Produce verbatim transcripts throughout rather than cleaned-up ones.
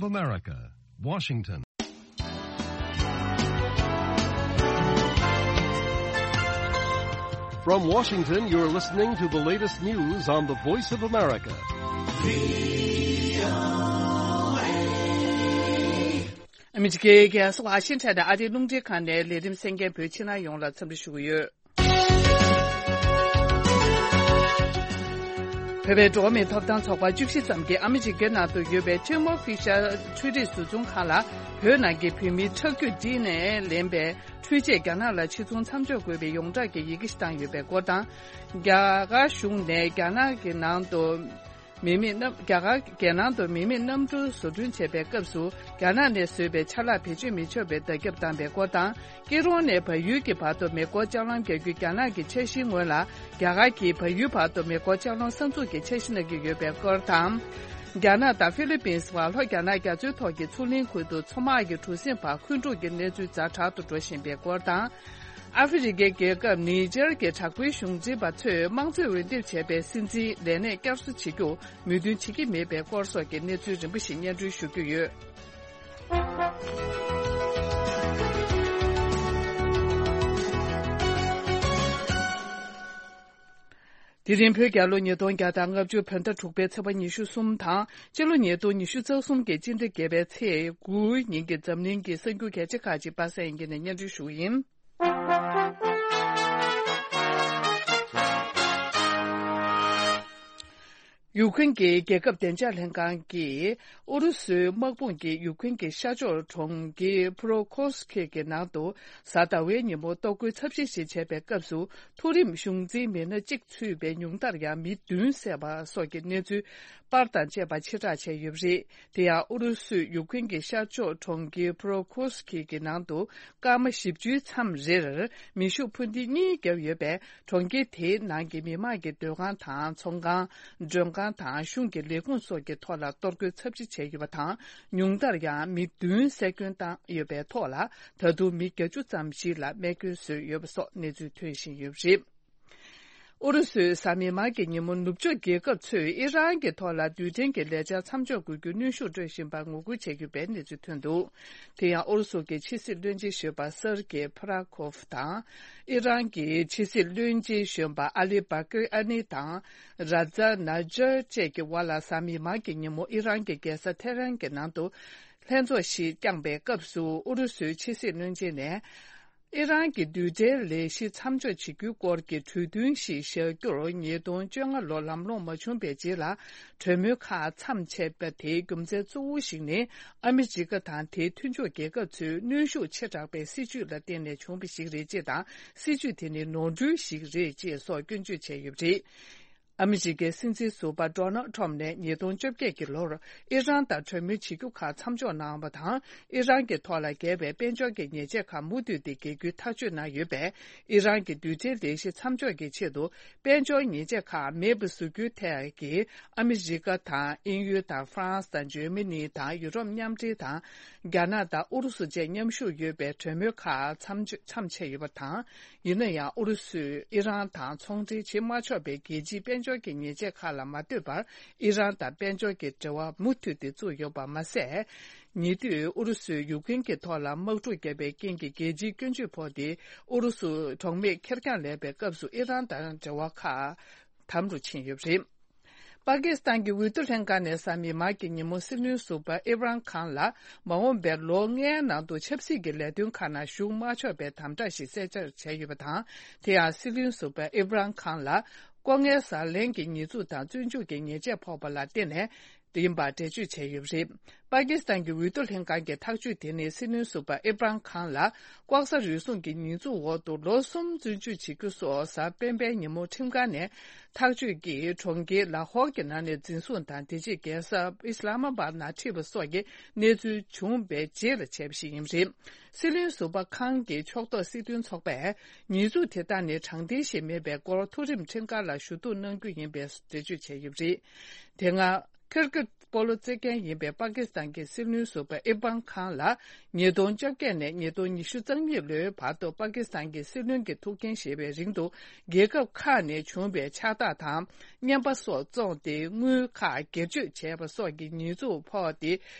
America, Washington. From Washington, you're listening to the latest news on the Voice of America. ཨ་མི་རི་ཀའི་རྒྱལ་ས་ཝ་ཤིང་ཊོན་དང་ཨ་རིའི་རླུང་འཕྲིན་ཁང་ནས་ལས་རིམ་གསན་མཁན་བོད་ཕྱི་ནང་ཡོངས་ལ་འཚམས་འདྲི་ཞུ་གི་ཡོད། བོད་པའི་འགྲོ་བ་མིའི་ཐོབ་ཐང་ཚོགས་པ་བཅུ་བཞི་ཙམ་གྱིས་ཨ་མི་རི་ཀའི་ནང་དུ་ཡོད་པའི་ཐེར་མོ་ཕི་ཤར་འཕྲུལ་རིག་བཟོ་ཚོང་ཁང་ལ་བོད་ནང་གི་བོད་མིའི་ཁྲག་རྒྱུད་ཌི་ཨེན་ཨེ་ལེན་པའི་འཕྲུལ་ཆས་རྒྱ་ནག་ལ་ཕྱིར་ཚོང་མཚམས་འཇོག་དགོས་པའི་ཡོངས་གྲགས་ཀྱི་ཡི་གེ་ཞིག་བཏང་ཡོད་པའི་སྐོར་དང་། རྒྱ་གར་གཞུང་ནས་རྒྱ་ནག་གི་ནང་དུ། མི་མེད་གནམ། རྒྱ་གར་རྒྱལ་ནང་དུ་མི་མེད་གནམ་གྲུ་བཟོ་སྐྲུན་བྱེད་པའི་སྐབས་སུ་རྒྱ་ནག་ནས་བཟོས་པའི་ཆ་ལག་བེད་སྤྱོད་མི་ཆོག་པའི་བརྡ་ཁྱབ་བཏང་པའི་སྐོར་དང་། སྐྱིད་རོང་ནས་བལ་ཡུལ་གྱི་བར་དུ་མེ་འཁོར་ལྕགས་ལམ་རྒྱག་རྒྱུའི་རྒྱ་ནག་གི་འཆར་གཞིའི་སྔོན་ལ་རྒྱ་གར་གྱིས་བལ་ཡུལ་བར་དུ་མེ་འཁོར་ལྕགས་ལམ་གསར་འཛུགས་ཀྱི་འཆར་གཞི་གནང་གི་ཡོད་པའི་སྐོར་དང་། རྒྱ་ནག་དང་ཧྥི་ལི་པིན་བར་ལྷོ་རྒྱ་ནག་རྒྱ་མཚོའི་ཐོག་གི་མཚོ་གླིང་ཁུལ་དུ་མཚོ་དམག་གི་གྲུ་གཟིངས་བར་འཁོན་འཁྲུག་གི་གནས་ཚུལ་ཛ་དྲག་ཏུ་འགྲོ་བཞིན་པའི་སྐོར་དང་། ཨ་ཧྥེ་རི་ཁའི་རྒྱལ་ཁབ་ནི་ཇར་གྱི་དྲག་པོའི་གཞུང་འཛིན་པ་ཚོས་དམངས་གཙོའི་འོས་འདེམས་བྱས་པའི་སྲིད་འཛིན་ལས་གནས་བསྐྱར་གསོ་བྱེད་རྒྱུར་མོས་མཐུན་བྱེད་ཀྱི་མེད་པའི་སྐོར་སོགས་ཀྱི་གནས་ཚུལ་རིམ་པ་ཞིག་སྙན་སྒྲོན་ཞུ་རྒྱུ་ཡོད། དེ་རིང་བོད་རྒྱལ་ལོ་ཉིས་སྟོང་བརྒྱ་དང་ལྔ་བཅུ་བོད་ཟླ་དྲུག་པའི་ཚེས་པ་ཉི་ཤུ་གསུམ་དང་། སྤྱི་ལོ་ཉིས་སྟོང་ཉི་ཤུ་རྩ་གསུམ་གྱི་སྤྱི་ཟླ་བརྒྱད་པའི་ཚེས་དགུའི་ཉིན་གྱི་འཛམ་གླིང་གི་གསར་འགྱུར་གལ་ཆེ་ཁག་ཅིག་པ་སངས་དབྱངས་སྐྱིད་ནས་སྙན་སྒྲོན་ཞུ་གི་ཡིན། ཡུཀ་རེན་གྱི་རྒྱལ་ཁབ་བདེ་འཇགས་ལྷན་ཁང་གིས་ཨུ་རུ་སུའི་དམག་དཔུང་གིས་ཡུཀ་རེན་གྱི་ཤར་ཕྱོགས་གྲོང་ཁྱེར་ཕུ་རོ་ཁོ་སི་ཁི་གི་ནང་དུ་གཟའ་ཟླ་བའི་ཉིན་མོ་གཏོར་རྒོལ་ཚབས་ཆེ་ཞིག་བྱས་པའི་སྐབས་སུ། མཐོ་རིམ་གཞུང་འཛིན་མི་སྣ་གཅིག་ཚུད་པའི་ཉུང་མཐར་ཡང་མི་བདུན་བསད་པ་སོགས་ཀྱི་གནས་ཚུལ་པར་དང་བཅས་པ་ཕྱིར་བསྒྲགས་བྱས་ཡོད་པ་རེད། དེ་ཡང་ཨུ་རུ་སུས་ཡུཀ་རེན་གྱི་ཤར་ཕྱོགས་གྲོང་ཁྱེར་ཕུ་རོ་ཁོ་སི་ཁི་གི་ནང་དུ་སྐར་མ་བཞི་བཅུའི་མཚམས་རེར་མེ་ཤུགས་འཕུར་མདེལ་གཉིས་བརྒྱབ་ཡོད་པས། གྲོང་ཁྱེར་དེའི་ནང་གི་མི་མང་གི་སྡོད་ཁང་དང་ཚོང་ཁང་། མགྲོན་ཁང་དང་གཞུང་གི་ལས་ཁུངས་སོགས་ཀྱི་ཐོག་ལ་གཏོར་རྒོལ་ཚབས་ཆེ་བྱས་ཡོད་པ་དང་། ཉུང་མཐར་ཡང་མི་བདུན་བསད་སྐྱོན་བཏང་ཡོད་པའི་ཐོག་ལ། ད་དུང་མི་བརྒྱད་ཅུ་ཙམ་ཞིག་ལ་རྨས་སྐྱོན་བཟོས་ཡོད་པ་སོགས་གནས་ཚུལ་ཐོན་བཞིན་ཡོད་པ་རེད། ཨུ་རུ་སུས་གཟའ་མིག་དམར་གྱི་ཉིན་མོ་ནུབ་ཕྱོགས་རྒྱལ་ཁབ་ཚོས་ཨི་རན་གྱི་ཐོག་ལ་རྡུལ་ཕྲན་གྱི་ལས་འཆར་མཚམས་འཇོག་དགོས་རྒྱུའི་གནོན་ཤུགས་སྤྲོད་བཞིན་པར་ངོ་རྒོལ་བྱེད་ཀྱི་ཡོད་པའི་གནས་ཚུལ་ཐོན་འདུག་དེ་ཡང་ཨུ་རུ་སུ་གྱི་ཕྱི་སྲིད་བློན་ཆེན་གཞོན་པ་སར་གེ་ཕ་ར་ཁོབ་དང་། ཨི་རན་གྱི་ཕྱི་སྲིད་བློན་ཆེན་གཞོན་པ་ཨ་ལི་བྷ་ཀི་ཨ་ནི་དང་། ར་ཛ་ན་ཇར་བཅས་ཀྱི་དབར་ལ་གཟའ་མིག་དམར་གྱི་ཉིན་མོ་ཨི་རན་གྱི་རྒྱལ་ས་ཐེ་རན་གྱི་ནང་དུ་ལྷན་ཚོགས་ཤིག་བསྐྱངས་པའི་སྐབས་སུ། ཨུ་རུ་སུའི་ཕྱི་སྲིད་བློན་ཆེན་ནས། ཨི་རན་གྱི་རྡུལ་ཕྲན་ལས་གཞི་མཚམས་འཇོག་བྱེད་རྒྱུའི་སྐོར་གྱི་གྲོས་མཐུན་ཞིག་བཞག་རྒྱུར་ཉིས་སྟོང་བཅོ་ལྔ་ལོ་ལམ་ལྷོང་མ་བྱུང་བའི་རྗེས་ལ། གྲོས་མོལ་ཁག་མཚམས་ཆད་པ་དེའི་རྒྱུ་མཚན་གཙོ་བོ་ཞིག་ནི། ཨ་མི་རི་ཀ་དང་དེའི་མཐུན་ཕྱོགས་རྒྱལ་ཁབ་ཚོའི་གནོན་ཤུགས་ཆེ་དྲགས་པའི་སྲིད་ཇུས་ལ་བརྟེན་ནས་བྱུང་བ་ཞིག་རེད་ཅེས་དང་། སྲིད་ཇུས་དེ་ནི་ནོར་འཁྲུལ་ཞིག་རེད་ཅེས་སོགས་སྐྱོན་བརྗོད་བྱས་ཡོད་པ་རེད། ཨ་མི་རི་ཀའི་སྲིད་འཛིན་ཟུར་པ་ཌོ་ནལ་ཁྲོམ་ནས་ཉིས་སྟོང་བཅོ་བརྒྱད་ཀྱི་ལོར་ཨི་རན་དང་གྲོས་མོལ་བྱེད་རྒྱུ་ཁག་མཚམས་འཇོག་གནང་བ་དང་། ཨི་རན་གྱི་ཐོག་ལ་འགེལ་བའི་དཔལ་འབྱོར་གྱི་ཉེས་ཆད་ཁག་མུ་མཐུད་དེ་འགེལ་རྒྱུའི་ཐག་གཅོད་གནང་ཡོད་པས། ཨི་རན་གྱི་རྡུལ་ཕྲན་ལས་གཞི་མཚམས་འཇོག་གི་ཆེད་དུ་དཔལ་འབྱོར་ཉེས་ཆད་ཁག་མེད་པ་བཟོ་རྒྱུའི་ཐད་ཀྱི་ཨ་མི་རི་ཀ་དང་དབྱིན་ཡུལ་དང་ཧྥ་རན་སི་དང་འཇར་མ་ནི་དང་ཡུ་རོབ་མཉམ་འབྲེལ་དང་། རྒྱ་ནག་དང་ཨུ་རུ་སུ་བཅས་མཉམ་ཞུགས་ཡོད་པའི་གྲོས་མོལ་ཁག་མཚམས་མཚམས་ཆད་ཡོད་པ་དང་། ཡིན་ན་ཡང་ཨུ་རུ་སུས་ཨི་རན་དང་ཚོང་འབྲེལ་བྱེད་མ་ཆོག་པའི་རྒྱལ་སྤྱིའི་དཔལ་འབྱོར་གྱི་ཉེས་ཆད་ཁག་ལ་མ་ལྟོས་པར། ཨི་རན་དང་དཔལ་འབྱོར་གྱི་འབྲེལ་བ་མུ་མཐུད་དེ་བཙུགས་ཡོད་པ་མ་ཟད། ཉེ་དུས་ཨུ་རུ་སུས་ཡུཀ་རེན་གྱི་ཐོག་ལ་དམག་འཁྲུག་བརྒྱབ་པའི་རྐྱེན་གྱིས་རྒྱལ་སྤྱིའི་སྐྱོན་བརྗོད་ཕོག་སྟེ། ཨུ་རུ་སུ་གྲོགས་མེད་ཁེར་རྐྱང་ལས་པའི་སྐབས་སུ་ཨི་རན་དང་འབྲེལ་བ་ཁག་དམ་རུ་ཕྱིན་ཡོད་པ་རེད། པ་ཀི་སི་ཐན་གྱི་འོས་བསྡུ་ལྷན་ཁང་ནས་གཟའ་མིག་དམར་གྱི་ཉིན་མོ་སྲིད་བློན་ཟུར་པ་ཨིབ་རན་ཁཱན་ལ་མ་འོངས་པའི་ལོ་ལྔའི་ནང་དུ་ཆབ་སྲིད་ཀྱི་ལས་དོན་ཁག་ནང་ཞུགས་མ་ཆོག་པའི་དམ་དྲག་ཞིག་གསལ་བསྒྲགས་བྱས་ཡོད་པ་དང་། དེ་ཡང་སྲིད་བློན་ཟུར་པ་ཨིབ་རན་ཁཱན་ལ་ལྐོག་རྔན་ཟ་ལེན་གྱི་ཉེས་འཛུགས་དང་བཙོན་འཇུག་གི་ཉེས་ཆད་ཕོག་པ་ལ་བརྟེན་ནས་ཡིན་པ་འགྲེལ་བརྗོད་བྱས་ཡོད་པ་རེད། པ་ཀི་སི་ཐན་གྱི་འོས་བསྡུ་ལྷན་ཁང་གི་ཐག་གཅོད་དེ་ནི་སྲིད་བློན་ཟུར་པ་ཨིབ་རན་ཁཱན་ལ་ལྐོག་ཟ་རུལ་སུངས་ཀྱི་ཉེས་འཛུགས་འོག་ཏུ་ལོ་གསུམ་བཙོན་འཇུག་བྱེད་རྒྱུ་སོགས་གཟའ་སྤེན་པའི་ཉིན་མོ་ཁྲིམས་ཁང་ནས་ཐག་གཅོད་ཀྱིས་གྲོང་ཁྱེར་ལ་ཧོར་གྱི་ནང་ནས་འཛིན་བཟུང་དང་། དེ་རྗེས་རྒྱལ་ས་ཨི་སི་ལ་མ་པཱད་ནང་ཁྲིད་པ་སོགས་ཀྱི་གནས་ཚུལ་བྱུང་བའི་རྗེས་ལ་བྱས་པ་ཞིག་ཡིན་པ་རེད། སྲིད་བློན་ཟུར་པ་ཁཱན་གྱི་ཕྱོགས་གཏོགས་སྲིད་དོན་ཚོགས་པས་ཉེས་འཛུགས་དེ་དག་ནི་དྲང་བདེན་ཞིག་མིན་པའི་སྐོར་མཐོ་རིམ་ཁྲིམས་ཁང་ལ་ཞུ་གཏུག་གནང་རྒྱུ་ཡིན་པའི་འགྲེལ་བརྗོད་བྱས་ཡོད་པ་རེད། དེ་སྔ། ཁིར་ཀི་སྤོ་ལོ་རྩེད་མཁན་ཡིན་པའི་པ་ཀི་སི་ཐན་གྱི་སྲིད་བློན་ཟུར་པ་ཨིར་པན་ཁཱན་ལ་ཉིས་སྟོང་བཅོ་བརྒྱད་ནས་ཉིས་སྟོང་ཉི་ཤུ་རྩ་གཉིས་ལོའི་བར་དུ་པ་ཀི་སི་ཐན་གྱི་སྲིད་བློན་གྱི་ཐུགས་འགན་བཞེས་པའི་རིང་དུ་རྒྱལ་ཁབ་ཁག་ནས་བྱུང་བའི་ཕྱག་རྟགས་དང་རྔན་པ་སོགས་བཙོངས་ཏེ་དངུལ་ཁག་སྒེར་གཅོད་བྱས་པ་སོགས་ཀྱི་ཉེས་འཛུགས་ཕོག་སྟེ་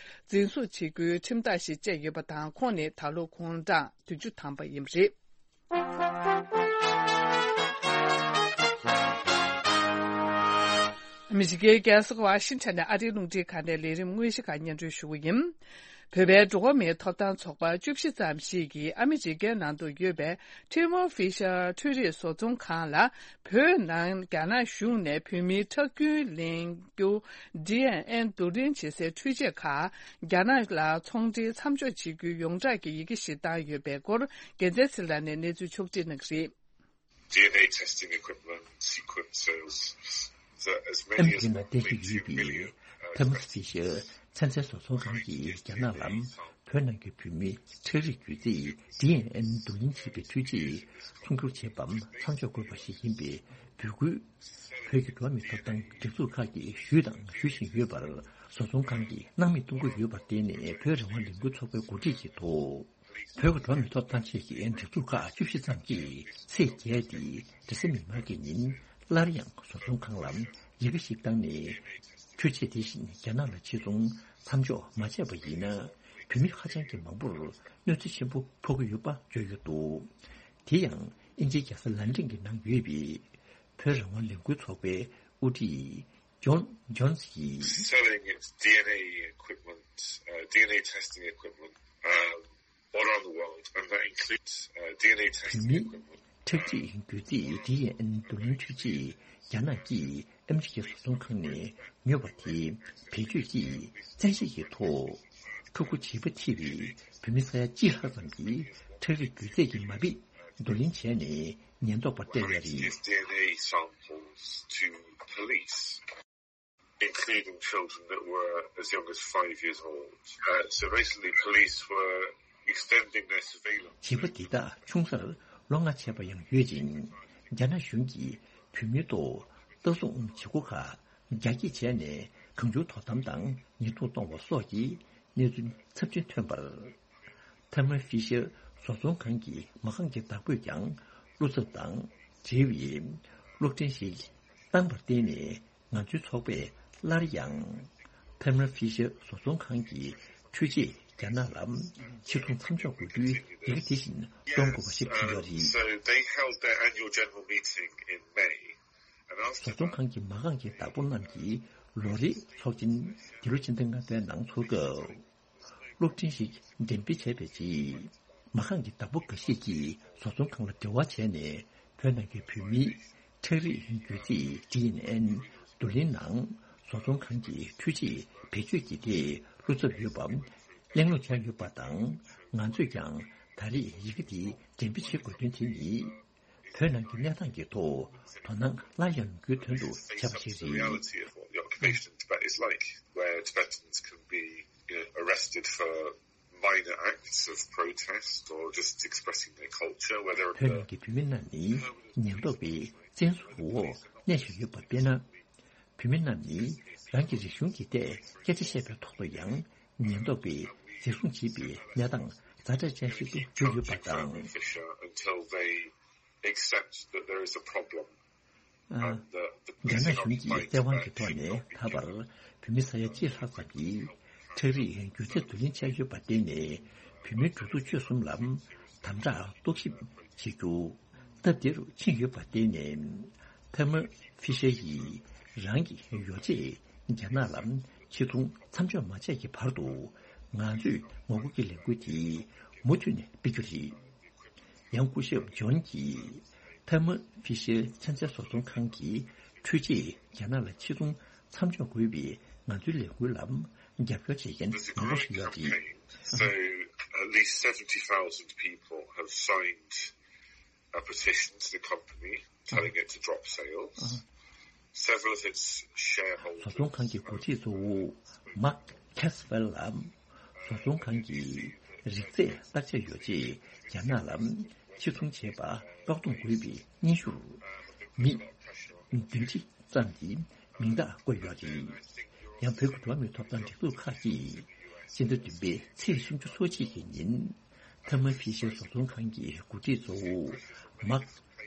འཛིན་བཟུང་བྱེད་རྒྱུའི་ཁྲིམས་ཐག་ཞིག་བཅད་ཡོད་པ་དང་ཁོང་ནི་ད་ལོ་དགུང་གྲངས་བདུན་ཅུ་ཐམ་པ་ཡིན་པ་རེད། ཨ་མི་རི་ཀའི་རྒྱལ་ས་ཝ་ཤིང་ཊོན་ནས་ཨ་རིའི་རླུང་འཕྲིན་ཁང་ནས་ལས་རིམ་དངོས་གཞི་ཁག་སྙན་སྒྲོན་ཞུ་གི་ཡིན། བོད་པའི་འགྲོ་བ་མིའི་ཐོབ་ཐང་ཚོགས་པ་བཅུ་བཞི་ཙམ་ཞིག་གིས་ཨ་མི་རི་ཀའི་ནང་དུ་ཡོད་པའི་ཐི་མོ་ཧྥི་ཤར་འཕྲུལ་རིག་བཟོ་ཚོང་ཁང་ལ་བོད་ནང་རྒྱ་ནག་གཞུང་ནས་བོད་མིའི་ཁྲག་རྒྱུན་ལེན་རྒྱུ་ཌི་ཨེན་ཨེན་བསྡུ་ལེན་བྱེད་སའི་འཕྲུལ་ཆས་ཁག་རྒྱ་ནག་ལ་ཚོང་འབྲེལ་མཚམས་འཇོག་བྱེད་རྒྱུའི་ཡོངས་གྲགས་ཀྱི་ཡི་གེ་ཞིག་བཏང་ཡོད་པའི་སྐོར་རྒྱལ་མཚན་ཚེ་ལགས་ནས་གནས་ཚུལ་ཕྱོགས་སྒྲིག་གནང་གི་རེད། ཌི་ཨེན་ཨེ་ཊེ་ཊེ་སི་ཊིང་ཨི་ཀུའིབ་མེན་ཊི་སི་ཀུ་ཝེན་སི་ཨ་མི་རི་ཀའི་ནང་བསྡད་ཀྱི་ཡོད་པའི་ཐེ་མོ་ཧྥི་ཤར་ཚན་རྩལ་བཟོ་ཚོང་ཁང་གིས་རྒྱ་ནག་ལ་བོད་ནང་གི་བོད་མིའི་ཁྲག་རིགས་རྒྱུད་རྫས་ཌི་ཨེན་ཨེན་བསྡུ་ལེན་བྱེད་པའི་འཕྲུལ་ཆས་ཚོང་སྒྱུར་བྱེད་པའམ་མཚམས་འཇོག་དགོས་པ་ཞིག་ཡིན་པའི་འབོད་སྐུལ། བོད་ཀྱི་འགྲོ་བ་མིའི་ཐོབ་ཐང་སྒྲིག་འཛུགས་ཁག་གིས་ཞུས་དང་ཞུ་བཞིན་ཡོད་པར་བཟོ་ཚོང་ཁང་གིས་སྣང་མེད་གཏོང་གི་ཡོད་པར་བརྟེན་ནས་བོད་རང་དབང་ལས་འགུལ་ཚོགས་པའི་འགོ་ཁྲིད་ཀྱིས་ཐོག་བོད་ཀྱི་འགྲོ་བ་མིའི་ཐོབ་ཐང་ཆེད་ཀྱི་སྒྲིག་འཛུགས་ཁག་བཅུ་བཞི་ཙམ་གྱིས་ཚེས་བརྒྱད་སྟེ་རེས་གཟའ་མིག་དམར་གྱི་ཉིན་སླར་ཡང་བཟོ་ཚོང་ཁང་ལ་ཡི་གེ་ཞིག་བཏང་ནས། འཕྲུལ་ཆས་དེ་བཞིན་རྒྱ་ནག་ལ་ཕྱིར་ཚོང་མཚམས་འཇོག་མ་བྱས་པ་ཡིན་ན། བོད་མི་ཧ་ཅང་གི་མང་པོར་གནོད་འཚེ་ཆེན་པོ་ཕོག་གི་ཡོད་པ་བརྗོད་ཡོད་འདུག་དེ་ཡང་དབྱིན་ཇིའི་རྒྱལ་ས་ལན་ཀྲན་གྱི་ནང་ཡོད་པའི་བོད་རང་དབང་ལས་འགུལ་ཚོགས་པའི་དབུ་ཁྲིད་ཇོན་ཇོན་སི་ཡིས། Selling its ཌི་ཨེན་ཨེ equipment, uh, ཌི་ཨེན་ཨེ་ཊེ་སི་ཊིང་ཨི་ཀུའིབ་མེན་ཊི, um, all around the world, and that includes, uh, ཌི་ཨེན་ཨེ་ཊེ་སི་ཊིང་ཨི་ཀུའིབ་མེན་ཊི། བོད་མིའི་ཁྲག་རྩིས་རྒྱུད་རྫས་ཌི་ཨེན་ཨེན་བསྡུ་ལེན་འཕྲུལ་ཆས་རྒྱ་ནག་གིས་ཨ་མི་རི་ཀའི་བཟོ་ཚོང་ཁང་ནས་ཉོས་པ་དེ་བེད་སྤྱོད་ཀྱིས་བཙན་ཤེད་ཀྱི་ཐོག་ཕྲུ་གུ་བྱིས་པ་ཐེ་བའི་བོད་མི་ས་ཡ་གཅིག་ལྷག་ཙམ་གྱི་ཁྲག་རིགས་རྒྱུད་རྫས་ཀྱི་མ་དཔེ་བསྡུ་ལེན་བྱས་ནས་ཉེན་རྟོག་པར་སྤྲད་ཡོད་རེད། His ཌི་ཨེན་ཨེ samples to police, including children that were as young as five years old. Uh, so basically, police were extending their surveillance. བྱིས་པ་འདི་དག་ཆུང་སར་ལོ་ལྔ་བྱས་པ་ཡང་ཡོད་ཅིང་། རྒྱ་ནག་གཞུང་གིས་བོད་མིའི་ཐོག་ལྟ་སྲུང་བྱེད་སྒོ་ཁག་རྒྱ་སྐྱེད་བྱས་ནས་གང་བྱུང་དོ་དམ་དང་ཉེས་རྡུང་གཏོང་བ་སོགས་ཀྱི་གནས་ཚུལ་ཚབས་ཆེན་ཐོན་པར། ཐེར་མ་ཧྥི་ཤར་བཟོ་ཚོང་ཁང་གི་མ་རྐང་གི་བདག་པོས་ཀྱང་བློ་འཚབ་དང་འབྲེལ་བའི་གློག་འཕྲིན་ཞིག་བཏང་བར་བརྟེན་ནས། ང་ཚོའི་ཚོགས་པས་སླར་ཡང་ཐེར་མ་ཧྥི་ཤར་བཟོ་ཚོང་ཁང་གི་འཕྲུལ་ཆས་རྒྱ་ནག་ལ་ཕྱིར་ཚོང་མཚམས་འཇོག་དགོས་རྒྱུའི་ཡི་གེ་དེ་བཞིན་གཏོང་དགོས་པ་ཞིག་བྱུང་ཡོད་རེད། So they held their annual general meeting in May. བཟོ་ཚོང་ཁང་གི་མ་རྐང་གི་བདག་པོ་རྣམས་ཀྱིས་ལོ་རེའི་ཚོགས་ཆེན་འདི་ལོ་ཕྱི་ཟླ་ལྔ་པའི་ནང་ཚོགས་སྐབས། གློག་འཕྲིན་ཞིག་འགྲེམས་སྤེལ་བྱས་པའི་རྗེས། མ་རྐང་གི་བདག་པོ་འགའ་ཤས་ཀྱིས་བཟོ་ཚོང་ཁང་ལ་འབྲེལ་བ་བྱས་ནས་བོད་ནང་གི་བོད་མིའི་ཁྲག་རིགས་རྒྱུད་རྫས་ཌི་ཨེན་ཨེན་བསྡུ་ལེན་ནང་བཟོ་ཚོང་ཁང་གི་འཕྲུལ་ཆས་བེད་སྤྱོད་ཀྱི་ཐད་བློ་འཚབ་ཡོད་པ་གླེང་སློང་བྱས་ཡོད་པ་དང་། ང་ཚོས་ཀྱང་ད་རེས་ཡི་གེ་འདི་འགྲེམས་སྤེལ་བྱེད་དགོས་དོན་དེ་ནི། བོད་ནང་གི་གནས་སྟངས་ཀྱི་ཐོག་དོ་སྣང་སླར་ཡང་ཡོང་རྒྱུའི་དོན་དུ་བྱས་པ་ཞིག་རེད། Reality of what the occupation in Tibet is like, where Tibetans can be, you know, arrested for minor acts of protest or just expressing their culture, whether བོད་ནང་གི་བོད་མི་རྣམས་ནི་ཉེན་རྟོག་པའི་བཙན་བཟུང་འོག་གནས་བཞིན་ཡོད་པ་དཔེར་ན། བོད་མི་རྣམས་ནི་རང་གི་རིག་གཞུང་གི་ཐད་སྐད་ཆ་བཤད་པའི་ཐོག་ཏུ་ཡང་ཉེན་རྟོག་པས་འཛིན་བཟུང་བྱེད་པའི་གནས་སྟངས་ཛ་དྲག་ཅན་ཞིག་ཏུ་གྱུར་ཡོད་པ་དང་། Accept that there is a problem. ཨ། རྒྱ་ནག་གཞུང་གིས་བཙན་དབང་གི་ཐོག་ནས་ད་བར་བོད་མི་ས་ཡ་གཅིག་ལྷག་ཙམ་གྱིས་ཁྲག་རིགས་རྒྱུད་རྫས་བསྡུ་ལེན་བྱས་ཡོད་པར་བརྟེན་ནས། བོད་མིའི་འགྲོ་འདུག་སྤྱོད་གསུམ་ལ་དམ་དྲག་རྟོག་ཞིབ་བྱེད་རྒྱུ་སྟབས་བདེ་རུ་ཕྱིན་ཡོད་པར་བརྟེན་ནས། ཐེར་མ་ཧྥི་ཤར་ཡིས་རང་གི་ཡོ་བྱད་རྒྱ་ནག་ལ་ཕྱིར་ཚོང་མཚམས་འཇོག་མ་བྱས་ཀྱི་བར་དུ། ང་ཚོས་ངོ་རྒོལ་གྱི་ལས་འགུལ་དེ་མུ་མཐུད་ནས་སྤེལ་རྒྱུ་རེད། ཡང་སྐུ་ཞབས་ཇོན་གྱིས་ཐ་མ་ཧྥི་ཤར་ཚན་རྩལ་བཟོ་ཚོང་ཁང་གི་འཕྲུལ་ཆས་རྒྱ་ནག་ལ་ཕྱིར་ཚོང་མཚམས་འཇོག་དགོས་པའི་ང་ཚོའི་ལས་འགུལ་ལ་རྒྱབ་སྐྱོར་བྱེད་མཁན་མང་པོ་ཞིག་ཡོད་རེད། So, at least seventy thousand people have signed a petition to the company telling it to drop sales. Several of its shareholders. བཟོ་ཚོང་ཁང་གི་འགོ་ཁྲིད་གཙོ་བོ་མཱག་ཁེ་སི་ཝེལ་ལ། བཟོ་ཚོང་ཁང་གིས་རིག་རྩལ་བརྟག་དཔྱད་ཡོ་བྱད་རྒྱ་ནག་ལ་ཕྱིར་ཚོང་བྱེད་པ་བཀག་སྡོམ་དགོས་པའི་སྙན་ཞུར། མི་བདུན་ཁྲི་ཙམ་གྱིས་མིང་རྟགས་བཀོད་ཡོད་རེད། ཡང་བོད་ཀྱི་འགྲོ་བ་མིའི་ཐོབ་ཐང་སྒྲིག་འཛུགས་ཁག་གིས་སྤྱི་ཟླ་བདུན་པའི་ཚེས་སུམ་ཅུ་སོ་གཅིག་གི་ཉིན་ཐར་མ་ཕི་ཤར་བཟོ་ཚོང་ཁང་གི་འགོ་ཁྲིད་གཙོ་བོ་མཱག་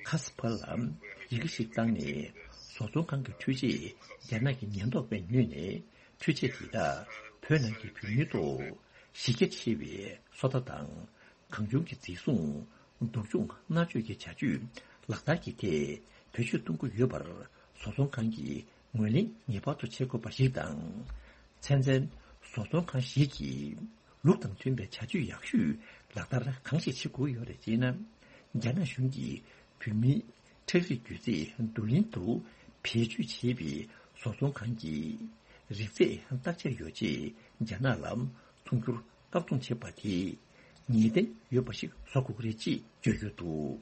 ཁ་སི་ཕར་ལ་ཡི་གེ་ཞིག་བཏང་ནས། བཟོ་ཚོང་ཁང་གི་འཕྲུལ་ཆས་རྒྱ་ནག་གི་ཉེན་རྟོག་པས་ཉོས་ནས། འཕྲུལ་ཆས་དེ་དག་བོད་ནང་གི་བོད་མིའི་ཐོག་གཞི་རྒྱ་ཆེ་བའི་བཟོ་ལྟ་དང་། གང་བྱུང་གི་འཛིན་བཟུང་། སྡུག་སྦྱོང་མནར་གཅོད་ཀྱི་བྱ་སྤྱོད་ལག་བསྟར་གྱི་ཐད་བེད་སྤྱོད་གཏོང་གི་ཡོད་པར། བཟོ་ཚོང་ཁང་གིས་ངོས་ལེན་ངེས་པར་དུ་བྱེད་དགོས་པ་ཞིག་དང་། ཚན་རྩལ་བཟོ་ཚོང་ཁང་ཞིག་གིས་ལུགས་དང་མཐུན་པའི་བྱ་སྤྱོད་ཡག་ཤོས་ལག་བསྟར་གང་ཞིག་བྱེད་དགོས་ཡོད་རེད་ཅེ་ན། རྒྱ་ནག་གཞུང་གིས་བོད་མིའི་ཁྲག་རིགས་རྒྱུད་རྫས་བསྡུ་ལེན་དུ་བེད་སྤྱོད་བྱས་པའི་བཟོ་ཚོང་ཁང་གི་རིགས་རྫས་བརྟག་དཔྱད་ཡོ་ཆས་རྒྱ་ནག་ལ་ཚོང་སྒྱུར་བཀག་སྡོམ་བྱས་པ་དེས་ངེས་གཏན་ཡོད་པ་ཞིག་བཟོ་དགོས་ཀྱི་རེད་ཅེས་བརྗོད་ཡོད་འདུག་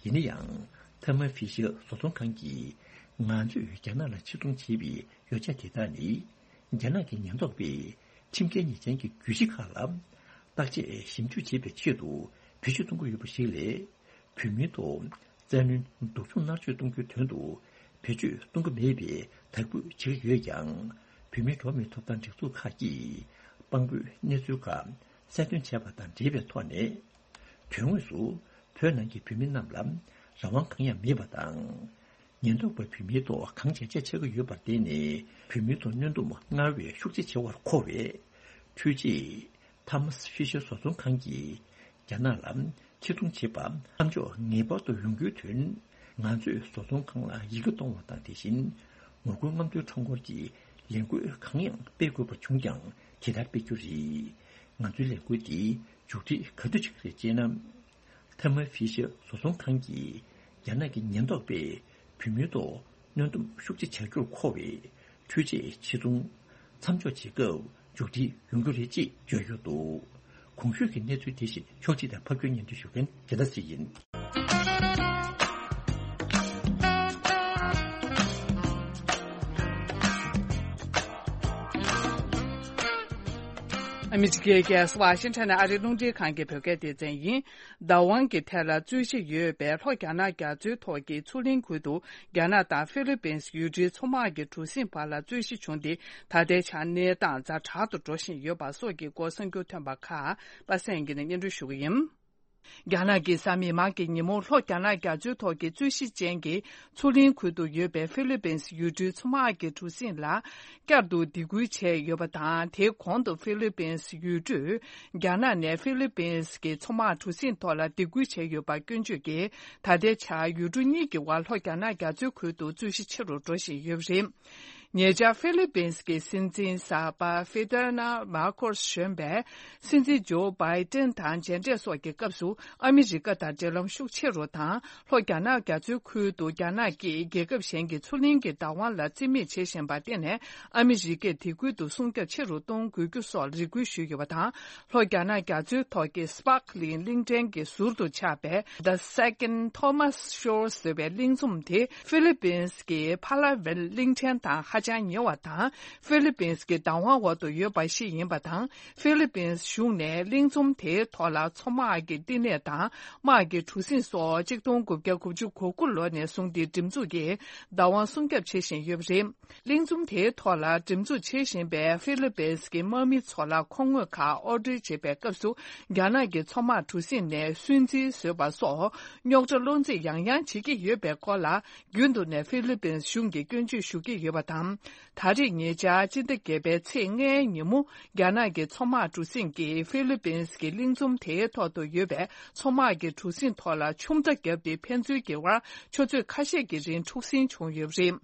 ཡིན་ན་ཡང་། ཐར་མ་ཕི་ཤར་བཟོ་ཚོང་ཁང་གིས་ང་ཚོས་རྒྱ་ནག་ལ་ཕྱིར་གཏོང་བྱས་པའི་ཡོ་ཆས་དེ་དག་ནི། རྒྱ་ནག་གི་ཉེན་རྟོག་པས་ཁྲིམས་འགལ་ཉེས་ཅན་གྱི་གྱོད་གཞི་ཁག་ལ་བརྟག་དཔྱད་ཞིབ་འཇུག་བྱེད་པའི་ཆེད་དུ་བེད་སྤྱོད་གཏོང་གི་ཡོད་པ་ཞིག་ལས། བོད་མིའི་ཐོག་བཙན་གནོན་སྡུག་སྦྱོང་མནར་གཅོད་གཏོང་རྒྱུའི་དོན་དུ་བེད་སྤྱོད་གཏོང་གི་མེད་པའི་དག་འབུལ་བྱེད་ཀྱི་ཡོད་ཀྱང་། བོད་མིའི་འགྲོ་བ་མིའི་ཐོབ་ཐང་སྒྲིག་འཛུགས་ཁག་གིས་དཔང་པོའི་གནས་ཚུལ་ཁག་གསལ་སྟོན་བྱས་པ་དང་འབྲེལ་བའི་ཐོག་ནས། དོན་དངོས་སུ་བོད་ནང་གི་བོད་མི་རྣམས་ལ་རང་དབང་གང་ཡང་མེད་པ་དང་། ཉེན་རྟོག་པས་བོད་མིའི་ཐོག་གང་བྱས་བྱས་བྱེད་ཀྱི་ཡོད་པར་བརྟེན་ནས། བོད་མིའི་ཐོག་གནོན་སྡོམ་སྔར་བས་ཤུགས་ཆེ་བྱེད་པར་མཁོ་བས། འཕྲུལ་ཆས་ཐ་མ་ཕི་ཤར་བཟོ་ཚོང་ཁང་གིས་རྒྱ་ནག་ལ་ཕྱིར་གཏོང་བྱེད་པ་མཚམས་འཇོག་ངེས་པར་དུ་ཡོང་རྒྱུའི་དོན། ང་ཚོས་བཟོ་ཚོང་ཁང་ལ་ཡི་གེ་གཏོང་བ་དང་། དེ་བཞིན་ངོ་རྒོལ་རྔམ་སྟོན་ཁྲོམ་སྐོར་གྱི་ལས་འགུལ་གང་ཡང་སྤེལ་དགོས་པ་བྱུང་ཀྱང་། དེ་ལྟར་སྤེལ་རྒྱུ་རེད། ང་ཚོའི་ལས་འགུལ་འདི་མཇུག་སྒྲིལ་ག་དུས་བྱེད་ཀྱི་རེད་ཅེ་ན། ཐ་མ་ཕི་ཤར་བཟོ་ཚོང་ཁང་གིས་རྒྱ་ནག་གི་ཉེན་རྟོག་པས་བོད་མིའི་ཐོག་གནོན་སྡོམ་ཤུགས་ཆེ་བྱ་རྒྱུར་མཁོ་བས། འཕྲུལ་ཆས་ཕྱིར་གཏོང་མཚམས་འཇོག་བྱེད་སྐབས་མཇུག་སྒྲིལ་ཡོང་རྒྱུ་རེད་ཅེས་བརྗོད་ཡོད་འདུག་གོང་ཞུས་ཀྱི་གནས་ཚུལ་དེ་བཞིན་ཕྱོགས་སྒྲིག་དང་ཕབ་སྒྱུར་སྙན་སྒྲོན་ཞུ་མཁན་རྒྱལ་ལགས་སྲིད་ཡིན། ཨ་མི་རི་ཀའི་རྒྱལ་ས་ཝ་ཤིང་ཊོན་ནས་ཨ་རིའི་རླུང་འཕྲིན་ཁང་གི་བོད་སྐད་སྡེ་ཚན་ཡིན། བདག་དབང་གི་ཐད་ལ་རྩོད་གཞི་ཡོད་པའི་ལྷོ་རྒྱ་ནག་རྒྱ་མཚོའི་ཐོག་གི་མཚོ་གླིང་ཁུལ་དུ། རྒྱ་ནག་དང་ཧྥི་ལི་པིན་ཡུལ་གྲུའི་མཚོ་དམག་གི་གྲུ་གཟིངས་བར་ལ་རྩོད་གཞི་བྱུང་སྟེ། ད་ལྟའི་ཆར་གནས་སྟངས་ཛ་དྲག་ཏུ་འགྲོ་བཞིན་ཡོད་པ་སོགས་ཀྱི་སྐོར་གསར་འགྱུར་ཐོན་པ་ཁག་པ་སངས་སྐྱིད་ནས་སྙན་སྒྲོན་ཞུ་གི་ཡིན། རྒྱ་ནག་གི་གཟའ་མིག་དམར་གྱི་ཉིན་མོ་ལྷོ་རྒྱ་ནག་རྒྱ་མཚོའི་ཐོག་གི་རྩོད་གཞི་ཅན་གྱི་མཚོ་གླིང་ཁུལ་དུ་ཡོད་པའི་ཧྥི་ལི་པིན་ཡུལ་གྲུའི་མཚོ་དམག་གི་གྲུ་གཟིངས་ལ་བསྐྱར་དུ་སྡིགས་སྐུལ་བྱས་ཡོད་པ་དང་། དེའི་གོང་དུ་ཧྥི་ལི་པིན་ཡུལ་གྲུས་རྒྱ་ནག་ནས་ཧྥི་ལི་པིན་གྱི་མཚོ་དམག་གྲུ་གཟིངས་ཐོག་ལ་སྡིགས་སྐུལ་བྱས་ཡོད་པ་སྐྱོན་བརྗོད་ཀྱིས། ད་ལྟའི་ཆར་ཡུལ་གྲུ་གཉིས་ཀྱི་དབར་ལྷོ་རྒྱ་ནག་རྒྱ་མཚོའི་ཁུལ་དུ་རྩོད་གཞི་ཆེ་རུ་འགྲོ་བཞིན་ཡོད་པ་རེད། ཉེ་ཆར་ཧྥི་ལི་པིན་གྱི་སྲིད་འཛིན་གསར་པ་ཧྥི་ཏེ་ན་མར་ཁོ་སི་གཞོན་པས་སྲིད་འཛིན་ཇོ་བྷའི་ཏན་དང་མཇལ་འཕྲད་སོགས་ཀྱི་སྐབས་སུ། ཨ་མི་རི་ཀ་དང་འབྲེལ་ལམ་ཤུགས་ཆེ་རུ་དང་། ལྷོ་རྒྱ་ནག་རྒྱ་མཚོའི་ཁུལ་དུ་རྒྱ་ནག་གིས་རྒྱལ་ཁབ་གཞན་གྱི་མཚོ་གླིང་གི་བདག་དབང་ལ་རྩིས་མེད་བྱེད་བཞིན་པར་བརྟེན་ནས། ཨ་མི་རི་ཀས་དེ་ཁུལ་དུ་སྲུང་སྐྱོབ་ཆེ་རུ་གཏོང་དགོས་རྒྱུ་སོགས་རེ་སྐུལ་ཞུས་ཡོད་པ་དང་། ལྷོ་རྒྱ་ནག་རྒྱ་མཚོའི་ཐོག་གི་སི་པར་ཀ་ལིང་གླིང་ཕྲན་གྱི་ཟུར་དུ་ཆགས་པའི་The Second Thomas Shores ཟེར་བའི་གླིང་ཚོམ་དེ་ཧྥི་ལི་པིན་གྱི་ཕ་ལ་ཝེལ་གླིང་ཕྲན་དང་ཧ་ཅང་ཉེ་བ་དང་། ཧྥི་ལི་པིན་གྱི་བདག་དབང་འོག་ཏུ་ཡོད་པ་ཞིག་ཡིན་པ་དང་། ཧྥི་ལི་པིན་གཞུང་ནས་གླིང་ཚོམ་དེའི་ཐོག་ལ་མཚོ་དམག་གི་བསྟི་གནས་དང་། དམག་གི་གྲུ་གཟིངས་སོགས་གཅིག་སྟོང་དགུ་བརྒྱ་དགུ་བཅུ་གོ་དགུ་ལོ་ནས་བཟུང་སྟེ་སྒྲིག་འཛུགས་ཀྱིས་བདག་དབང་སྲུང་སྐྱོབ་བྱེད་བཞིན་ཡོད་པ་རེད། གླིང་ཚོམ་དེའི་ཐོག་ལ་འགྲེམས་འཛུགས་བྱེད་བཞིན་པའི་ཧྥི་ལི་པིན་གྱི་དམག་མི་ཚོ་ལ་མཁོ་དངོས་ཁག་ཨོར་ཌར་བྱེད་པའི་སྐབས་སུ། རྒྱ་ནག་གི་མཚོ་དམག་གྲུ་གཟིངས་ནས་སུན་གཙེར་བཟོས་པ་སོགས་རྙོག་དྲ་སློང་རྩིས་ཡང་ཡང་བྱེད་ཀྱི་ཡོད་པའི་སྐོར་ལ། རྒྱུན་དུ་ནས་ཧྥི་ལི་པིན་གཞུང་གིས་སྐྱོན་བརྗོད་ཞུ་གི་ཡོད་པ་དང་། ད་རེས་ཉེ་ཆར་སྤྱི་ཟླ་བརྒྱད་པའི་ཚེས་ལྔའི་ཉིན་མོ། རྒྱ་ནག་གི་མཚོ་དམག་གྲུ་གཟིངས་ཀྱིས་ཧྥི་ལི་པིན་གྱི་གླིང་ཚོམ་དེའི་ཐོག་ཏུ་ཡོད་པའི་མཚོ་དམག་གི་གྲུ་གཟིངས་ཐོག་ལ་ཆུ་མདའ་བརྒྱབ་སྟེ། ཕན་ཚུན་གྱི་དབར་ཆུ་ཚོད་ཁ་ཤས་ཀྱི་རིང་འཁྲུག་ཟིང་བྱུང་ཡོད་པ་རེད།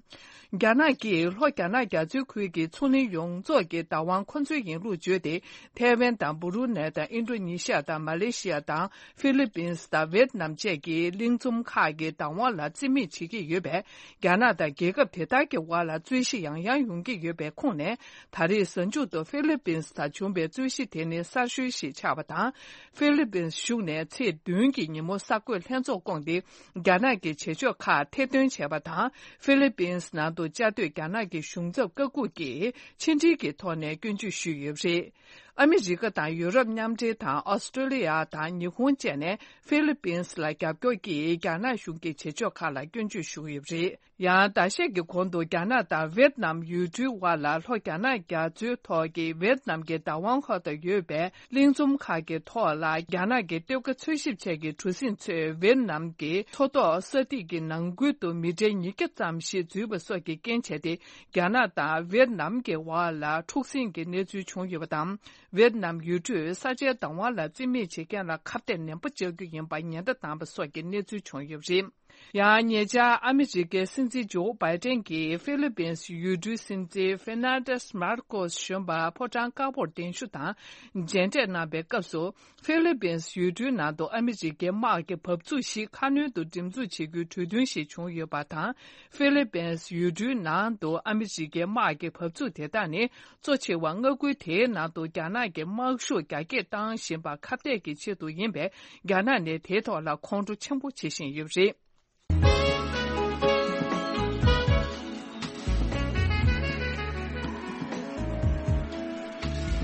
རྒྱ་ནག་གིས་ལྷོ་རྒྱ་ནག་རྒྱ་མཚོའི་ཁུལ་གྱི་མཚོ་གླིང་ཡོངས་རྫོགས་ཀྱི་བདག་དབང་ཁོ་ཚོའི་ཡིན་ལུགས་བརྗོད་དེ། ཐའེ་ཝན་དང་། སྦུ་རུ་ནེ་དང་། ཨིན་ཌོ་ནེ་ཤི་ཡ་དང་། མ་ལེ་ཤི་ཡ་དང་། ཧྥི་ལི་པིན་དང་། ཝེད་ནམ་བཅས་ཀྱི་གླིང་ཚོམ་ཁག་གི་བདག་དབང་ལ་རྩིས་མེད་བྱེད་ཀྱི་ཡོད་པས། རྒྱ་ནག་དང་རྒྱལ་ཁབ་དེ་དག་གི་དབར་ལ་རྩོད་གཞི་ཡང་ཡང་ཡོང་གི་ཡོད་པའི་ཁོངས་ནས། ད་རེས་གཟའ་མཇུག་ཏུ་ཧྥི་ལི་པིན་དང་བྱུང་པའི་རྩོད་གཞི་དེ་ནི་གསར་ཤོས་ཤིག་ཆགས་པ་དང་། ཧྥི་ལི་པིན་གཞུང་ནས་ཚེས་བདུན་གྱི་ཉིན་མོ་གསར་འགོད་ལྷན་ཚོགས་བསྐོངས་ཏེ། རྒྱ་ནག་གི་བྱེད་ཕྱོགས་ཁག་ཐེར་འདོན་བྱས་པ་དང་། ཧྥི་ལི་པིན་ནང་དུ་བཅའ་སྡོད་རྒྱ་ནག་གི་གཞུང་ཚབ་བཀའ་འགུག་གིས་ཕྱི་འབྲེལ་གྱི་ཐོག་ནས་སྐྱོན་བརྗོད་ཞུས་ཡོད་པ་རེད། ཨ་མི་རི་ཀ་དང་ཡུ་རོབ་མཉམ་འབྲེལ་དང་ཨོ་སི་ཀྲོ་ལི་ཡ་དང་ཉི་ཧོང་བཅས་ནས་ཧྥི་ལི་པིན་སི་ལ་རྒྱབ་སྐྱོར་གྱིས་རྒྱ་ནག་གཞུང་གི་བྱེད་ཕྱོགས་ཁག་ལ་སྐྱོན་བརྗོད་ཞུ་གི་ཡོད་པ་རེད། ཡང་ཟླ་ཤས་ཀྱི་གོང་དུ་རྒྱ་ནག་དང་ཝེད་ནམ་ཡུལ་གྲུའི་དབར་ལ་ལྷོ་རྒྱ་ནག་རྒྱ་མཚོའི་ཐོག་གི་ཝེད་ནམ་གྱི་བདག་དབང་འོག་ཏུ་ཡོད་པའི་གླིང་ཚོམ་ཁག་གི་ཐོག་ལ་རྒྱ་ནག་གི་གཏེར་ཁ་འཚོལ་ཞིབ་ཆེད་ཀྱི་གྲུ་གཟིངས་ཚོས་ཝེད་ནམ་གྱི་མཚོ་ཐོག་ས་ཐིག་གི་ནང་ཁུལ་དུ་མི་ཊར་ཉིས་བརྒྱ་ཙམ་ཞིག་འཛུལ་བ་སོགས་ཀྱི་རྐྱེན་བྱས་ཏེ། རྒྱ་ནག་དང་ཝེད་ནམ་གྱི་བར་ལ་འཁྲུག་ཟིང་གི་གནས་ཚུལ་བྱུང་ཡོད་པ་དང་། ཝེད་ནམ་ཡུལ་གྲུས་ས་ཆའི་བདག་དབང་ལ་རྩིས་མེད་བྱེད་མཁན་ལ་ཁ་གཏད་ནན་པོ་བཅག་རྒྱུ་ཡིན་པ་ཉེན་བརྡ་བཏང་བ་སོགས་ཀྱི་གནས་ཚུལ་བྱུང་ཡོད་པ་རེད། ཡང་ཉེ་ཆར་ཨ་མི་རི་ཀའི་སྲིད་འཛིན་ཇོ་བྷའི་ཏན་གྱིས་ཧྥི་ལི་པིན་སི་ཡུལ་གྲུའི་སྲིད་འཛིན་ཧྥེར་ནན་ཌེས་མར་ཀོས་གཞོན་པ་ཕོ་བྲང་དཀར་པོར་གདན་ཞུ་དང་མཇལ་འཕྲད་གནང་བའི་སྐབས་སུ། ཧྥི་ལི་པིན་སི་ཡུལ་གྲུའི་ནང་དུ་ཨ་མི་རི་ཀའི་དམག་གི་བབས་ཚུགས་ཤིག་ཁ་སྣོན་དུ་འགྲེམས་འཛུགས་བྱེད་རྒྱུའི་གྲོས་མཐུན་ཞིག་བྱུང་ཡོད་པ་དང་། ཧྥི་ལི་པིན་སི་ཡུལ་གྲུའི་ནང་དུ་ཨ་མི་རི་ཀའི་དམག་གི་བབས་ཚུགས་དེ་དག་ནི་གཙོ་ཆེ་བ་མངའ་ཁུལ་དེའི་ནང་དུ་རྒྱ་ནག་གི་དམག་ཤུགས་རྒྱ་སྐྱེད་བཏང་བཞིན་པ་ཁ་གཏད་ཀྱི་ཆེད་དུ་ཡིན་པས། རྒྱ་ནག་ནས་དེའི་ཐོག་ལ་ཁོང་ཁྲོ་ཆེན་པོ་བྱེད་བཞིན་ཡོད་པ་རེད།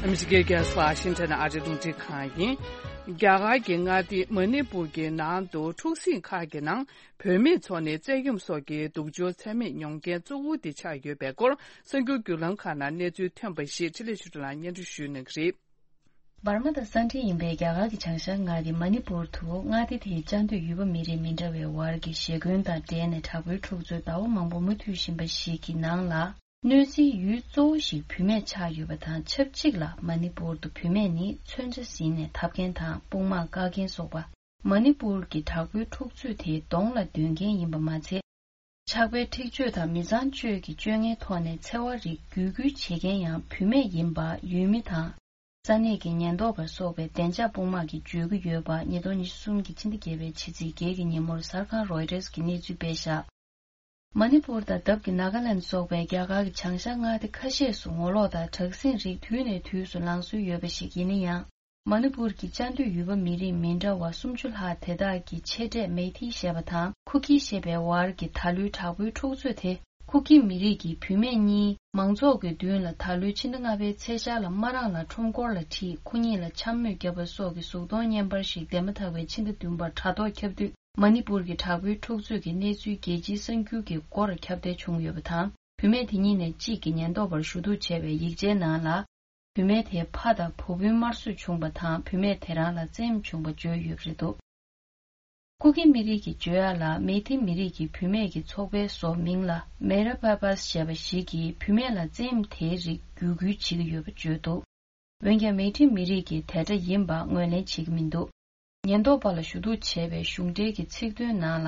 ཨ་མི་རི་ཀའི་རྒྱལ་ས་ཝ་ཤིང་ཊོན་ཨ་རིའི་རླུང་འཕྲིན་ཁང་ཡིན། རྒྱ་གར་གྱི་མངའ་སྡེ་མ་ནི་པུར་གྱི་ནང་དུ་འཁྲུག་ཟིང་ཁག་གི་ནང་བུད་མེད་ཚོ་ནས་བཙན་གཡེམ་སོགས་ཀྱི་སྡུག་སྦྱོང་ཚད་མེད་མྱོང་མཁན་གཙོ་བོ་དེ་ཆགས་ཡོད་པའི་སྐོར། གསར་འགྱུར་བརྒྱུད་ལམ་ཁག་ནང་གནས་ཚུལ་ཐོན་པ་ཞིག་འཕྲིན་ལས་ཆོས་སྒྲོན་ལགས་སྙན་སྒྲོན་ཞུ་གནང་གི་རེད། འབར་མ་དང་ས་འབྲེལ་ཡིན་པའི་རྒྱ་གར་གྱི་བྱང་ཤར་མངའ་སྡེ་མ་ནི་པུར་དུ་མངའ་སྡེ་དེའི་བཅའ་སྡོད་ཡུལ་པ་མི་རིགས་མི་འདྲ་བའི་བར་གྱི་ཞེ་འཁོན་དང་འབྲེལ་ནས་དྲག་པོའི་འཁྲུག་རྩོད་ཟླ་བ་མང་པོ་མུ་མཐུད་བཞིན་པ་ཞིག་གི་ནང་ལ། གནོད་འཚེའི་ཡུལ་གཙོ་བོ་ཞིག་བུད་མེད་ཆགས་ཡོད་པ་དང་ཆབས་ཅིག་ལ། མ་ནི་པུར་དུ་བུད་མེད་ནི་མཚོན་ཆ་ཟིན་ནས་འཐབ་མཁན་དང་དཔུང་དམག་བཀག་མཁན་སོགས་པ། མ་ནི་པུར་གྱི་དྲག་པོའི་འཁྲུག་རྩོད་དེའི་གདོང་ལ་འདོན་མཁན་ཡིན་པ་མ་ཚད། ཆགས་པའི་འཁྲིག་སྤྱོད་དང་མི་ཚངས་སྤྱོད་ཀྱི་སྤྱོད་ངན་ཐོག་ནས་འཚེ་བ་རིགས་བརྒྱུད་སྐུལ་བྱེད་མཁན་ཡང་བུད་མེད་ཡིན་པ་ཡུལ་མི་དང་། ས་གནས་ཀྱི་ཉེན་རྟོག་པ་སོགས་པའི་བདེ་འཇགས་དཔུང་དམག་གིས་བརྗོད་ཀྱི་ཡོད་པ། ཉིས་སྟོང་ཉི་ཤུ་གསུམ་གྱི་ཕྱི་ཟླ་བརྒྱད་པའི་ཕྱི་ཚེས་བརྒྱད་ཀྱི་ཉིན་མོར་གསར་ཁང་རོའི་ཊར་གྱིས་གནས་ཚུལ་སྤེལ་བཞག་མ་ནི་པུར་དང་འདབས་ཀྱི་ནཱ་ག་ལན་སོགས་པའི་རྒྱ་གར་གྱི་བྱང་ཤར་མངའ་སྡེ་ཁ་ཤས་སུ་ངོ་ལོག་དང་དྲག་ཟིང་རིགས་དུས་ནས་དུས་སུ་ལངས་སྲོལ་ཡོད་པ་ཞིག་ཡིན་ན་ཡང་། མ་ནི་པུར་གྱི་བཅའ་སྡོད་ཡུལ་པ་མི་རིགས་མི་འདྲ་བ་སུམ་ཅུ་ལྷག་དེ་དག་གི་ཆེ་གྲས་མེ་ཐི་ཞེས་པ་དང་ཁུ་ཁི་ཞེས་པའི་བར་གྱི་ད་ལོའི་དྲག་པོའི་འཁྲུག་རྩོད་དེ། ཁུ་ཁི་མི་རིགས་ཀྱི་བུད་མེད་གཉིས་མང་ཚོགས་ཀྱི་མདུན་ལ་ད་ལོའི་ཕྱི་ཟླ་ལྔ་པའི་ཚེས་ཤར་ལ་དམར་རང་ལ་ཁྲོམ་སྐོར་ལ་ཁྲིད། ཁོ་གཉིས་ལ་འཕྱ་སྨོད་བརྒྱབ་པ་སོགས་ཀྱི་གཟུགས་མཐོང་བརྙན་པར་ཞིག་འདས་མ་ཐག་པའི་ཕྱི་ཟླ་བདུན་པར་དྲ་ཐོག་ཁྱབ་དུས། མ་ནི་པུར་གྱི་དྲག་པོའི་འཁྲུག་རྩོད་ཀྱི་གནས་ཚུལ་རྒྱལ་སྤྱིའི་གསར་འགྱུར་གྱི་སྐོར་ཁྱབ་གདལ་བྱུང་ཡོད་པ་དང་། བུད་མེད་དེ་གཉིས་ནས་གཅིག་གིས་ཉེན་རྟོག་པར་ཞུ་གཏུག་བྱས་པའི་ཡིག་ཆའི་ནང་ལ། བུད་མེད་དེའི་ཕ་དང་བུ་སྤུན་དམར་གསོད་བྱུང་བ་དང་། བུད་མེད་དེ་རང་ལ་བཙན་གཡེམ་བྱུང་བ་བརྗོད་ཡོད་པ་རེད་འདུག་ཁུ་ཁི་མི་རིགས་ཀྱིས་བརྗོད་ཡག་ལ། མེ་ཐི་མི་རིགས་ཀྱི་བུད་མེད་ཀྱི་ཚོགས་པའི་བཟོ་མིང་ལ་མེ་ར་ཕ་པཱས་ཞེས་པ་ཞིག་གིས་བུད་མེད་ལ་བཙན་གཡེམ་དེའི་རིགས་བརྒྱུད་སྐུལ་བྱེད་ཀྱི་ཡོད་པ་བརྗོད་འདུག་འོན་ཀྱང་། མེ་ཐི་མི་རིགས་ཀྱིས་དེ་འདྲ་ཡིན་པ་ངོས་ལེན་བྱེད་ཀྱི་མི་འདུག་ཉེན་རྟོག་པ་ལ་ཞུ་གཏུག་བྱས་པའི་གཞུང་འབྲེལ་གྱི་ཚིག་དོན་ནང་ལ།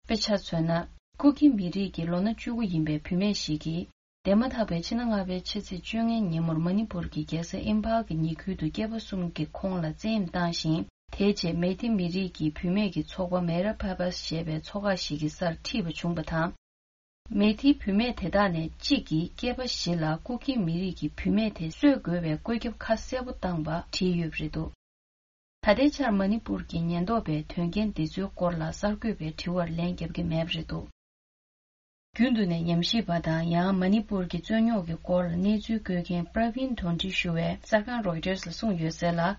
དཔེ་ཆ་མཚོན་ན། ཀུ་ཀི་མི་རིགས་ཀྱི་ལོ་ན་བཅུ་དགུ་ཡིན་པའི་བུད་མེད་ཞིག་གིས། འདས་མ་ཐག་པའི་ཕྱི་ཟླ་ལྔ་པའི་ཕྱི་ཚེས་བཅོ་ལྔའི་ཉིན་མོར་མ་ནི་པུར་གྱི་རྒྱལ་ས་ཨིམ་ཕཱལ་གྱི་ཉེ་ཁུལ་དུ་སྐྱེས་པ་གསུམ་གྱིས་ཁོང་ལ་བཙན་གཡེམ་བཏང་ཞིང་། དེའི་རྗེས་མེ་ཐི་མི་རིགས་ཀྱི་བུད་མེད་ཀྱི་ཚོགས་པ་མེ་ར་ཕ་པཱས་ཞེས་པའི་ཚོགས་ཁག་ཞིག་གི་སར་ཁྲིད་པ་བྱུང་བ་དང་། མེ་ཐིའི་བུད་མེད་དེ་དག་ནས་གཅིག་གིས་སྐྱེས་པ་བཞི་ལ་ཀུ་ཀི་མི་རིགས་ཀྱི་བུད་མེད་དེ་གསོད་དགོས་པའི་བཀོད་ཁྱབ་ཁ་གསལ་པོ་བཏང་བ་བྲིས་ཡོད་པ་རེད་འདུག་ད་ལྟའི་ཆར་མ་ནི་པུར་གྱི་ཉེན་རྟོག་པས་དོན་རྐྱེན་འདི་ཚོའི་སྐོར་ལ་གསར་འགོད་པའི་དྲི་བར་ལན་བརྒྱབ་ཀྱི་མེད་པ་རེད་འདུག་རྒྱུན་དུ་ནས་ཉམས་ཞིབ་པ་དང་ཡང་མ་ནི་པུར་གྱི་རྩོད་རྙོག་གི་སྐོར་ལ་གནས་ཚུལ་བཀོད་མཁན་པྲ་བིན་དོན་ཁྲི་ཞུ་བས་གསར་ཁང་རོའི་ཊར་ལ་གསུངས་ཡོད་གསལ་ལ།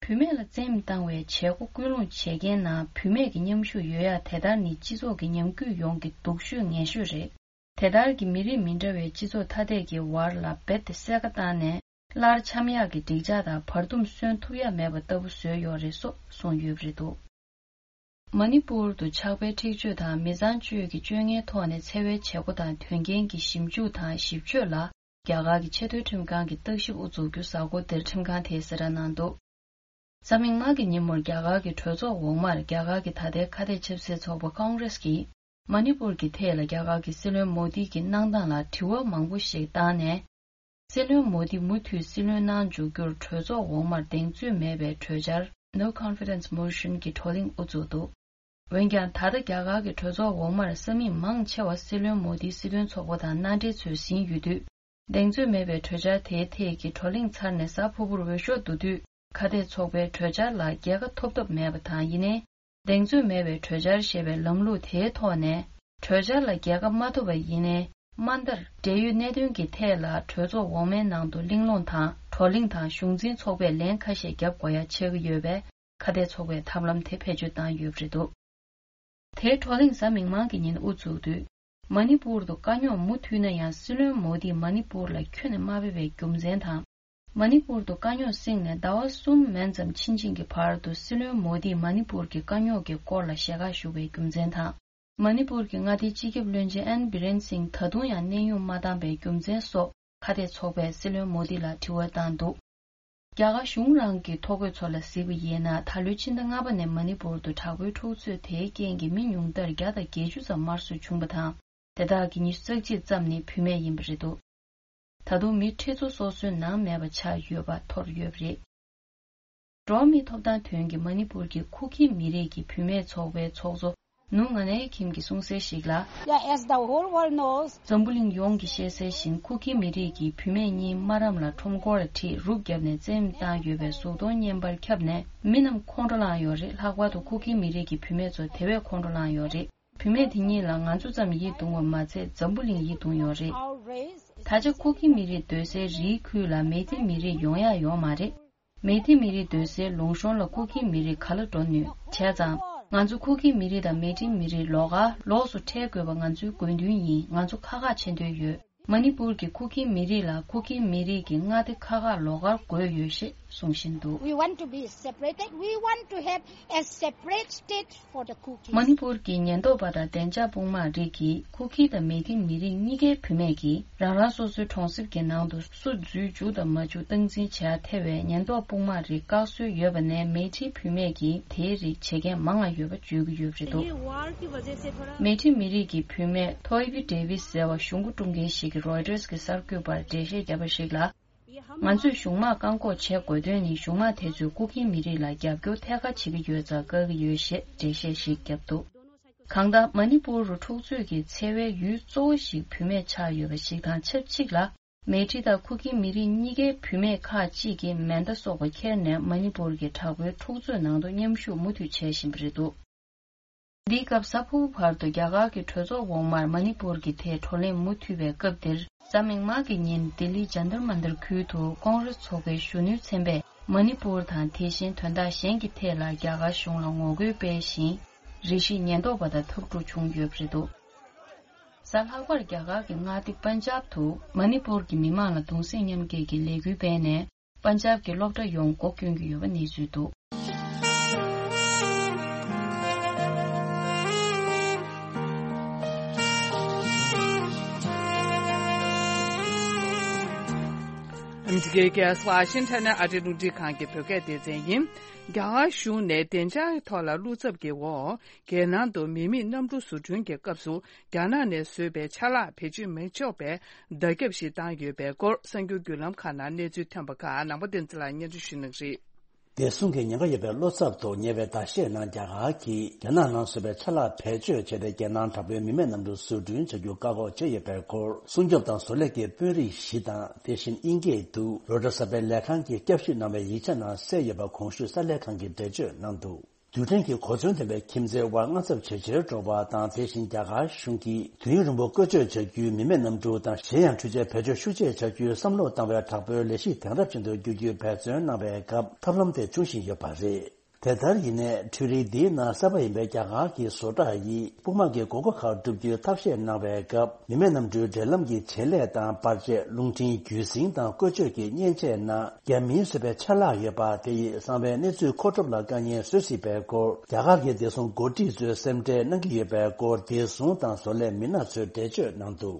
བུད་མེད་ལ་བཙན་གཡེམ་བཏང་བའི་བྱེད་སྒོ་སྐུལ་སློང་བྱེད་མཁན་ནང་བུད་མེད་ཀྱི་མཉམ་ཞུགས་ཡོད་ཡག་དེ་ལྟར་ནི་སྤྱི་ཚོགས་ཀྱི་ཉམས་རྒུད་ཡོང་གི་སྡུག་ཤོས་ངན་ཤོས་རེད། དེ་ལྟར་གྱི་མི་རིགས་མི་འདྲ་བའི་སྤྱི་ཚོགས་ཐ་དད་ཀྱི་བར་ལ་རྦད་དེ་བསྲེས་ཀ་བཏང་ནས་སླར་འཆམ་ཡག་གི་འགྲིག་འཇགས་དང་བར་འདུམ་སོན་ཐུབ་ཡག་མེད་པ་ལྟ་བུ་བཟོས་ཡོད་རེད་སོགས་གསུངས་ཡོད་པ་རེད་འདུག་མ་ནི་པུར་དུ་ཆགས་པའི་འཁྲིག་སྤྱོད་དང་མི་ཚངས་སྤྱོད་ཀྱི་སྤྱོད་ངན་ཐོག་ནས་འཚེ་བའི་བྱེད་སྒོ་དང་དོན་རྐྱེན་གྱི་ཞིབ་འཇུག་དང་ཞིབ་དཔྱོད་ལ་རྒྱ་གར་གྱི་ཆེས་མཐོའི་ཁྲིམས་ཁང་གི་བརྟག་ཞིབ་དབུ་འཛུགས་རྒྱུ་གཟའ་འཁོར་འདིར་ཁྲིམས་ཁང་དེས་གསལ་བསྒྲགས་གནང་འདུག་གཟའ་མིག་དམར་གྱི་ཉིན་མོར་རྒྱ་གར་གྱི་གྲོས་ཚོགས་འོག་མར་རྒྱ་གར་གྱི་ད་ལྟའི་ཁ་གཏད་ཆབ་སྲིད་ཚོགས་པ་ཀོང་རེས་ཀྱིས་མ་ནི་པུར་གྱི་ཐད་ལ་རྒྱ་གར་གྱི་སྲིད་བློན་མོ་དི་གྱི་གནང་སྟངས་ལ་དྲི་བ་མང་པོ་ཞིག་བཏང་ནས། སྲིད་བློན་མོ་དི་མུ་མཐུད་སྲིད་བློན་གནང་འཇུག་རྒྱུར་གྲོས་ཚོགས་འོག་མར་གདེང་ཚོད་མེད་པའི་གྲོས་འཆར་No Confidence Motion གྱི་བགྲོ་གླེང་དབུ་འཛུགས་འདུག་འོན་ཀྱང་ད་ལྟ་རྒྱ་གར་གྱི་གྲོས་ཚོགས་འོག་མར་ས་མིག་མང་ཆེ་བ་སྲིད་བློན་མོ་དིའི་སྲིད་དོན་ཚོགས་པ་དང་མནའ་འབྲེལ་ཚོས་ཟིན་ཡོད་དུས། གདེང་ཚོད་མེད་པའི་གྲོས་འཆར་དེའི་ཐད་ཀྱི་བགྲོ་གླེང་ཚར་ནས་གཟའ་ཕུར་བུར་འོས་ཤོག་བསྡུ་དུས་ཁ་གཏད་ཚོགས་པའི་གྲོས་འཆར་ལ་རྒྱལ་ཁ་ཐོབ་ཐབས་མེད་པ་དང་། ཡིན་ནའི་གདེང་ཚོད་མེད་པའི་གྲོས་འཆར་ཞེས་པའི་ལམ་ལུགས་དེའི་ཐོག་ནས་གྲོས་འཆར་ལ་རྒྱལ་ཁ་མ་ཐོབ་པ་ཡིན་ནའི་ དམའ་མཐར་འབྲེལ་ཡོད་གནད་དོན་གྱི་ཐད་ལ་གྲོས་ཚོགས་འོག་མའི་ནང་དུ་གླེང་སློང་དང་བགྲོ་གླེང་དང་གཞུང་འཛིན་ཚོགས་པས་ལན་ཁ་ཤས་བརྒྱབ་དགོས་ཡ་ཆགས་ཀྱི་ཡོད་པས། ཁ་གཏད་ཚོགས་པས་ཐབས་ལམ་དེ་བེད་སྤྱོད་བཏང་ཡོད་པ་རེད་འདུག་དེའི་བགྲོ་གླེང་གཟའ་མིག་དམར་གྱི་ཉིན་དབུ་བཙུགས་དུས། མ་ཎི་པུར་དུ་དཀའ་རྙོག་མུ་མཐུད་ན་ཡང་སྲིད་བློན་མོ་དིས་མ་ཎི་པུར་ལ་ཁྱོན་ནས་མ་ཕེབས་པའི་རྒྱུ་མཚན་དང་། མ་ཎི་པུར་དུ་དཀའ་རྙོག་བསྲིངས་ནས་ཟླ་བ་གསུམ་མན་ཙམ་ཕྱིན་ཕྱིན་གྱི་བར་དུ་སྲིད་བློན་མོ་དིས་མ་ཎི་པུར་གྱི་དཀའ་རྙོག་གི་སྐོར་ལ་ཞལ་ཁ་ཞུ་བའི་རྒྱུ་མཚན་དང་། མ་ཎི་པུར་གྱི་མངའ་སྡེའི་སྤྱི་ཁྱབ་བློན་ཆེན་ཨན་བི་རེན་སིང་ད་དུང་ཡང་གནས་དབྱུང་མ་བཏང་པའི་རྒྱུ་མཚན་སོགས་ཁ་གཏད་ཚོགས་པས་སྲིད་བློན་མོ་དི་ལ་དྲི་བ་བཏང་འདུག་རྒྱ་གར་གཞུང་རང་གི་ཐོ་འགོད་ཚོ་ལ་གཟིགས་པ་ཡིན་ན། ད་ལོའི་ཕྱི་ཟླ་ལྔ་པ་ནས་མ་ཎི་པུར་དུ་དྲག་པོའི་འཁྲུག་རྩོད་དེའི་རྐྱེན་གྱིས་མི་ཉུང་མཐར་བརྒྱ་དང་བརྒྱད་ཅུ་ཙམ་དམར་གསོད་བྱུང་བ་དང་། དེ་དག་གི་ཉི་ཤུ་རྩ་གཅིག་ཙམ་ནི་བུད་མེད་ཡིན་པ་རེད་འདུག་ད་དུང་མི་ཁྲི་ཚོ་སོ་སོའི་ནང་མེད་པ་ཆགས་ཡོད་པ་ཐོར་ཡོད་པ་རེད། འགྲོ་བ་མིའི་ཐོབ་ཐང་དོན་གྱི་མ་ཎི་པུར་གྱི་ཁུ་ཁི་མི་རིགས་ཀྱི་བུད་མེད་ཚོགས་པའི་ཚོགས་གཙོ་ནུ་ང་ནའི་ཁིམ་གྱིས་གསུངས་གསལ་ཞིག་ལ། Yeah, as the whole world knows. འཛམ་བུ་གླིང་ཡོངས་ཀྱིས་ཤེས་གསལ་བཞིན། ཁུ་ཁི་མི་རིགས་ཀྱི་བུད་མེད་གཉིས་སྨ་རམས་ལ་ཁྲོམ་སྐོར་ལ་ཁྲིད་རུབ་བརྒྱབ་ནས་བཙན་གཡེམ་བཏང་ཡོད་པའི་གཟུགས་མཐོང་བརྙན་པར་ཁྱབ་ནས་མི་རྣམས་ཁོང་ཁྲོ་ལངས་ཡོད་རེད། ལྷག་པར་དུ་ཁུ་ཁི་མི་རིགས་ཀྱི་བུད་མེད་ཚོ་དེ་བས་ཁོང་ཁྲོ་ལངས་ཡོད་རེད། བུད་མེད་དེ་གཉིས་ལ་ང་ཚོ་ཙམ་ཡིད་གདུང་བ་མ་ཚད་འཛམ་བུ་གླིང་ཡིད་གདུང་ཡོད་རེད། ད་ཆ་ཁུ་ཁི་མི་རིགས་སྡོད་སའི་རིའི་ཁུལ་ལ་མེ་ཏི་མི་རིགས་ཡོང་ཡག་ཡོད་མ་རེད། མེ་ཏི་མི་རིགས་སྡོད་སའི་ལུང་གཤོང་ལ་ཁུ་ཁི་མི་རིགས་ག་ལ་འགྲོ་ནུས། བྱས་ཙང་ང་ཚོ་ཁུ་ཁི་མི་རིགས་དང་མེ་ཏི་མི་རིགས་ལོགས་ཀ་ལོགས་སུ་འཕྲད་དགོས་པ་ང་ཚོའི་དགོས་འདུན་ཡིན། ང་ཚོ་ཁག་ཁག་བྱེད་འདོད་ཡོད། མ་ཎི་པུར་གྱི་ཁུ་ཁི་མི་རིགས་ལ་ཁུ་ཁི་མི་རིགས་ཀྱི་མངའ་སྡེ་ཁག་ཁག་ལོགས་ཀར་དགོས་ཡོད་ཞེས་གསུང་བཞིན་འདུག We want to be separated. We want to have a separate state for the Kukis. མ་ཎི་པུར་གྱི་ཉེན་རྟོག་པ་དང་བདེ་འཇགས་དཔུང་དམག་རིགས་ཀྱིས་ཁུ་ཁི་དང་མེ་ཏི་མི་རིགས་གཉིས་ཀའི་བུད་མེད་ཀྱིས་རང་རང་སོ་སོའི་གྲོང་གསེབ་ཀྱི་ནང་དུ་སུ་འཛུལ་འཇུག་དང་མ་འཇུག་སྟངས་འཛིན་བྱ་ཐེ་བའི་ཉེན་རྟོག་དཔུང་དམག་རིགས་བཀག་སྲོལ་ཡོད་པ་ནས་མེ་ཏི་བུད་མེད་ཀྱིས་དེའི་རིགས་བྱེད་མཁན་མང་ང་ཡོད་པ་བརྗོད་ཀྱི་ཡོད་པ་རེད་འདུག་མེ་ཏི་མི་རིགས་ཀྱི་བུད་མེད་ཐོ་ཨི་བི་ཌེ་ཝིས་ཟེར་བ་གཞུང་སྒོ་དཀྲུག་མཁན་ཞིག་གིས་རོའི་ཊར་གྱི་གསར་འགོད་པར་འགྲེལ་བཤད་བརྒྱབ་པ་ཞིག་ལ། ང་ཚོས་གཞུང་དམག་བཀག་འགོག་བྱེད་དགོས་དོན་ནི་གཞུང་དམག་དེ་ཚོས་ཀུ་ཀི་མི་རིགས་ལ་རྒྱབ་སྐྱོར་ཐད་ཀར་བྱེད་ཀྱི་ཡོད་ཙང་བཀག་གི་ཡོད་ཞེས་འགྲེལ་བཤད་ཞིག་བརྒྱབ་འདུག་གང་ལྟར་མ་ཎི་པུར་རུ་འཁྲུག་རྩོད་ཀྱི་འཚེ་བའི་ཡུལ་གཙོ་བོ་ཞིག་བུད་མེད་ཆགས་ཡོད་པ་ཞིག་དང་ཆབས་ཅིག་ལ། མེ་ཏི་དང་ཁུ་ཀི་མི་རིགས་གཉིས་ཀའི་བུད་མེད་ཁག་ཅིག་གིས་མེ་མདའ་སོགས་པ་ཁྱེར་ནས་མ་ཎི་པུར་གྱི་དྲག་པོའི་འཁྲུག་རྩོད་ནང་དུ་མཉམ་ཞུགས་མུ་མཐུད་བྱེད་བཞིན་པ་རེད་འདུག་འདིའི་སྐབས་གཟའ་ཕུར་བུ་བར་དུ་རྒྱ་གར་གྱི་གྲོས་ཚོགས་འོག་མར་མ་ཎི་པུར་གྱི་ཐད་བགྲོ་གླེང་མུ་མཐུད་པའི་སྐབས་འདིར། གཟའ་མིག་དམར་གྱི་ཉིན་ལྡི་ལིའི་ཇཱན་ཏར་མན་ཏར་ཁུལ་དུ་ཀོང་རེས་ཚོགས་པའི་གཞོན་ནུའི་ཚན་པས་མ་ཎི་པུར་དང་དེ་བཞིན་དོན་དག་གཞན་གྱི་ཐད་ལ་རྒྱ་གར་གཞུང་ལ་ངོ་རྒོལ་སྤེལ་ཞིང་། རེ་ཞིག་ཉེན་རྟོག་པ་དང་འཐབ་འཁྲུག་བྱུང་ཡོད་པ་རེད་འདུག་གཟའ་ལྷག་པར་རྒྱ་གར་གྱི་མངའ་སྡེ་པན་ཇབ་ཏུ་མ་ཎི་པུར་གྱི་མི་མང་ལ་གདུང་སེམས་མཉམ་སྐྱེད་ཀྱི་ལས་འགུལ་སྤེལ་ནས། པན་ཇབ་ཀྱི་སློབ་གྲྭ་ཡོངས་སྒོ་སྐྱོན་གྱི་ཡོད་པ་གནས་ཚུལ་འདུག་ཨ་མི་རི་ཀའི་རྒྱལ་ས་ཝ་ཤིང་ཊོན་ནས་ཨ་རིའི་རླུང་འཕྲིན་ཁང་གི་བོད་སྐད་སྡེ་ཚན་ཡིན། རྒྱ་གར་གཞུང་ནས་བདེ་འཇགས་ཐོག་ལ་བློ་འཚབ་ཀྱི་འོག་རྒྱལ་ནང་དུ་མི་མེད་གནམ་གྲུ་བཟོ་སྐྲུན་གྱི་སྐབས་སུ། རྒྱ་ནག་ནས་བཟོས་པའི་ཆ་ལག་བེད་སྤྱོད་མི་ཆོག་པའི་བརྡ་ཁྱབ་ཞིག་བཏང་ཡོད་པའི་སྐོར། གསར་འགྱུར་བརྒྱུད་ལམ་ཁག་ནང་གནས་ཚུལ་ཐོན་པ་ཁག་ནང་པ་བསྟན་འཛིན་ལགས་སྙན་སྒྲོན་ཞུ་གནང་གི་རེད། བདེ་སྲུང་གི་ཉེན་ཁ་ཡོད་པའི་བློ་འཚབ་ཐོག་ཉེ་བའི་ཟླ་ཤས་ནང་རྒྱ་གར་གྱིས་རྒྱ་ནག་ནང་བཟོས་པའི་ཆ་ལག་བེད་སྤྱོད་བྱས་ཏེ་རྒྱལ་ནང་དྲག་པོའི་མི་མེད་གནམ་གྲུ་བཟོ་སྐྲུན་བྱ་རྒྱུ་བཀག་འགོག་བྱས་ཡོད་པའི་སྐོར། སྲུང་སྐྱོབ་དང་བཟོ་ལས་ཀྱི་དཔོན་རིགས་བཞི་དང་། དེ་བཞིན་དབྱིན་སྐད་དུ་རོའི་ཊར་གསར་སྤེལ་ལས་ཁང་གིས་བསྐྱར་ཞིབ་གནང་བའི་ཡིག་ཆ་ནང་གསལ་ཡོད་པ་གོང་ཞུས་གསར་ལས་ཁང་གིས་འགྲེལ་བརྗོད་གནང་འདུག་རྡུལ་ཕྲན་གྱི་གོ་མཚོན་ལྡན་པའི་ཁྱིམ་མཚེས་དབར་དངངས་འཚབ་ཇེ་ཆེར་འགྲོ་བ་དང་། དེ་བཞིན་རྒྱ་གར་གཞུང་གིས་དུས་ཡུན་རིང་པོ་བཀོལ་སྤྱོད་བྱ་རྒྱུའི་མི་མེད་གནམ་གྲུ་དང་། གཞན་ཡང་འཕྲུལ་ཆས་བེད་སྤྱོད་ཤུགས་ཆེ་བྱ་རྒྱུའི་བསམ་བློ་བཏང་བའི་དྲག་པོའི་ལས་གཞི་དེང་རབས་ཅན་དུ་བསྒྱུར་རྒྱུའི་འབད་བརྩོན་གནང་བའི་སྐབས་ཐབས་ལམ་དེ་འབྱུང་བཞིན་ཡོད་པ་རེད། དེ་ལྟར་ཡིན་ནའི་འཕྲུལ་རིག་འདིའི་ནང་གསར་པ་ཡིན་པའི་རྒྱ་གར་གྱི་བཟོ་གྲྭ་ཡིས་དཔུང་དམག་གི་དགོས་མཁོ་ཁག་བསྒྲུབ་རྒྱུའི་ཐབས་ཤེས་གནང་བའི་སྐབས། མི་མེད་གནམ་གྲུའི་འབྲེལ་ལམ་གྱི་བྱེད་ལས་དང་པར་ཆས། རླུང་འཕྲིན་རྒྱུད་འཛིན་དང་བཀོལ་སྤྱོད་ཀྱི་མཉེན་ཆས་ནང་རྒྱ་མིའི་བཟོས་པའི་ཆ་ལག་ཡོད་པ་དེ་ཡིས་གསང་བའི་གནས་ཚུལ་མཁོ་སྒྲུབ་ལ་དཀའ་ངལ་བཟོ་སྲིད་པའི་སྐོར། རྒྱ་གར་གྱི་བདེ་སྲུང་འགོ་ཁྲིད་ཚོས་སེམས་ཁྲལ་གནང་གི་ཡོད་པའི་སྐོར། བདེ་སྲུང་དང་བཟོ་ལས་མི་སྣ་ཚོས་འགྲེལ་བརྗོད་གནང་འདུག་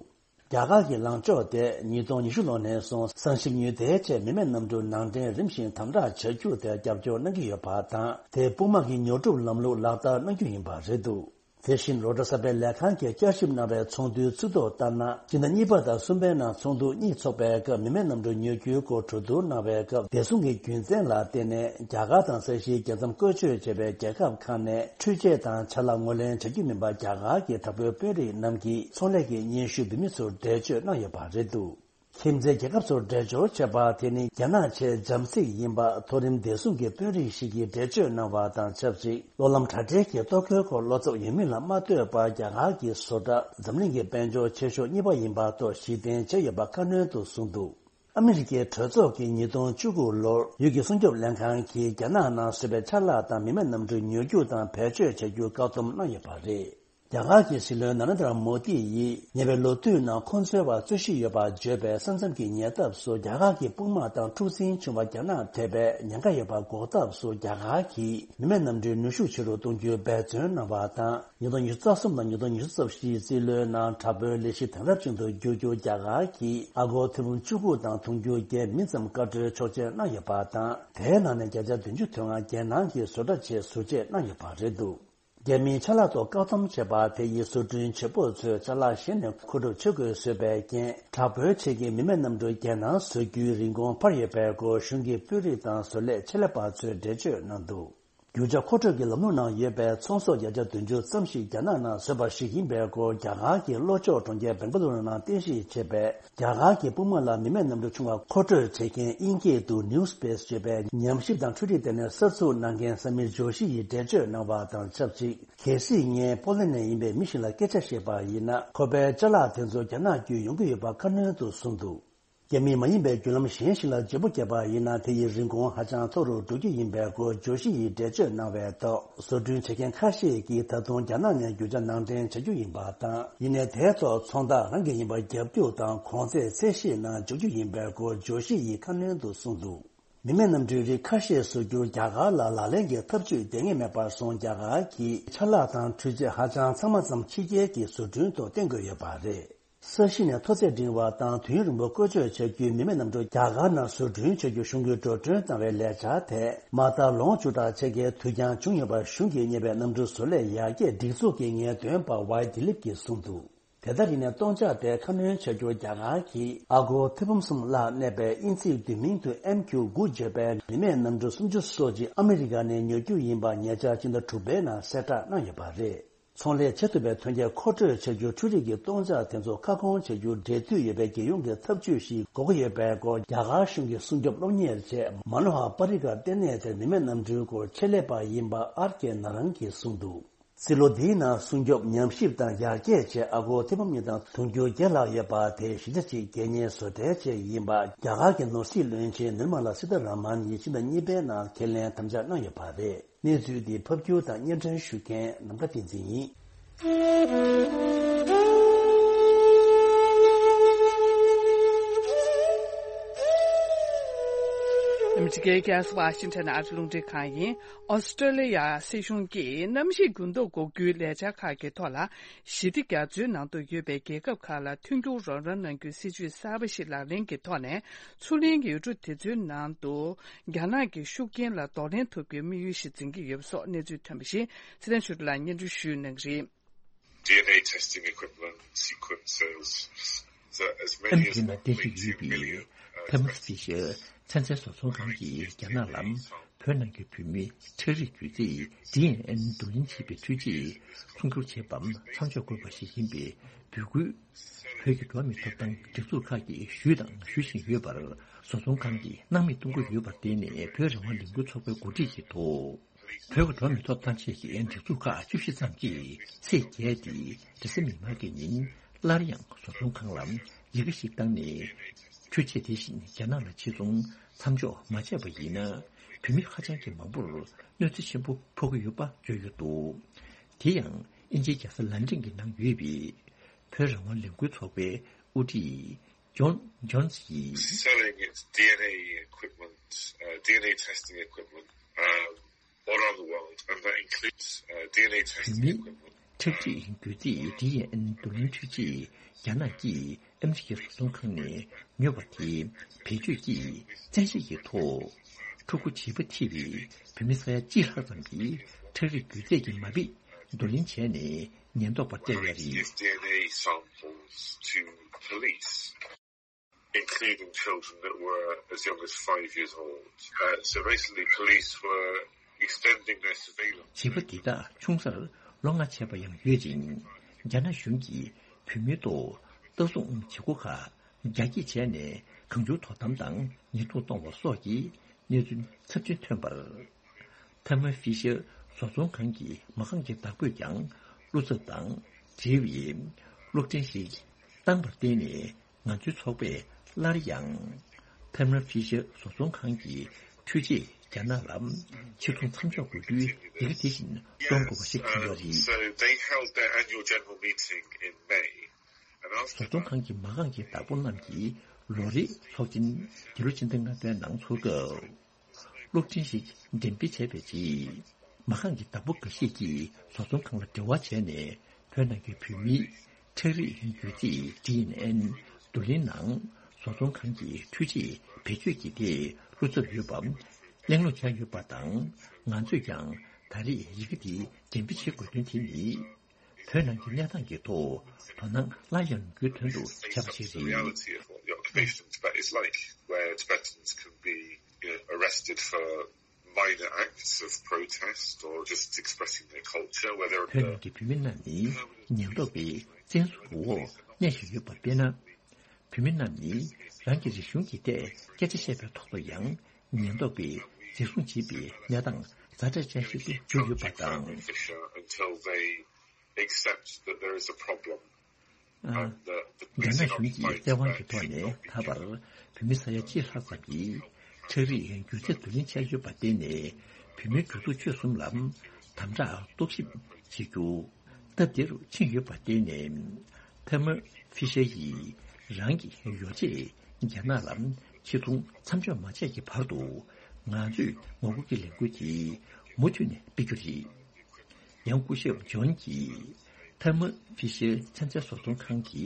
རྒྱ་གར་གྱི་ལངས་ཕྱོགས་དེ་ཉིས་སྟོང་ཉི་ཤུ་ལོ་ནས་བཟུང་། ཟངས་ཞིབ་ཉུལ་ཐའི་ཆེད་མི་མེད་གནམ་གྲུ་ནང་འདྲེན་རིམ་བཞིན་དམ་དྲག་བྱ་རྒྱུ་དེར་རྒྱབ་སྐྱོར་གནང་གི་ཡོད་པ་དང་། དེས་དཔུང་དམག་གི་ཉོ་སྒྲུབ་ལམ་ལུགས་ལག་བསྟར་གནང་རྒྱུ་ཡིན་པ་རེད་འདུག་དེ་བཞིན་རོའི་ཊར་གསར་སྤེལ་ལས་ཁང་གིས་བསྐྱར་ཞིབ་གནང་བའི་ཚོགས་འདུའི་ཚིག་ཐོ་ལྟར་ན། སྤྱི་ཟླ་གཉིས་པ་དང་གསུམ་པའི་ནང་ཚོགས་འདུ་གཉིས་འཚོགས་པའི་སྐབས། མི་མེད་གནམ་གྲུ་ཉོ་རྒྱུའི་སྐོར་གྲོས་བསྡུར་གནང་བའི་སྐབས། བདེ་སྲུང་གི་རྒྱུ་མཚན་ལ་བརྟེན་ནས་རྒྱ་གར་དང་ས་ཤིའི་རྒྱལ་མཚམས་བཀོལ་སྤྱོད་བྱས་པའི་རྒྱལ་ཁབ་ཁག་ནས་འཕྲུལ་ཆས་དང་ཆ་ལག་ངོས་ལེན་བྱ་རྒྱུ་མིན་པ། རྒྱ་གར་གྱི་དྲག་པོའི་དཔོན་རིགས་རྣམས་ཀྱིས་ཚོང་ལས་ཀྱི་སྙན་ཞུ་འབུལ་མི་ཚོར་འགྲེལ་བརྗོད་གནང་ཡོད་པ་རེད་འདུག་ཁྱིམ་མཚེས་རྒྱལ་ཁབ་ཚོར་འགྲེལ་བརྗོད་བྱས་པ་དེ་ནི་རྒྱ་ནག་ཆེས་འཇམ་གཟིགས་ཡིན་པ་མཐོ་རིམ་བདེ་སྲུང་གི་དཔོན་རིགས་ཤིག་གིས་འགྲེལ་བརྗོད་གནང་བ་དང་ཆབས་ཅིག་གློག་ལམ་དྲ་སྦྲེལ་གྱི་གཏོར་རྒོལ་སྐོར་བློ་འཚབ་ཡོད་མིན་ལ་མ་ལྟོས་པར་རྒྱ་གར་གྱི་བཟོ་གྲྭ་འཛམ་གླིང་གི་དཔལ་འབྱོར་ཆེ་ཤོས་གཉིས་པ་ཡིན་པ་ཐོག་གཞི་རྟེན་བྱས་ཡོད་པ་ཁ་སྣོན་དུ་གསུངས་འདུག་ཨ་མི་རི་ཀའི་གྲོས་ཚོགས་ཀྱིས་ཉིས་སྟོང་བཅུ་དགུ་ལོར་ཡུལ་གྱི་སྲུང་སྐྱོབ་ལྷན་ཁང་གིས་རྒྱ་ནག་ནང་བཟོས་པའི་ཆ་ལག་དང་མི་མེད་གནམ་གྲུ་ཉོ་རྒྱུ་དང་བེད་སྤྱོད་བྱ་རྒྱུ་བཀག་སྡོམ་གནང་ཡོད་པ་རེད། རྒྱ་གར་གྱི་སྲིད་བློན་ན་རེན་དྲ་མོ་དི་ཡིས་ཉེ་བའི་ལོ་དུས་ནང་ཁོང་ཚོའི་བར་རྩོད་གཞི་ཡོད་པར་བརྗོད་པའི་ས་མཚམས་ཀྱི་ཉེ་འདབས་སུ་རྒྱ་གར་གྱི་དཔུང་དམག་དང་འཁྲུག་འཛིང་བྱུང་བ་རྒྱ་ནག་ཐེ་བའི་ཉེན་ཁ་ཡོད་པ་འགོག་ཐབས་སུ་རྒྱ་གར་གྱིས་མི་མེད་གནམ་གྲུའི་ནུས་ཤུགས་ཆེ་རུ་གཏོང་རྒྱུའི་འབད་བརྩོན་གནང་བ་དང་། ཉིས་སྟོང་ཉི་ཤུ་རྩ་གསུམ་དང་ཉིས་སྟོང་ཉི་ཤུ་རྩ་བཞིའི་རྩིས་ལོའི་ནང་དྲག་པོའི་ལས་གཞི་དེང་རབས་ཅན་དུ་བསྒྱུར་རྒྱུར་རྒྱ་གར་གྱིས་ཨ་སྒོར་ཐེར་འབུམ་བཅུ་དགུ་དང་དུང་ཕྱུར་བརྒྱད་མི་ཙམ་བཀའ་འཁྲོལ་ཆོག་མཆན་གནང་ཡོད་པ་དང་། དེའི་ནང་ནས་བརྒྱ་ཆ་བདུན་ཅུ་དོན་ལྔ་རྒྱལ་ནང་གི་བཟོ་གྲྭ་ཆེད་ཟུར་བཅད་གནང་ཡོད་པ་རེད་འདུག་རྒྱ་མིའི་ཆ་ལག་ཐོག་བཀག་སྡོམ་བྱས་པ་དེ་ཡིས་བཟོ་སྐྲུན་བྱེད་པོ་ཚོས་ཅ་ལག་གཞན་ནས་མཁོ་སྒྲུབ་བྱེད་དགོས་བཟོས་པའི་རྐྱེན། དྲག་པོའི་ཆེད་ཀྱི་མི་མེད་གནམ་གྲུ་རྒྱལ་ནང་བཟོ་རྒྱུའི་རིན་གོང་འཕར་ཡོད་པའི་སྐོར་གཞུང་གི་དཔོན་རིགས་དང་བཟོ་ལས་ཆེད་ལས་པ་ཚོས་འགྲེལ་བརྗོད་གནང་འདུག་རྒྱུ་ཆ་མཁོ་སྤྲོད་ཀྱི་ལམ་ལུགས་ནང་ཡོད་པའི་ཚོང་ཟོག་བརྒྱ་ཆ་བདུན་ཅུ་ཙམ་ཞིག་རྒྱ་ནག་ནང་བཟོས་པ་ཞིག་ཡིན་པའི་སྐོར་རྒྱ་གར་གྱི་ལྷོ་ཕྱོགས་གྲོང་ཁྱེར་སྦེང་ག་ལུ་རུ་ནང་རྟེན་གཞི་བྱས་པའི་རྒྱ་གར་གྱི་དཔུང་དམག་ལ་མི་མེད་གནམ་གྲུ་ཆུང་བ་མཁོ་སྤྲོད་བྱེད་མཁན་དབྱིན་སྐད་དུ་New Space ཞེས་པའི་ཉམས་ཞིབ་དང་འཕྲུལ་རིག་ལྟེ་གནས་གསར་འཛུགས་གནང་མཁན་སམ་མིར་ཇོ་ཤི་ཡིས་འགྲེལ་བརྗོད་གནང་བ་དང་ཆབས་ཅིག་གལ་སྲིད་ངས་པོ་ལན་ནས་ཡིན་པའི་མི་ཞིག་ལ་སྐད་ཆ་བཤད་པ་ཡིན་ན། ཁོ་པའི་ཅ་ལག་དེ་ཚོ་རྒྱ་ནག་བརྒྱུད་ཡོང་གི་ཡོད་པ་ཁ་སྣོན་དུ་གསུངས་འདུག་རྒྱ་མིས་མ་ཡིན་པའི་བརྒྱུད་ལམ་གཞན་ཞིག་ལ་བརྗེ་པོ་བརྒྱབ་པ་ཡིན་ན། དེ་ཡི་རིན་གོང་ཧ་ཅང་མཐོ་རུ་འགྲོ་རྒྱུ་ཡིན་པའི་སྐོར་ཇོ་ཤི་ཡིས་འགྲེལ་བརྗོད་གནང་བའི་ཐོག་བཟོ་སྐྲུན་བྱེད་མཁན་ཁ་ཤས་ཀྱིས་ད་དུང་རྒྱ་ནག་ནས་རྒྱུ་ཆ་ནང་འདྲེན་བྱ་རྒྱུ་ཡིན་པ་དང་། ཡིན་ནའི་དེའི་ཐོག་ཚོང་རྟགས་རང་གི་ཡིན་པ་རྒྱག་རྒྱུ་དང་གོང་ཚད་ཚད་གཞིའི་ནང་འཇོག་རྒྱུ་ཡིན་པའི་སྐོར་ཇོ་ཤི་ཡིས་ཁ་སྣོན་དུ་གསུངས་འདུག་མི་མེད་གནམ་གྲུའི་རིགས་ཁ་ཤས་བཟོ་རྒྱུར་རྒྱ་གར་ལ་ལག་ལེན་གྱི་ཐབས་ཇུས་འདེང་ངེས་མེད་པར་སོང་། རྒྱ་གར་གྱི་ཆ་ལག་དང་འཕྲུལ་ཆས་ཧ་ཅང་ཚང་མ་ཙམ་ཕྱི་རྒྱལ་གྱི་བཟོ་སྐྲུན་ཐོག་བརྟེན་དགོས་ཡོད་པ་རེད། ས་གཞི་ནས་མཐོ་ཚད་འབྲིང་བ་དང་དུས་ཡུན་རིང་པོ་བཀོལ་སྤྱོད་བྱ་རྒྱུའི་མི་མེད་གནམ་གྲུ་རྒྱ་གར་ནང་བཟོ་སྐྲུན་བྱ་རྒྱུ་གཞུང་གིས་འགྲོ་གྲོན་བཏང་བའི་ལས་འཆར་དེ་མ་མཐའ་ལོ་ངོ་བཅུ་ཕྲག་ཕྱེད་ཀའི་དུས་འགྱངས་བྱུང་ཡོད་པར་གཞུང་གིས་ཉེ་བའི་གནམ་གྲུ་བཟོ་ལས་ཡར་རྒྱས་སྒྲིག་འཛུགས་ཀྱི་ངེས་སྟོན་པ་ཝའི་དི་ལིབ་ཀྱིས་གསུངས་འདུག་དེ་ལྟར་ཡིན་ནའི་སྟོང་ཆ་དེ་ཁ་སྣོན་བྱ་རྒྱུར་རྒྱ་གར་གྱིས་ཨ་སྒོར་ཐེར་འབུམ་གསུམ་ལྷག་གནས་པའི་དབྱིན་ཚིག་བསྡུས་མིང་དུ་ཨེམ་ཁྱུ་དགུ་བརྗོད་པའི་མི་མེད་གནམ་གྲུ་སུམ་ཅུ་སོ་གཅིག་ཨ་མི་རི་ཀ་ནས་ཉོ་རྒྱུ་ཡིན་པ་ཉེ་ཆར་སྤྱི་ཟླ་དྲུག་པའི་ནང་གསལ་བསྒྲགས་གནང་ཡོད་པ་རེད། ཚོང་ལས་བྱེད་ཐུབ་པའི་ཐོན་སྐྱེད་མཁོ་སྤྲོད་བྱ་རྒྱུར་འཕྲུལ་རིག་གི་སྟོང་ཆ་དེ་ཚོ་ཁ་སྐོང་བྱ་རྒྱུར་འབྲེལ་མཐུད་ཡོད་པའི་རྒྱལ་ཡོངས་ཀྱི་ཐབས་ཇུས་ཤིག་དགོས་ཀྱི་ཡོད་པའི་སྐོར་རྒྱ་གར་གཞུང་གི་སྲུང་སྐྱོབ་སློབ་གཉེར་ཆེད་མ་ནོ་ཧ་པ་རི་ཀར་ལྟེ་གནས་དེར་མི་མེད་གནམ་གྲུའི་སྐོར་ཆེད་ལས་པ་ཡིན་པ་ཨར་ཀེ་ན་རང་གིས་གསུངས་འདུག་རྩིས་ལོ་འདིའི་ནང་སྲུང་སྐྱོབ་ཉམས་ཞིབ་དང་ཡར་རྒྱས་ཆེད་ཨ་སྒོར་ཐེར་འབུམ་གཉིས་དང་དུང་ཕྱུར་བརྒྱད་ལྷག་ཡོད་པ་དེ་གཞི་རྒྱ་ཆེའི་རྒྱལ་གཉེར་བཟོ་གྲྭའི་ཆེད་ཡིན་པ་རྒྱ་གར་གྱི་ནོར་སྲིད་བློན་ཆེན་ནིར་མ་ལ་སི་ཐ་ར་མན་ཡིས་ཕྱི་ཟླ་གཉིས་པའི་ནང་ཁས་ལེན་དམ་བཅའ་གནང་ཡོད་པ་རེད། གནས་ཚུལ་འདི་ཕབ་སྒྱུར་དང་སྙན་སྒྲོན་ཞུ་མཁན་ནམ་མཁའ་བསྟན་འཛིན་ཡིན། ཨ་མི་རི་ཀའི་རྒྱལ་ས་ཝ་ཤིང་ཊོན་ཨ་རི་རླུང་འཕྲིན་ཁང་ཡིན། ཨོ་སི་ཀྲོ་ལི་ཡ་སྲིད་གཞུང་གིས་གནམ་གཤིས་འགྱུར་ལྡོག་འགོག་རྒྱུའི་ལས་འཆར་ཁག་གི་ཐོག་ལ། ཞི་བདེ་རྒྱ་མཚོའི་ནང་དུ་ཡོད་པའི་རྒྱལ་ཁབ་ཁག་ལ་མཐུན་འགྱུར་རོགས་རམ་གནང་རྒྱུའི་སྲིད་ཇུས་གསར་པ་ཞིག་ལག་ལེན་གྱི་ཐོག་ནས། མཚོ་གླིང་ཡུལ་གྲུ་དེ་ཚོའི་ནང་དུ་རྒྱ་ནག་གི་ཤུགས་རྐྱེན་ལ་གདོང་ལེན་ཐུབ་རྒྱུའི་དམིགས་ཡུལ་ཞིག་འཛིན་གྱི་ཡོད་པ་སོགས་གནས་ཚུལ་ཐོན་པ་བཞིན། ཚེ་བརྟན་ཆོས་སྒྲོན་ལགས་སྙན་སྒྲོན་ཞུ་གནང་གི་རེད། D N A testing equipment sequences, so as ཨ་many མི་རི་as ཀའི་ནང་རྟེན་གཞི་ཡོད་པའི་ཐེམ་སི་ཤར་ཚན་རྩལ་བཟོ་ཚོང་ཁང་གིས་རྒྱ་ནག་ལ་བོད་ནང་གི་བོད་མིའི་ཁྲག་རིགས་རྒྱུད་རྫས་ཌི་ཨེན་ཨེན་བསྡུ་ལེན་བྱེད་པའི་འཕྲུལ་ཆས་ཚོང་སྒྱུར་བྱེད་པར་མཚམས་འཇོག་དགོས་པ་ཞིག་ཡིན་པའི་འབོད་སྐུལ། བོད་ཀྱི་འགྲོ་བ་མིའི་ཐོབ་ཐང་སྒྲིག་འཛུགས་ཁག་གིས་ཞུས་དང་ཞུ་བཞིན་ཡོད་པར། བཟོ་ཚོང་ཁང་གིས་སྣང་མེད་གཏོང་གི་ཡོད་པར་བརྟེན་ནས། བོད་རང་དབང་ལས་འགུལ་ཚོགས་པའི་འགོ་ཁྲིད་ཀྱིས་ཐོག་བོད་ཀྱི་འགྲོ་བ་མིའི་ཐོབ་ཐང་ཆེད་ཀྱི་སྒྲིག་འཛུགས་ཁག་བཅུ་བཞི་ཙམ་གྱིས་ཚེས་བརྒྱད་སྟེ་རེས་གཟའ་མིག་དམར་གྱི་ཉིན་སླར་ཡང་བཟོ་ཚོང་ཁང་ལ་ཡི་གེ་ཞིག་བཏང་ནས། འཕྲུལ་ཆས་དེ་བཞིན་རྒྱ་ནག་ལ་ཕྱིར་ཚོང་མཚམས་འཇོག་མ་བྱས་པ་ཡིན་ན། བོད་མི་ཧ་ཅང་གི་མང་པོར་གནོད་འཚེ་ཆེན་པོ་ཕོག་གི་ཡོད་པ་བརྗོད་ཡོད་འདུག་དེ་ཡང་དབྱིན་ཇིའི་རྒྱལ་ས་ལན་ཀྲན་གྱི་ནང་ཡོད་པའི་བོད་རང་དབང་ལས་འགུལ་ཚོགས་པའི་དབུ་ཁྲིད་ཇོན་ཇོན་སི་ཡིས། Selling its D N A equipment, uh, D N A testing equipment, um, all around the world, and that includes, uh, D N A testing equipment. བོད་མིའི་ཁྲག་རིགས་རྒྱུད་རྫས་ཌི་ཨེན་ཨེན་བསྡུ་ལེན་འཕྲུལ་ཆས་རྒྱ་ནག་གིས་ཨ་མི་རི་ཀའི་བཟོ་ཚོང་ཁང་ནས་ཉོས་པ་དེ་བེད་སྤྱོད་ཀྱིས་བཙན་ཤེད་ཀྱི་ཐོག་ཕྲུ་གུ་བྱིས་པ་ཐེ་བའི་བོད་མི་ས་ཡ་གཅིག་ལྷག་ཙམ་གྱི་ཁྲག་རིགས་རྒྱུད་རྫས་ཀྱི་མ་དཔེ་བསྡུ་ལེན་བྱས་ནས་ཉེན་རྟོག་པར་སྤྲད་ཡོད་རེད། These D N A samples to police, including children that were as young as five years old. Uh, so basically, police were extending their surveillance. བྱིས་པ་འདི་དག་ཆུང་སར་ལོ་ལྔ་བྱས་པ་ཡང་ཡོད་ཅིང་། རྒྱ་ནག་གཞུང་གིས་བོད་མིའི་ཐོག་ལྟ་སྲུང་བྱེད་སྒོ་ཁག་ རྒྱ་སྐྱེད་བྱས་ནས་གང་བྱུང་དོ་དམ་དང་ཉེས་རྡུང་གཏོང་བ་སོགས་ཀྱི་གནས་ཚུལ་ཚབས་ཆེན་ཐོན་པར། ཐར་མ་ཧྥི་ཤར་བཟོ་ཚོང་ཁང་གི་མ་རྐང་གི་བདག་པོས་ཀྱང་བློ་འཚབ་དང་འབྲེལ་བའི་གློག་འཕྲིན་ཞིག་བཏང་བར་བརྟེན་ནས། ང་ཚོའི་ཚོགས་པས་སླར་ཡང་ཐར་མ་ཧྥི་ཤར་བཟོ་ཚོང་ཁང་གི་འཕྲུལ་ཆས་རྒྱ་ནག་ལ་ཕྱིར་ཚོང་མཚམས་འཇོག་དགོས་རྒྱུའི་ཡི་གེ་དེ་བཞིན་གཏོང་དགོས་པ་ཞིག་བྱུང་ཡོད་རེད། So they held their annual general meeting in May. And after བཟོ་ཚོང་ཁང་གི་མ་རྐང་གི་བདག་པོ་རྣམས་ཀྱིས་ལོ་རེའི་ཚོགས་ཆེན་འདི་ལོ་སྤྱི་ཟླ་ལྔ་པའི་ནང་འཚོགས་སྐབས། གློག་འཕྲིན་ཞིག་འགྲེམས་སྤེལ་བྱས་པའི་རྗེས། མ་རྐང་གི་བདག་པོ་འགའ་ཤས་ཀྱིས་བཟོ་ཚོང་ཁང་ལ་འབྲེལ་བ་བྱས་ནས། བོད་ནང་གི་བོད་མིའི་ཁྲག་རིགས་རྒྱུད་རྫས་ཌི་ཨེན་ཨེན་བསྡུ་ལེན་ནང་བཟོ་ཚོང་ཁང་གི་འཕྲུལ་ཆས་བེད་སྤྱོད་ཀྱི་ཐད་བློ་འཚབ་ཡོད་པ་གླེང་སློང་བྱས་ཡོད་པ་དང་། ང་ཚོས་ཀྱང་ད་རེས་ཡི་གེ་འདི་འགྲེམས་སྤེལ་བྱེད་དགོས་དོན་དེ་ནི། བོད་ནང་གི་གནས་སྟངས་ཀྱི་ཐོག་དོ་སྣང་སླར་ཡང་ཡོང་རྒྱུའི་དོན་དུ་བྱས་པ་ཞིག་རེད། Reality of what the occupation in Tibet is like, where Tibetans can be, you know, arrested for minor acts of protest or just expressing their culture, whether བོད་ནང་གི་བོད་མི་རྣམས་ནི་ཉེན་རྟོག་པའི་བཙན་བཟུང་གི་འོག་གནས་བཞིན་ཡོད་པ་དཔེར་ན། བོད་མི་རྣམས་ནི་རང་གི་རིག་གཞུང་གི་ཐད་སྐད་ཆ་བཤད་པའི་ཐོག་ཏུ་ཡང་ཉེན་རྟོག་པས་འཛིན་བཟུང་བྱེད་པའི་གནས་སྟངས་ཛ་དྲག་ཅན་ཞིག་ཏུ་གྱུར་ཡོད་པ་དང་། Until they accept that there is a problem. ཨ། རྒྱ་ནག་གཞུང་གིས་བཙན་དབང་གི་ཐོག་ནས་ད་བར་བོད་མི་ས་ཡ་གཅིག་ལྷག་ཙམ་གྱིས་ཁྲག་རིགས་རྒྱུད་རྫས་བསྡུ་ལེན་བྱས་ཡོད་པར་བརྟེན་ནས། བོད་མིའི་སྒྲིག་འཛུགས་ཆོལ་གསུམ་ལ་དམ་དྲག་རྟོག་ཞིབ་བྱེད་རྒྱུ་སྟབས་བདེ་རུ་ཕྱིན་ཡོད་པར་བརྟེན་ནས། ཐར་མ་ཧྥི་ཤར་ཡིས་རང་གི་ཡོ་བྱད་རྒྱ་ནག་ལ་ཕྱིར་ཚོང་མཚམས་འཇོག་མ་བྱས་ཀྱི་བར་དུ། ང་ཚོས་ངོ་རྒོལ་གྱི་ལས་འགུལ་དེ་མུ་མཐུད་ནས་སྤེལ་རྒྱུ་རེད། ཡང་སྐུ་ཞབས་ཇོན་གྱིས་ཐར་མ་ཧྥི་ཤར་ཚན་རྩལ་བཟོ་ཚོང་ཁང་གི་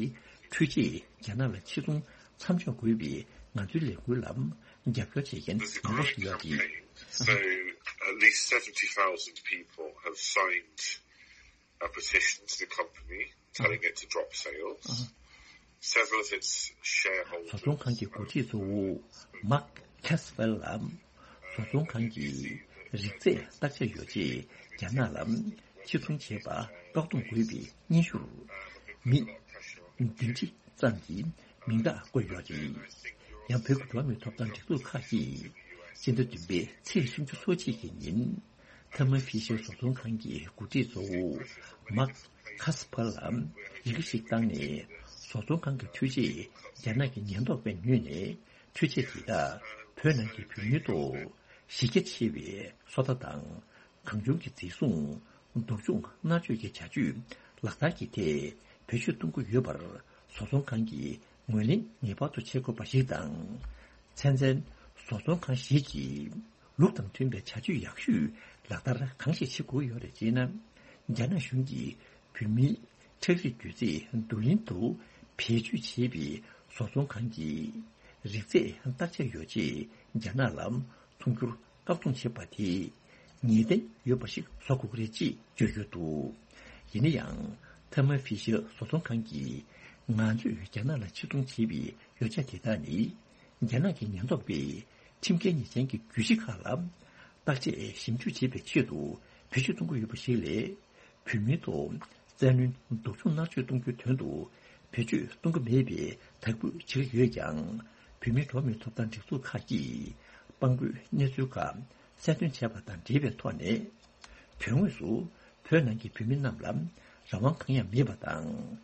འཕྲུལ་ཆས་རྒྱ་ནག་ལ་ཕྱིར་ཚོང་མཚམས་འཇོག་དགོས་པའི་ང་ཚོའི་ལས་འགུལ་ལ་རྒྱབ་སྐྱོར་བྱེད་མཁན་མང་པོ་ཞིག་ཡོད་རེད། So at least seventy thousand people have signed a petition to the company telling it to drop sales. Several of its shareholders. བཟོ་ཚོང་ཁང་གི་འགོ་ཁྲིད་གཙོ་བོ་མཱག་ཁེ་སི་ཕེལ་ལ། བཟོ་ཚོང་ཁང་གིས་རིག་རྫས་བརྟག་དཔྱད་ཡོ་བྱད་རྒྱ་ནག་ལ་ཕྱིར་ཚོང་བྱེད་པ་བཀག་སྡོམ་དགོས་པའི་སྙན་ཞུར། མི་བདུན་ཁྲི་ཙམ་གྱིས་མིང་རྟགས་བཀོད་ཡོད་རེད། ཡང་བོད་ཀྱི་འགྲོ་བ་མིའི་ཐོབ་ཐང་སྒྲིག་འཛུགས་ཁག་གིས་སྤྱི་ཟླ་བདུན་པའི་ཚེས་སུམ་ཅུ་སོ་གཅིག་གི་ཉིན། ཐར་མ་ཧྥི་ཤར་བཟོ་ཚོང་ཁང་གི་འགོ་ཁྲིད་གཙོ་བོ་མཱག་ཁ་སི་ཕར་ལ་ཡི་གེ་ཞིག་བཏང་ནས། བཟོ་ཚོང་ཁང་གི་འཕྲུལ་ཆས་རྒྱ་ནག་གི་ཉེན་རྟོག་པས་ཉོས་ནས། འཕྲུལ་ཆས་དེ་དག་བོད་ནང་གི་བོད་མིའི་ཐོག་གཞི་རྒྱ་ཆེ་བའི་སོ་ལྟ་དང་། གང་བྱུང་གི་འཛིན་བཟུང་། སྡུག་སྦྱོང་མནར་གཅོད་ཀྱི་བྱ་སྤྱོད་ལག་བསྟར་གྱི་ཐད་བེད་སྤྱོད་གཏོང་གི་ཡོད་པར། བཟོ་ཚོང་ཁང་གིས་ངོས་ལེན་ངེས་པར་དུ་བྱེད་དགོས་པ་ཞིག་དང་། ཚན་རྩལ་བཟོ་ཚོང་ཁང་ཞིག་གིས་ལུགས་དང་མཐུན་པའི་བྱ་སྤྱོད་ཡག་ཤོས་ལག་བསྟར་གང་ཞིག་བྱེད་དགོས་ཡོད་རེད་ཅེ་ན། རྒྱ་ནག་གཞུང་གིས་བོད་མིའི་ཁྲག་རིགས་རྒྱུད་རྫས་བསྡུ་ལེན་དུ་བེད་སྤྱོད་བྱས་པའི་བཟོ་ཚོང་ཁང་གི་རིག་རྫས་བརྟག་དཔྱད་ཡོ་བྱད་རྒྱ་ནག་ལ་ཚོང་སྒྱུར་བཀག་སྡོམ་བྱས་པ་དེས་ངེས་གཏན་ཡོད་པ་ཞིག་བཟོ་དགོས་ཀྱི་རེད་ཅེས་བརྗོད་ཡོད་འདུག་ཡིན་ན་ཡང་། ཐར་མ་ཧྥི་ཤར་བཟོ་ཚོང་ཁང་གིས་ང་ཚོས་རྒྱ་ནག་ལ་ཕྱིར་ཚོང་བྱས་པའི་ཡོ་བྱད་དེ་དག་ནི། རྒྱ་ནག་གི་ཉེན་རྟོག་པས་ཁྲིམས་འགལ་ཉེས་ཅན་གྱི་རྒྱུད་གཞི་ཁག་ལ་བརྟག་དཔྱད་ཞིབ་འཇུག་བྱེད་པའི་ཆེད་དུ་བེད་སྤྱོད་གཏོང་གི་ཡོད་པ་ཞིག་ལས། བོད་མིའི་ཐོག་བཙན་གནོན་སྡུག་སྦྱོང་མནར་གཅོད་གཏོང་རྒྱུའི་དོན་དུ་བེད་སྤྱོད་གཏོང་གི་མེད་པའི་དག་འབུལ་བྱེད་ཀྱི་ཡོད་ཀྱང་། བོད་མིའི་འགྲོ་བ་མིའི་ཐོབ་ཐང་སྒྲིག་འཛུགས་ཁག་གིས་དཔང་པོའི་གནས་ཚུལ་ཁག་གསལ་སྟོན་བྱས་པ་དང་འབྲེལ་བའི་ཐོག་ནས། དོན་དངོས་སུ་བོད་ནང་གི་བོད་མི་རྣམས་ལ་རང་དབང་གང་ཡང་མེད་པ་དང་།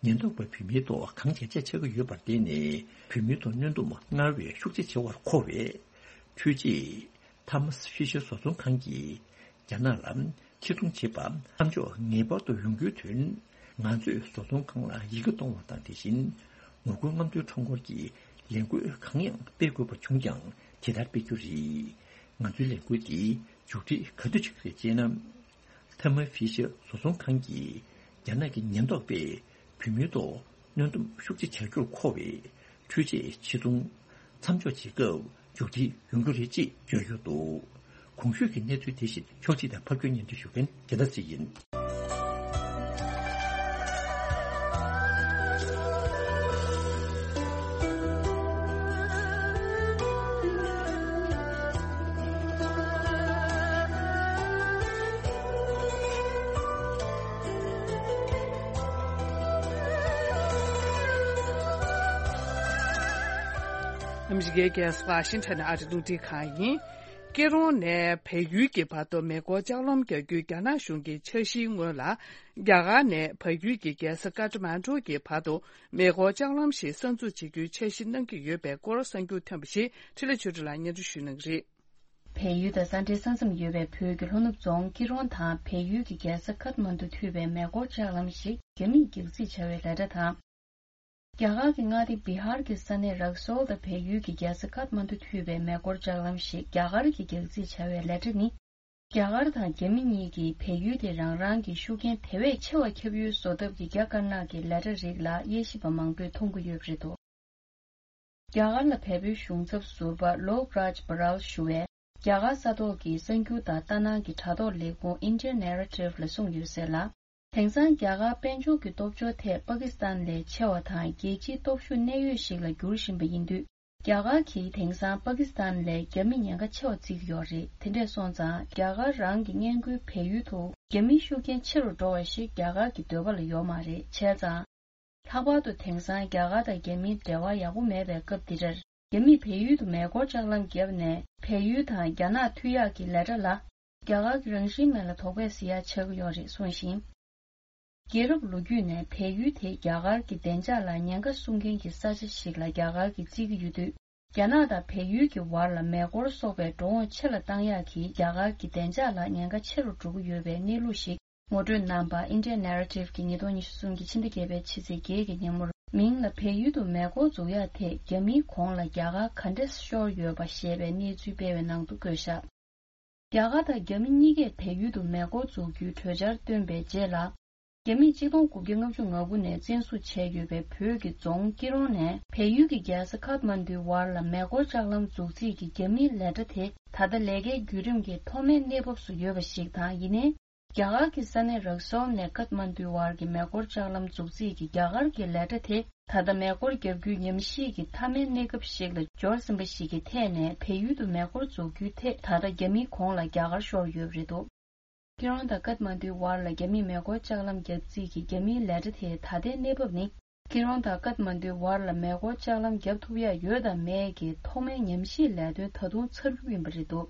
ཉེན་རྟོག་པས་བོད་མིའི་ཐོག་གང་བྱས་བྱས་བྱེད་ཀྱི་ཡོད་པར་བརྟེན་ནས། བོད་མིའི་ཐོག་གནོན་སྡོམ་སྔར་བས་ཤུགས་ཆེ་བྱེད་པར་མཁོ་བས། འཕྲུལ་ཆས་ཐར་མ་ཧྥི་ཤར་བཟོ་ཚོང་ཁང་གིས་རྒྱ་ནག་ལ་ཕྱིར་ཚོང་བྱེད་པ་མཚམས་འཇོག་ངེས་པར་དུ་ཡོང་རྒྱུའི་དོན། ང་ཚོས་བཟོ་ཚོང་ཁང་ལ་ཡི་གེ་གཏོང་བ་དང་། དེ་བཞིན་ངོ་རྒོལ་རྔམ་སྟོན་ཁྲོམ་སྐོར་གྱི་ལས་འགུལ་གང་ཡང་སྤེལ་དགོས་པ་བྱུང་ཀྱང་དེ་ལྟར་སྤེལ་རྒྱུ་རེད། ང་ཚོའི་ལས་འགུལ་འདི་མཇུག་སྒྲིལ་ག་དུས་བྱེད་ཀྱི་རེད་ཅེ་ན། ཐར་མ་ཧྥི་ཤར་བཟོ་ཚོང་ཁང་གིས་རྒྱ་ནག་གི་ཉེན་རྟོག་པས་བོད་མིའི་ཐོག་གནོན་སྡོམ་ཤུགས་ཆེ་བྱ་རྒྱུར་མཁོ་བས། འཕྲུལ་ཆས་ཕྱིར་ཚོང་མཚམས་འཇོག་བྱེད་སྐབས་མཇུག་སྒྲིལ་ཡོང་རྒྱུ་རེད་ཅེས་བརྗོད་ཡོད་འདུག་གོང་ཞུས་ཀྱི་གནས་ཚུལ་དེ་བཞིན་ཕྱོགས་སྒྲིག་དང་ཕབ་སྒྱུར་སྙན་སྒྲོན་ཞུ་མཁན་རྒྱལ་ཐར་ཚེ་ཡིན། ཨ་མི་རི་ཀའི་རྒྱལ་ས་ཝ་ཤིང་ཊོན་ནས་ཨ་རི་རླུང་འཕྲིན་ཁང་ཡིན། ཀེ་རོང་ནས་བལ་ཡུལ་གྱི་བར་དུ་མེ་འཁོར་ལྕགས་ལམ་རྒྱག་རྒྱུའི་རྒྱ་ནག་གཞུང་གི་འཆར་གཞིའི་སྔོན་ལ། རྒྱ་གར་ནས་བལ་ཡུལ་གྱི་རྒྱལ་ས་ཀ་ཐ་མན་གྲུ་གྱི་བར་དུ་མེ་འཁོར་ལྕགས་ལམ་ཞིག་གསར་འཛུགས་བྱེད་རྒྱུའི་འཆར་གཞི་གནང་གི་ཡོད་པའི་སྐོར་གསར་འགྱུར་ཐོན་པ་ཞིག་འཕྲིན་ལས་ཆོས་སྒྲོན་ལགས་སྙན་སྒྲོན་ཞུ་གནང་གི་རེད། བལ་ཡུལ་དང་ས་འབྲེལ་ས་མཚམས་ཡོད་པའི་བོད་ཀྱི་ལྷོ་ནུབ་རྫོང་ཀི་རོང་དང་བལ་ཡུལ་གྱི་རྒྱལ་ས་ཁཐ་མན་དུ་མཐུད་པའི་མེ་འཁོར་ལྕགས་ལམ་ཞིག་རྒྱ་མིས་རྒྱག་རྩིས་བྱ་བའི་ལས་གྲྭ་དང་། རྒྱ་གར་གྱི་མངའ་སྡེ་བི་ཧར་གྱི་ས་གནས་རག་སོལ་དང་བལ་ཡུལ་གྱི་རྒྱལ་ས་ཁཐ་མན་དུ་མཐུད་པའི་མེ་འཁོར་ལྕགས་ལམ་ཞིག་རྒྱ་གར་གྱིས་རྒྱག་རྩིས་བྱ་བའི་ལས་གྲྭ་ནི། རྒྱ་གར་དང་རྒྱ་མི་གཉིས་ཀྱིས་བལ་ཡུལ་དེ་རང་རང་གི་ཤུགས་རྐྱེན་དེ་བས་ཆེ་བ་ཁྱབ་ཡུལ་བཟོ་ཐབས་ཀྱི་རྒྱ་དཀར་ནག་གི་ལས་གྲྭ་རིགས་ལ་དབྱེ་ཞིབ་པ་མང་པོས་མཐོང་གི་ཡོད་པ་རེད་འདུག་རྒྱ་གར་ལ་བལ་པོའི་གཞུང་ཚབ་ཟུར་པ་ལོག་རཱཇ་བྷ་རལ་ཞུ་བས། རྒྱ་གར་ས་ཐོག་གི་གསར་འགྱུར་དང་ལྟ་སྣང་གི་དྲ་ཐོག་ལས་ཁུངས་India Narrative ལ་གསུངས་ཡོད་ཟེར་ལ། དེང་སང་རྒྱ་གར་དཔལ་འབྱོར་གྱི་སྟོབས་འབྱོར་ཐད་པ་ཀི་སི་ཐན་ལས་ཆེ་བ་དང་རྒྱལ་སྤྱིའི་སྟོབས་ཤུགས་གནད་ཡོད་ཞིག་ལ་འགྱུར་བཞིན་པ་ཡིན་དུས། རྒྱ་གར་གྱིས་དེང་སང་པ་ཀི་སི་ཐན་ལས་རྒྱ་མི་ཉེན་ཁ་ཆེ་བ་བརྩི་གི་ཡོད་རེད། དེ་འདྲས་སོང་ཙང་རྒྱ་གར་རང་གི་མངའ་ཁུལ་བལ་ཡུལ་དུ་རྒྱ་མིའི་ཤུགས་རྐྱེན་ཆེ་རུ་འགྲོ་བ་ཞིག་རྒྱ་གར་གྱི་འདོད་པ་ལ་ཡོད་མ་རེད། བྱས་ཙང་། ལྷག་པར་དུ་དེང་སང་རྒྱ་གར་དང་རྒྱ་མིའི་འབྲེལ་བ་ཡག་པོ་མེད་པའི་སྐབས་འདི་འདྲར། རྒྱ་མིས་བལ་ཡུལ་དུ་མེ་འཁོར་ལྕགས་ལམ་བརྒྱབ་ནས་བལ་ཡུལ་དང་རྒྱ་ནག་མཐུད་ཡག་གི་ལས་གྲྭ་ལ། རྒྱ་གར་གྱི་རང་བཞིན་མེད་ལ་དོགས་པས་ཟིན་ཡག་ཆགས་ཀྱི་ཡོད་རེད་གསུངས་ཤིང་། རྒྱལ་རབས་ལོ་རྒྱུས་ནས་བལ་ཡུལ་དེ་རྒྱ་གར་གྱི་བདེ་འཇགས་ལ་ཉེན་ཁ་སྲུང་མཁན་གྱི་ས་ཆ་ཞིག་ལ་རྒྱ་གར་གྱིས་བརྩི་གི་ཡོད་དུས། རྒྱ་ནག་དང་བལ་ཡུལ་གྱི་བར་ལ་མེ་འཁོར་སོགས་པའི་འགྲོ་འོང་ཆེ་ལ་བཏང་ཡག་གིས་རྒྱ་གར་གྱི་བདེ་འཇགས་ལ་ཉེན་ཁ་ཆེ་རུ་འགྲོ་གི་ཡོད་པའི་གནས་ལུགས་ཤིག་ངོ་སྤྲོད་གནང་པ་India Narrative གི་ཉིས་སྟོང་ཉི་ཤུ་གསུམ་གྱི་ཕྱི་ཟླ་བརྒྱད་པའི་ཕྱི་ཚེས་བརྒྱད་ཀྱི་ཉིན་མོར་མིང་ལ་བལ་ཡུལ་དུ་མེ་འཁོར་འཛུགས་ཡག་ཐད་རྒྱ་མིའི་གོང་ལ་རྒྱ་གར་ག་འདྲས་ཤོར་ཡོད་པ་ཞེས་པའི་གནས་ཚུལ་སྤེལ་བའི་ནང་དུ་བཀོད་བཞག་རྒྱ་གར་དང་རྒྱ་མི་གཉིས་ཀས་བལ་ཡུལ་དུ་མེ་འཁོར་འཛུགས་རྒྱུའི་གྲོས་འཆར་བཏོན་པའི་རྗེས་ལ། རྒྱ་མིས་ཆིག་སྟོང་དགུ་བརྒྱ་ལྔ་བཅུ་ང་དགུ་ནས་བཙན་བཟུང་བྱས་ཡོད་པའི་བོད་ཀྱི་རྫོང་ཀི་རོང་ནས་བལ་ཡུལ་གྱི་རྒྱལ་ས་ཁཐ་མན་དུའི་བར་ལ་མེ་འཁོར་ལྕགས་ལམ་འཛུགས་རྩིས་ཀྱི་རྒྱ་མིའི་ལས་གྲྭ་དེ་ད་ལྟ་ལས་ཀའི་བརྒྱུད་རིམ་གྱི་ཐོག་མའི་གནས་བབ་སུ་ཡོད་པ་ཞིག་དང་། ཡིན་ནའི། རྒྱ་གར་གྱི་ས་གནས་རག་སོལ་ནས་ཀཐ་མན་དུའི་བར་གྱི་མེ་འཁོར་ལྕགས་ལམ་འཛུགས་རྩིས་ཀྱི་རྒྱ་གར་གྱི་ལས་གྲྭ་དེ། ད་ལྟ་མེ་འཁོར་བརྒྱབ་རྒྱུའི་ཉམས་ཞིབ་ཀྱི་མཐའ་མའི་གནས་སྐབས་ཤིག་ལ་འབྱོར་ཟིན་པ་ཞིག་གི་ཐད་ནས། བལ་ཡུལ་དུ་མེ་འཁོར་འཛུགས་རྒྱུའི་ཐད་ད་ལྟ་རྒྱ་མིའི་གོང་ལ་རྒྱ་གར་ཤོར་ཡོད་པ་རེད་འདུག་ཀི་རོང་དང་ཀཐ་མན་དུའི་བར་ལ་རྒྱ་མིས་མེ་འཁོར་ལྕགས་ལམ་བརྒྱབ་རྩིས་ཀྱི་རྒྱ་མིའི་ལས་གྲྭ་དེའི་ད་ལྟའི་གནས་བབ་ནི། ཀི་རོང་དང་ཀཐ་མན་དུའི་བར་ལ་མེ་འཁོར་ལྕགས་ལམ་བརྒྱབ་ཐུབ་ཡ་ཡོད་དང་མེད་ཀྱི་ཐོག་མའི་ཉམས་ཞིབ་ལས་དོན་ད་དུང་ཚར་རྒྱུ་ཡིན་པ་རེད་འདུག་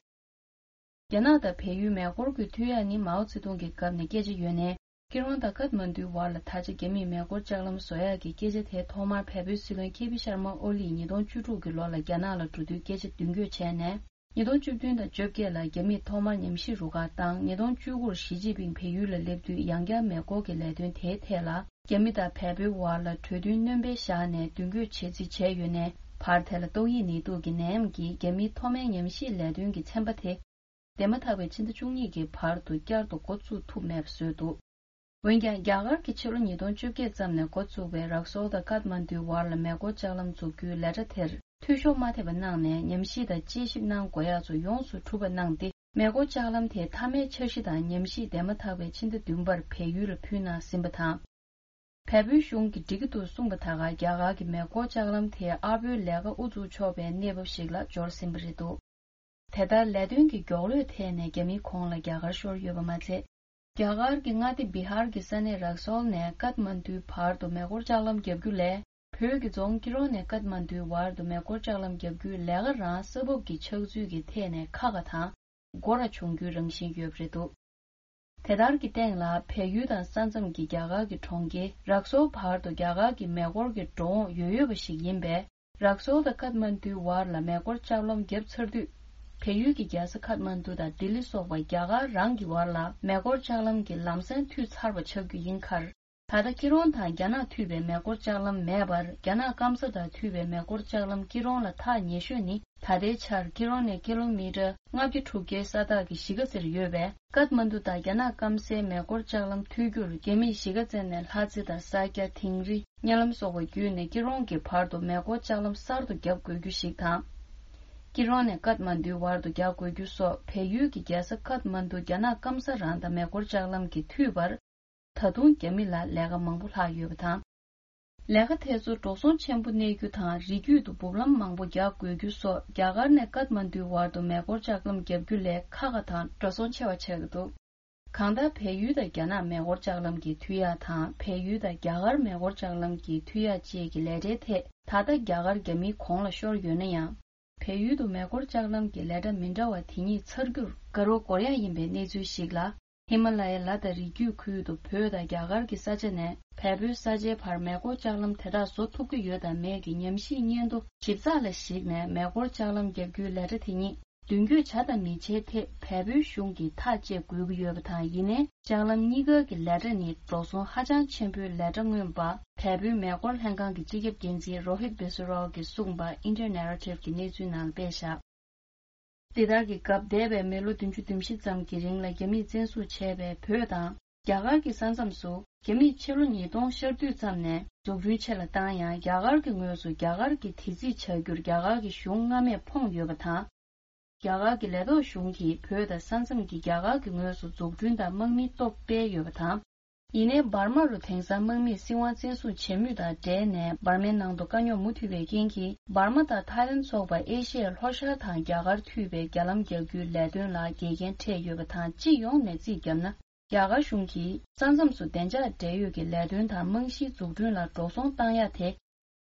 རྒྱ་ནག་དང་བལ་ཡུལ་མེ་འཁོར་གྱི་མཐུད་ཡ་ནི་མའོ་ཙེ་ཏུང་གི་སྐབས་ནས་སྐད་ཆ་ཡོད་ནའི། ཀི་རོང་དང་ཀཐ་མན་དུའི་བར་ལ་ད་ཆ་རྒྱ་མིས་མེ་འཁོར་ལྕགས་ལམ་བཟོ་ཡག་གི་སྐད་ཆ་དེ་ཐོག་མར་བལ་པོའི་སྲིད་བློན་ཁེ་པི་ཤར་མ་ཨོ་ལིས་ཉིས་སྟོང་བཅུ་དྲུག་གི་ལོ་ལ་རྒྱ་ནག་ལ་འགྲོ་དུས་སྐད་ཆ་མདུན་སྐྱོད་བྱས་ནས། ཉིས་སྟོང་བཅུ་བདུན་དང་བཅོ་བརྒྱད་ལ་རྒྱ་མིས་ཐོག་མར་ཉམས་ཞིབ་རུ་ཁག་བཏང་། ཉིས་སྟོང་བཅུ་དགུར་ཞི་ཅིན་ཕིང་བལ་ཡུལ་ལ་སླེབས་དུས་ཡང་བསྐྱར་མེ་འཁོར་གྱི་ལས་དོན་དེའི་ཐད་ལ་རྒྱ་མི་དང་བལ་པོའི་བར་ལ་གྲོས་མཐུན་སྣོན་སྤེལ་བཞག་ནས་མདུན་སྐྱོད་བྱེད་རྩིས་བྱས་ཡོད་ནའི། བར་དེ་ལ་ཏོག་དབྱིབས་ནད་དུག་གི་ནད་ཡམས་ཀྱིས་རྒྱ་མིའི་ཐོག་མའི་ཉམས་ཞིབ་ལས་དོན་གྱི་ཚན་པ་དེ། འདས་མ་ཐག་པའི་ཕྱི་ཟླ་བཅུ་གཉིས་ཀྱི་བར་དུ་བསྐྱར་དུ་འགོ་བཙུགས་ཐུབ་མེད་པ་བཟོས་འདུག་འོན་ཀྱང་། རྒྱ་གར་གྱིས་ཕྱི་ལོ་ཉིས་སྟོང་བཅོ་བརྒྱད་ཙམ་ནས་འགོ་བཙུགས་པའི་རག་སོལ་དང་ཀཐ་མན་དུའི་བར་ལ་མེ་འཁོར་ལྕགས་ལམ་འཛུགས་རྒྱུའི་ལས་གྲྭ་དེར་འཐུས་ཤོར་མ་ཐེབས་པ་གནང་ནས། ཉམས་ཞིབ་དང་དཔྱད་ཞིབ་གནང་དགོས་ཡག་ཚོ་ཡོངས་སུ་གྲུབ་པ་གནང་སྟེ། མེ་འཁོར་ལྕགས་ལམ་དེའི་མཐའ་མའི་འཆར་གཞི་དང་ཉམས་ཞིབ་འདས་མ་ཐག་པའི་ཕྱི་ཟླ་བདུན་པར་བལ་ཡུལ་ལ་ཕུལ་གནང་ཟིན་པ་དང་། བལ་པོའི་གཞུང་གིས་འགྲིག་གི་འདུག་གསུངས་པ་དག་ག་རྒྱ་གར་གྱི་མེ་འཁོར་ལྕགས་ལམ་དེ་ཨར་པོའི་ལས་ཀ་དབུ་འཛུགས་ཆོག་པའི་གནས་བབ་ཞིག་ལ་འབྱོར་ཟིན་པ་རེད་འདུག་དེ་ལྟར་ལས་དོན་གྱི་མགྱོགས་ལོས་ཐད་ནས་རྒྱ་མིའི་གོང་ལ་རྒྱ་གར་ཤོར་ཡོད་པ་མ་ཚད། རྒྱ་གར་གྱི་མངའ་སྡེ་བི་ཧར་གྱི་ས་གནས་རག་སོལ་ནས་ཀཐ་མན་དུའི་བར་དུ་མེ་འཁོར་ལྕགས་ལམ་བརྒྱབ་རྒྱུ་ལས། བོད་ཀྱི་རྫོང་ཀི་རོང་ནས་ཀཐ་མན་དུའི་བར་དུ་མེ་འཁོར་ལྕགས་ལམ་བརྒྱབ་རྒྱུའི་ལས་ཀ་རང་ས་བབ་ཀྱི་ཆགས་ཚུལ་གྱི་ཐད་ནས་ཁག་ཁག་དང་། སྒོ་ར་བྱུང་རྒྱུའི་རང་བཞིན་ཡོད་པ་རེད་འདུག་དེ་ལྟར་གྱི་སྟེང་ལ། བལ་ཡུལ་དང་ས་མཚམས་ཀྱི་རྒྱ་གར་གྱི་གྲོང་ཁྱེར་རག་སོལ་བར་དུ་རྒྱ་གར་གྱི་མེ་འཁོར་གྱི་འགྲོ་འོང་ཡོད་ཡོད་པ་ཞིག་ཡིན་པས། རག་སོལ་དང་ཀཐ་མན་དུའི་བར་ལ་མེ་འཁོར་ལྕགས་ལམ་བརྒྱབ་ཚར་དུས། བལ་ཡུལ་གྱི་རྒྱལ་ས་ཀཐ་མན་དུ་དང་ལྡི་ལི་སོགས་པ་རྒྱ་གར་རང་གི་བར་ལ་མེ་འཁོར་ལྕགས་ལམ་གྱི་ལམ་སེང་མཐུད་ཚར་བ་ཆགས་རྒྱུ་ཡིན་ཁར། ད་ལྟ་ཀི་རོང་དང་རྒྱ་ནག་མཐུད་པའི་མེ་འཁོར་ལྕགས་ལམ་མེད་པར། རྒྱ་ནག་སྐམ་ས་དང་མཐུད་པའི་མེ་འཁོར་ལྕགས་ལམ་ཀི་རོང་ལ་ཐག་ཉེ་ཤོས་ནི། ད་ལྟའི་ཆར་ཀི་རོང་ནས་ཀི་ལོ་མི་ཊར་ལྔ་བརྒྱ་དྲུག་བརྒྱའི་ས་ཐག་གི་གཞིས་ཀ་རྩེར་ཡོད་པས། ཀཐ་མན་དུ་དང་རྒྱ་ནག་སྐམ་སའི་མེ་འཁོར་ལྕགས་ལམ་མཐུད་རྒྱུར། རྒྱ་མིས་གཞིས་ཀ་རྩེ་ནས་ལྷ་རྩེ་དང་ས་སྐྱ། དིང་རི། གཉའ་ལམ་སོགས་པ་བརྒྱུད་ནས་ཀི་རོང་གི་བར་དུ་མེ་འཁོར་ལྕགས་ལམ་གསར་དུ་བརྒྱབ་དགོས་རྒྱུ་ཞིག་དང་། ཀི་རོང་ནས་ཀཐ་མན་དུའི་བར་དུ་རྒྱག་དགོས་རྒྱུ་སོགས། བལ་ཡུལ་གྱི་རྒྱལ་ས་ཀཐ་མན་དུ་རྒྱ་ནག་སྐམ་ས་རང་དང་མེ་འཁོར་ལྕགས་ལམ་གྱིས་མཐུད་པར། ད་དུང་རྒྱ་མི་ལ་ལས་ཀ་མང་པོ་ལྷག་ཡོད་པ་དང་། ལས་ཀ་དེ་ཚོ་འགྲོ་སོང་ཆེན་པོ་གནས་རྒྱུ་དང་། རི་རྒྱུད་དུ་འབུབ་ལམ་མང་པོ་རྒྱག་དགོས་རྒྱུ་སོགས། རྒྱ་གར་ནས་ཀཐ་མན་དུའི་བར་དུ་མེ་འཁོར་ལྕགས་ལམ་བརྒྱབ་རྒྱུ་ལས་ཁག་ཁག་དང་འགྲོ་སོང་ཆེ་བ་ཆགས་ཀྱི་འདུག་གང་ལྟར། བལ་ཡུལ་དང་རྒྱ་ནག་མེ་འཁོར་ལྕགས་ལམ་གྱི་མཐུད་ཡག་དང་། བལ་ཡུལ་དང་རྒྱ་གར་མེ་འཁོར་ལྕགས་ལམ་གྱི་མཐུད་ཡག་བཅས་ཀྱི་ལས་གྲྭའི་ཐད། ད་ལྟ་རྒྱ་གར་རྒྱ་མིའི་གོང་ལ་ཤོར་ཡོད་ན་ཡང་། བལ་ཡུལ་དུ་མེ་འཁོར་ལྕགས་ལམ་གྱི་ལས་གྲྭ་མི་འདྲ་བ་དེ་ཉིད་ཚར་རྒྱུར་དགའ་རབ་དགོས་ཡ་ཡིན་པའི་གནས་ཚུལ་ཞིག་ལ། ཧི་མ་ལ་ཡའི་ལ་དང་རི་རྒྱུད་ཁུལ་དུ་བོད་དང་རྒྱ་གར་གྱི་ས་ཆ་ནས་བལ་པོའི་ས་ཆའི་བར་མེ་འཁོར་ལྕགས་ལམ་དེ་དག་བཟོ་ཐུབ་ཀྱི་ཡོད་དམ་མེད་ཀྱི་ཉམས་ཞིབ་སྙན་ཐོ་ཞིབ་ཚགས་ལ་གཞིགས་ནས། མེ་འཁོར་ལྕགས་ལམ་བརྒྱབ་རྒྱུའི་ལས་གྲྭ་དེ་ཉིད་མདུན་སྐྱོད་བྱ་དང་མི་བྱའི་ཐད་བལ་པོའི་གཞུང་གིས་ཐག་བཅད་དགོས་ཀྱི་ཡོད་པ་དང་། ཡིན་ནའི་ལྕགས་ལམ་གཉིས་ཀ་གི་ལས་གྲྭ་ནི་འགྲོ་སོང་ཧ་ཅང་ཆེན་པོའི་ལས་གྲྭ་མངོན་པ། བལ་པོའི་མེ་འཁོར་ལྷན་ཁང་གི་སྤྱི་ཁྱབ་འགན་འཛིན་རོ་ཧིད་བེ་སུ་རོ་གིས་གསུངས་པ་ཨིན་ཌི་ཡན་ནེ་རེ་ཊིབ་ཀྱི་གནས་ཚུལ་ནང་སྤེལ་བཞག་འདི་ལྟར་གྱི་སྐབས། འདས་པའི་མི་ལོ་བདུན་ཅུ་དོན་བཞི་ཙམ་གྱི་རིང་ལ་རྒྱ་མིས་བཙན་བཟུང་བྱས་པའི་བོད་དང་རྒྱ་གར་གྱི་ས་མཚམས་སུ། རྒྱ་མིས་ཕྱི་ལོ་ཉིས་སྟོང་ཤར་དུས་ཙམ་ནས་འཛུགས་སྐྲུན་ཆེ་ལ་བཏང་ཡང་། རྒྱ་གར་གྱི་ངོས་སུ་རྒྱ་གར་གྱི་དེ་རྩིས་བྱ་རྒྱུར་རྒྱ་གར་གྱི་གཞུང་སྔ་མས་ཕོངས་ཡོད་པ་དང་། རྒྱ་གར་གྱི་ལས་ཐོག་གཞུང་གིས་བོད་དང་ས་མཚམས་ཀྱི་རྒྱ་གར་གྱི་ངོས་སུ་འཛུགས་སྐྲུན་དང་དམག་མི་སྟོབས་སྤེལ་ཡོད་པ་དང་། ཡིན་ནའི་འབར་མ་རུ་དེང་སང་དམག་མིས་སྲིད་དབང་བཙན་བཟུང་བྱེད་མུས་དང་འབྲེལ་ནས། འབར་མའི་ནང་དུ་དཀའ་རྙོག་མུ་མཐུད་པའི་རྐྱེན་གྱིས། འབར་མ་དང་ཐའི་ལན་སོགས་པ་ཨེ་ཤི་ཡའི་ལྷོ་ཤར་དང་རྒྱ་གར་མཐུད་པའི་རྒྱ་ལམ་རྒྱག་རྒྱུའི་ལས་དོན་ལ་འགལ་རྐྱེན་འཕྲད་ཡོད་པ་དང་། སྤྱི་ཡོངས་ནས་རྩིས་བརྒྱབ་ན། རྒྱ་གར་གཞུང་གིས་ས་མཚམས་སུ་བདེ་འཇགས་འབྲེལ་ཡོད་ཀྱི་ལས་དོན་དང་རྨང་གཞིའི་འཛུགས་སྐྲུན་ལ་འགྲོ་སོང་བཏང་ཡ་དེ།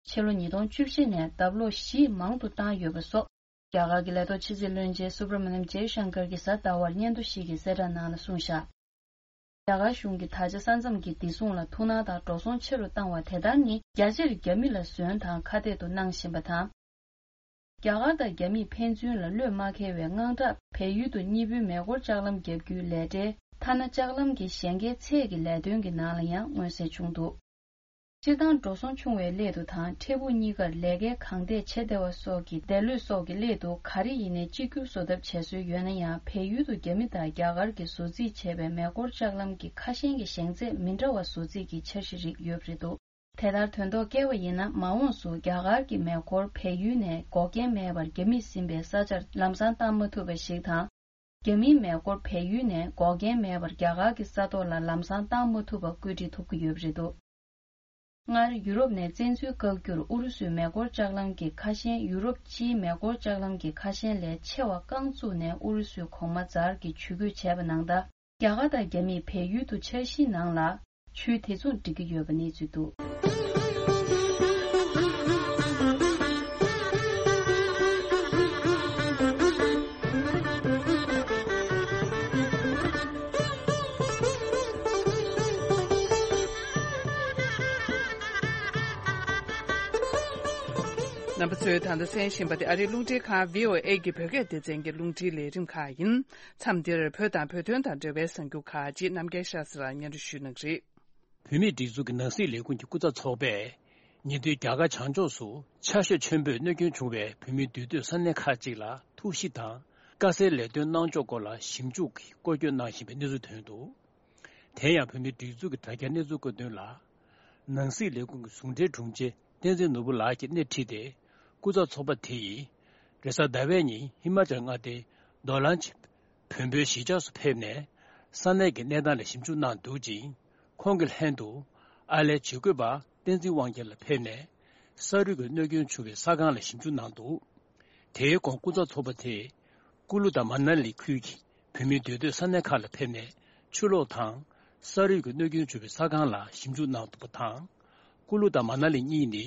ཕྱི་ལོ་ཉིས་སྟོང་བཅུ་བཞི་ནས་ལྡབ་ལོག་བཞི་མང་དུ་བཏང་ཡོད་པ་སོགས། རྒྱ་གར་གྱི་ལས་ཐོག་ཕྱི་སྲིད་བློན་ཆེན་སུབ་ར་མ་ནམ་ཇེ་ཤང་ཀར་གྱིས་གཟའ་ཟླ་བར་སྙན་ཐོ་ཞིག་གི་གསལ་བསྒྲགས་ནང་ལ་གསུངས་བཞག་རྒྱ་གར་གཞུང་གིས་ད་ཆ་ས་མཚམས་ཀྱི་བདེ་སྲུང་ལ་ཐུགས་སྣང་དང་འགྲོ་སོང་ཆེ་རུ་བཏང་བ་དེ་ལྟར་ནི། རྒྱ་ཆེར་རྒྱ་མི་ལ་ཟོན་དང་ཁ་གཏད་དུ་གནང་བཞིན་པ་དང་། རྒྱ་གར་དང་རྒྱ་མིས་ཕན་ཚུན་ལ་བློས་མ་འཁེལ་བའི་དངངས་སྐྲག་བལ་ཡུལ་དུ་གཉིས་པོའི་མེ་འཁོར་ལྕགས་ལམ་བརྒྱབ་རྒྱུའི་ལས་གྲྭའི་ཐ་ན་ལྕགས་ལམ་གྱི་གཞན་སྒེར་ཚད་ཀྱི་ལས་དོན་གྱི་ནང་ལ་ཡང་མངོན་གསལ་བྱུང་འདུག་སྤྱིར་བཏང་འགྲོ་སོང་ཆུང་བའི་སླད་དུ་དང་། འཕྲལ་ཕུགས་གཉིས་ཀར་ལས་ཀའི་གང་ཐད་བྱེད་བདེ་བ་སོགས་ཀྱི་བདེ་བློས་སོགས་ཀྱི་སླད་དུ། ག་རེ་ཡིན་ནའི་གཅིག་གྱུར་བཟོ་ཐབས་བྱེད་སྲོལ་ཡོད་ན་ཡང་། བལ་ཡུལ་དུ་རྒྱ་མི་དང་རྒྱ་གར་གྱིས་བཟོ་རྩིས་བྱས་པའི་མེ་འཁོར་ལྕགས་ལམ་གྱི་ཁ་ཞེང་གི་ཞེང་ཚད་མི་འདྲ་བ་བཟོ་རྩིས་ཀྱི་འཆར་གཞི་རིགས་ཡོད་པ་རེད་འདུག་དེ་ལྟར་དོན་ཐོག་བཀལ་བ་ཡིན་ན། མ་འོངས་སུ་རྒྱ་གར་གྱི་མེ་འཁོར་བལ་ཡུལ་ནས་འགོག་རྐྱེན་མེད་པར་རྒྱ་མིས་ཟིན་པའི་ས་ཆར་ལམ་སང་བཏང་མ་ཐུབ་པ་ཞིག་དང་། རྒྱ་མིའི་མེ་འཁོར་བལ་ཡུལ་ནས་འགོག་རྐྱེན་མེད་པར་རྒྱ་གར་གྱི་ས་ཐོག་ལ་ལམ་སང་བཏང་མ་ཐུབ་པ་བཀོད་སྒྲིག་ཐུབ་ཀྱི་ཡོད་པ་རེད་འདུག་སྔར་ཡུ་རོབ་ནས་བཙན་འཛུལ་བཀག་རྒྱུར་ཨུ་རུ་སུའི་མེ་འཁོར་ལྕགས་ལམ་གྱི་ཁ་ཞེང་ཡུ་རོབ་སྤྱིའི་མེ་འཁོར་ལྕགས་ལམ་གྱི་ཁ་ཞེང་ལས་ཆེ་བ་རྐང་བཙུགས་ནས་ཨུ་རུ་སུས་གོང་མ་ཛར་གྱིས་ཇུས་འགོད་བྱས་པ་ནང་ལྟར། རྒྱ་གར་དང་རྒྱ་མིས་བལ་ཡུལ་དུ་འཆར་གཞིའི་ནང་ལ་ཆུའི་དེ་མཚུངས་སྒྲིག་གི་ཡོད་པ་གནས་ཚུལ་འདུག་རྣམ་པ་ཚོས་ད་ལྟ་གསན་བཞིན་པ་དེ་ཨ་རིའི་རླུང་འཕྲིན་ཁང་བྷི་ཨོ་ཨེ་གི་བོད་སྐད་སྡེ་ཚན་གྱི་རླུང་འཕྲིན་ལས་རིམ་ཁག་ཡིན། མཚམས་འདིར་བོད་དང་བོད་དོན་དང་འབྲེལ་བའི་གསར་འགྱུར་ཁག་ཅིག་རྣམ་རྒྱལ་ཤཱ་ཟེར་ལ་སྙན་སྒྲོན་ཞུ་གནང་གི་རེད། བོད་མིའི་སྒྲིག་འཛུགས་ཀྱི་ནང་སྲིད་ལས་ཁུངས་ཀྱི་སྐུ་ཚབ་ཚོགས་པས་ཉེ་དུས་རྒྱ་གར་བྱང་ཕྱོགས་སུ་ཆར་ཞོད་ཆེན་པོས་གནོད་སྐྱོན་བྱུང་བའི་བོད་མིའི་འདུས་སྡོད་ས་གནས་ཁག་ཅིག་ལ་ཐུགས་གཞིགས་དང་དཀའ་སེལ་ལས་དོན་གནང་ཕྱོགས་སྐོར་ལ་ཞིབ་འཇུག་གིས་སྐོར་སྐྱོད་གནང་བཞིན་པའི་གནས་ཚུལ་ཐོན་འདུག་དེ་ཡང་བོད་མིའི་སྒྲིག་འཛུགས་ཀྱི་དྲ་རྒྱའི་གནས་ཚུལ་བཀོད་དོན་ལ། ནང་སྲིད་ལས་ཁུངས་ཀྱི་ཟུང་འབྲེལ་དྲུང་ཆེ་བསྟན་འཛིན་ནོར་བུ་ལགས་ཀྱིས་སྣེ་ཁྲིད་དེ། སྐུ་ཚབ་ཚོགས་པ་དེ་ཡིས་རེས་གཟའ་ཟླ་བའི་ཉིན་ཧི་མ་ཅལ་མངའ་སྡེའི་རྡོ་ལན་ཆི་བོན་པོའི་གཞིས་ཆགས་སུ་ཕེབས་ནས། ས་གནས་ཀྱི་གནས་སྟངས་ལ་ཞིབ་འཇུག་གནང་འདུག་ཅིང་། ཁོང་གི་ལྷན་དུ་ཨ་ལས་ཇུས་འགོད་པ་བསྟན་འཛིན་དབང་རྒྱལ་ལགས་ཕེབས་ནས། ས་རུད་ཀྱི་གནོད་སྐྱོན་བྱུང་བའི་ས་ཁང་ལ་ཞིབ་འཇུག་གནང་འདུག་དེའི་གོང་སྐུ་ཚབ་ཚོགས་པ་དེས་ཀུ་ལུ་དང་མ་ན་ལི་ཁུལ་གྱི་བོད་མིའི་འདུས་སྡོད་ས་གནས་ཁག་ལ་ཕེབས་ནས་ཆུ་ལོག་དང་ས་རུད་ཀྱི་གནོད་སྐྱོན་བྱུང་བའི་ས་ཁང་ལ་ཞིབ་འཇུག་གནང་འདུག་པ་དང་། ཀུ་ལུ་དང་མ་ན་ལི་གཉིས་ནི་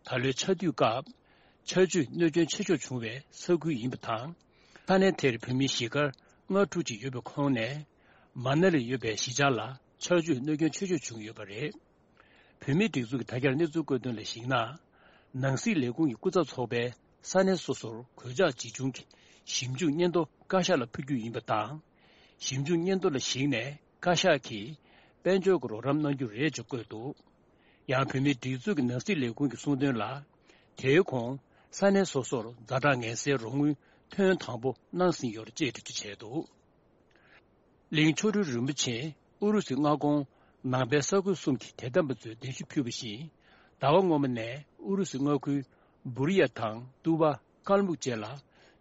ད་ལོའི་ཆར་དུས་སྐབས་ཆར་ཆུས་གནོད་སྐྱོན་ཆེ་ཤོས་བྱུང་བའི་ས་ཁུལ་ཡིན་པ་དང་། ས་གནས་དེར་བོད་མི་གཞིས་སྒར་ལྔ་དྲུག་ཅིག་ཡོད་པའི་ཁོངས་ནས་མ་ན་ལི་ཡོད་པའི་གཞིས་ཆགས་ལ་ཆར་ཆུས་གནོད་སྐྱོན་ཆེ་ཤོས་བྱུང་ཡོད་པ་རེད། བོད་མིའི་སྒྲིག་འཛུགས་ཀྱི་དྲ་རྒྱར་གནས་ཚུལ་བཀོད་དོན་ལ་གཞིགས་ན། ནང་སྲིད་ལས་ཁུངས་ཀྱི་སྐུ་ཚབ་ཚོགས་པས་ས་གནས་སོ་སོར་གོད་ཆག་ཇི་བྱུང་གི་ཞིབ་འཇུག་སྙན་ཐོ་བཀའ་ཤག་ལ་ཕུལ་རྒྱུ་ཡིན་པ་དང་། ཞིབ་འཇུག་སྙན་ཐོ་ལ་གཞིགས་ནས་བཀའ་ཤག་གིས་དཔལ་འབྱོར་གྱི་རོགས་རམ་གནང་རྒྱུ་རེད་ཅེས་བཀོད་འདུག་ཡང་བོད་མིའི་སྒྲིག་འཛུགས་ཀྱི་ནང་སྲིད་ལས་ཁུངས་ཀྱིས་གསུངས་དོན་ལ། དེའི་གོང་ས་གནས་སོ་སོར་ཛ་དྲག་ངལ་སེལ་རོགས་དངུལ་ཐེངས་དང་པོ་གནང་ཟིན་ཡོད་རེད་ཅེས་འགྲེལ་བརྗོད་བྱས་འདུག་གླིང་མཆོག་སྤྲུལ་རིན་པོ་ཆེ་ཨུ་རུ་སུའི་མངའ་ཁོངས་ནང་པའི་ས་ཁུལ་གསུམ་གྱི་དད་ལྡན་པ་ཚོའི་གདན་ཞུ་ཕུལ་བ་བཞིན། ཟླ་བ་སྔོན་མ་ནས་ཨུ་རུ་སུའི་མངའ་ཁུལ་སྦུ་རི་ཡ་དང་ཏུ་བ། ཀལ་མུག་བཅས་ལ་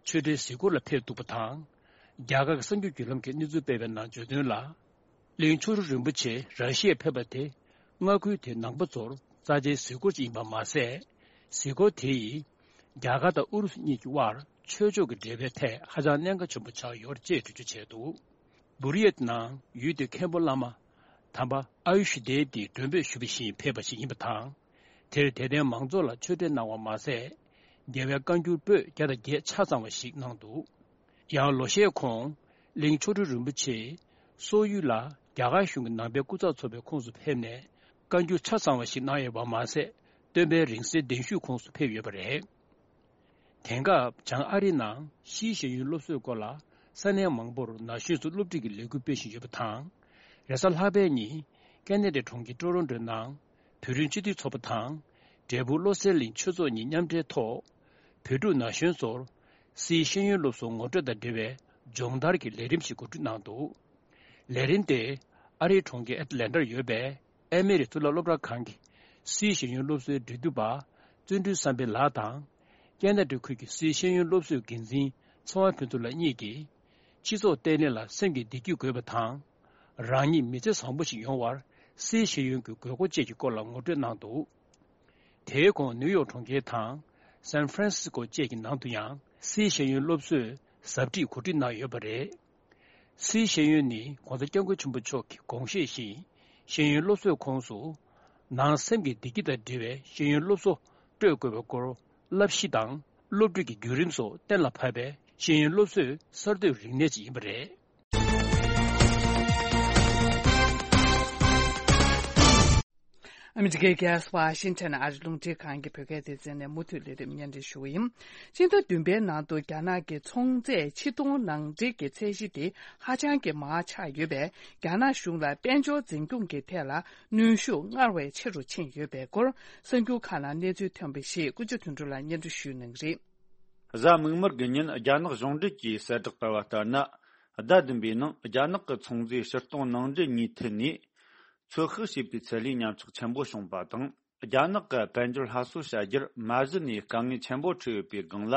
ཆོས་འབྲེལ་གཟིགས་སྐོར་ལ་ཕེབས་འདུག་པ་དང་། རྒྱ་གར་གྱི་གསར་འགྱུར་བརྒྱུད་ལམ་གྱིས་གནས་ཚུལ་སྤེལ་བའི་ནང་བརྗོད་དོན་ལ། གླིང་མཆོག་སྤྲུལ་རིན་པོ་ཆེ་ར་ཤི་ཡར་ཕེབས་པ་དེ་མངའ་ཁུལ་དེའི་ནང་པ་ཚོར་རྩ་ཆེའི་གཟིགས་སྐོར་ཅིག་ཡིན་པ་མ་ཟད། གཟིགས་སྐོར་དེ་ཡིས་རྒྱ་གར་དང་ཨུ་རུ་སུ་གཉིས་ཀྱི་དབར་ཆོས་ཕྱོགས་ཀྱི་འབྲེལ་བའི་ཐད་ཧ་ཅང་གནད་འགག་ཆེན་པོ་ཆགས་ཡོད་ཅེས་འགྲེལ་བརྗོད་བྱས་འདུག་སྦུ་རི་ཡ་ནང་ཡུལ་དེའི་མཁན་པོ་བླ་མ་དམ་པ་ཨ་ཡུ་ཤུ་དེ་ཏིས་མགྲོན་འབོད་ཞུ་བ་བཞིན་ཕེབས་པ་ཞིག་ཡིན་པ་དང་། དེར་དད་ལྡན་མང་ཚོགས་ལ་ཆོས་འབྲེལ་གནང་བ་མ་ཟད། རྒྱལ་བའི་བཀའ་འགྱུར་པོད་བརྒྱ་དང་བརྒྱད་ཆ་ཚང་བ་ཞིག་གནང་འདུག། ཡང་ལོ་ཤས་གོང་གླིང་མཆོག་སྤྲུལ་རིན་པོ་ཆེས་སོག་ཡུལ་ལ་རྒྱ་གར་གཞུང་གི་ནང་པའི་སྐུ་ཚབ་ཚོགས་པའི་ཁོངས་སུ་ཕེབས་ནས་བཀའ་འགྱུར་ཆ་ཚང་བ་ཞིག་གནང་ཡོད་པ་མ་ཟད། སྟོན་པའི་རིང་བསྲེལ་གདན་ཞུས་ཁོངས་སུ་ཕེབས་ཡོད་པ་རེད། དེང་སྐབས་བྱང་ཨ་རིའི་ནང་ཕྱིའི་ཤེས་ཡོན་སློབ་གསོའི་སྐོར་ལ་ས་གནས་མང་པོར་ན་གཞོན་ཚོ་སློབ་ཁྲིད་ཀྱི་ལས་འགུལ་སྤེལ་བཞིན་ཡོད་པ་དང་། རེས་གཟའ་ལྷག་པའི་ཉིན་ཀེ་ན་ཌའི་གྲོང་ཁྱེར་ཀྲོ་རོན་ཀྲོའི་ནང་བོད་རིགས་སྤྱི་མཐུན་ཚོགས་པ་དང་། འབྲས་སྤུངས་བློ་གསལ་གླིང་ཆོས་ཚོགས་གཉིས་མཉམ་འབྲེལ་ཐོག་བོད་ཕྲུག་ན་གཞོན་ཚོར་སིའི་ཤེས་ཡོན་སློབ་གསོ་ངོ་སྤྲོད་དང་འབྲེལ་བའི་སྦྱོང་བརྡར་གྱི་ལས་རིམ་ཞིག་གོ་སྒྲིག་གནང་འདུག། ལས་རིམ་དེ་ཨ་རིའི་གྲོང་ཁྱེར་ཨེ་ཏི་ལན་ཏར་ཡོད་པའི་ཨེ་མི་རི་གཙུག་ལག་སློབ་གྲྭ་ཁང་གི་སིའི་ཤེས་ཡོན་སློབ་གསོའི་འབྲེལ་མཐུད་པ་བརྩོན་འགྲུས་བསམ་འཕེལ་ལགས་དང་། ཀེ་ན་ཌ་ཁུལ་གྱི་སིའི་ཤེས་ཡོན་སློབ་གསོའི་འགན་འཛིན་ཚེ་དབང་ཕུན་ཚོགས་ལགས་གཉིས་ཀྱིས། སྤྱི་ཚོགས་བརྟན་ལྷིང་ལ་སེམས་ཀྱི་བདེ་སྐྱིད་དགོས་པ་དང་། རང་ཉིད་མི་ཚེ་བཟང་པོ་ཞིག་ཡོང་བར་སིའི་ཤེས་ཡོན་གྱི་དགོས་མཁོ་བཅས་ཀྱི་སྐོར་ལ་ངོ་སྤྲོད་གནང་འདུག། དེའི་གོང་ནིའུ་ཡོག་གྲོང་ཁྱེར་དང་སན་ཧྥ་རན་སི་སྐོ་བཅས་ཀྱི་ནང་དུ་ཡང་སིའི་ཤེས་ཡོན་སློབ་གསོའི་ཟབ་ཁྲིད་གོ་སྒྲིག་གནང་ཡོད་པ་རེད། སིའི་ཤེས་ཡོན་ནི་༸གོང་ས་༸སྐྱབས་མགོན་ཆེན་པོ་མཆོག་གི་དགོངས་བཞེད་བཞིན། ཤེས་ཡོན་སློབ་གསོའི་ཁོངས་སུ། ནང་སེམས་ཀྱི་བདེ་སྐྱིད་དང་འབྲེལ་བའི་ཤེས་ཡོན་སློབ་གསོ་སྤྲོད་དགོས་པའི་སྐོར། བསླབ་གཞི་དང་སློབ་ཁྲིད་ཀྱི་བརྒྱུད་རིམ་སོགས་གཏན་ལ་ཕབ་པའི་ཤེས་ཡོན་སློབ་གསོའི་གསར་གཏོད་རིག་གནས་ཅིག་ཡིན་པ་རེད། ཨ་མི་རི་ཀའི་རྒྱལ་ས་ཝ་ཤིང་ཊོན་ཨ་རི་རླུང་འཕྲིན་ཁང་གི་བོད་སྐད་སྡེ་ཚན་ནས་མུ་མཐུད་ལས་རིམ་སྙན་སྒྲོན་ཞུ་གི་ཡིན། སྤྱི་ཟླ་བདུན་པའི་ནང་དུ་རྒྱ་ནག་གི་ཚོང་རྫས་ཕྱིར་གཏོང་ནང་འདྲེན་གྱི་ཚད་གཞི་དེ་ཧ་ཅང་གི་མར་ཆག་ཡོད་པས། རྒྱ་ནག་གཞུང་ལ་དཔལ་འབྱོར་འཛིན་སྐྱོང་གི་ཐད་ལ་གནོན་ཤུགས་སྔར་བས་ཆེ་རུ་ཕྱིན་ཡོད་པའི་སྐོར། གསར་འགྱུར་ཁག་ནང་གནས་ཚུལ་ཐོན་པ་ཞིག་ཀུན་སྤྱོད་དོན་གྲུབ་ལགས་སྙན་སྒྲོན་ཞུ་གནང་གི་རེད། གཟའ་མིག་དམར་གྱི་ཉིན་རྒྱ་ནག་གཞུང་འབྲེལ་གྱིས་གསལ་བསྒྲགས་བསྟར་བ་ལྟར་ན། ཟླ་བདུན་པའི་ནང་རྒྱ་ནག་གི་ཚོང་རྫས་ཕྱིར་གཏོང་ནང་འདྲེན་གཉིས་ཐད་ནས་ཚོད་དཔག་བྱས་པའི་ཚད་ལས་ཉམས་ཆག་ཆེན་པོ་བྱུང་པ་དང་། རྒྱ་ནག་གི་དཔལ་འབྱོར་སླར་གསོ་བྱ་རྒྱུར་མ་གཞི་ནས་དཀའ་ངལ་ཆེན་པོ་འཕྲད་ཡོད་པའི་སྒང་ལ།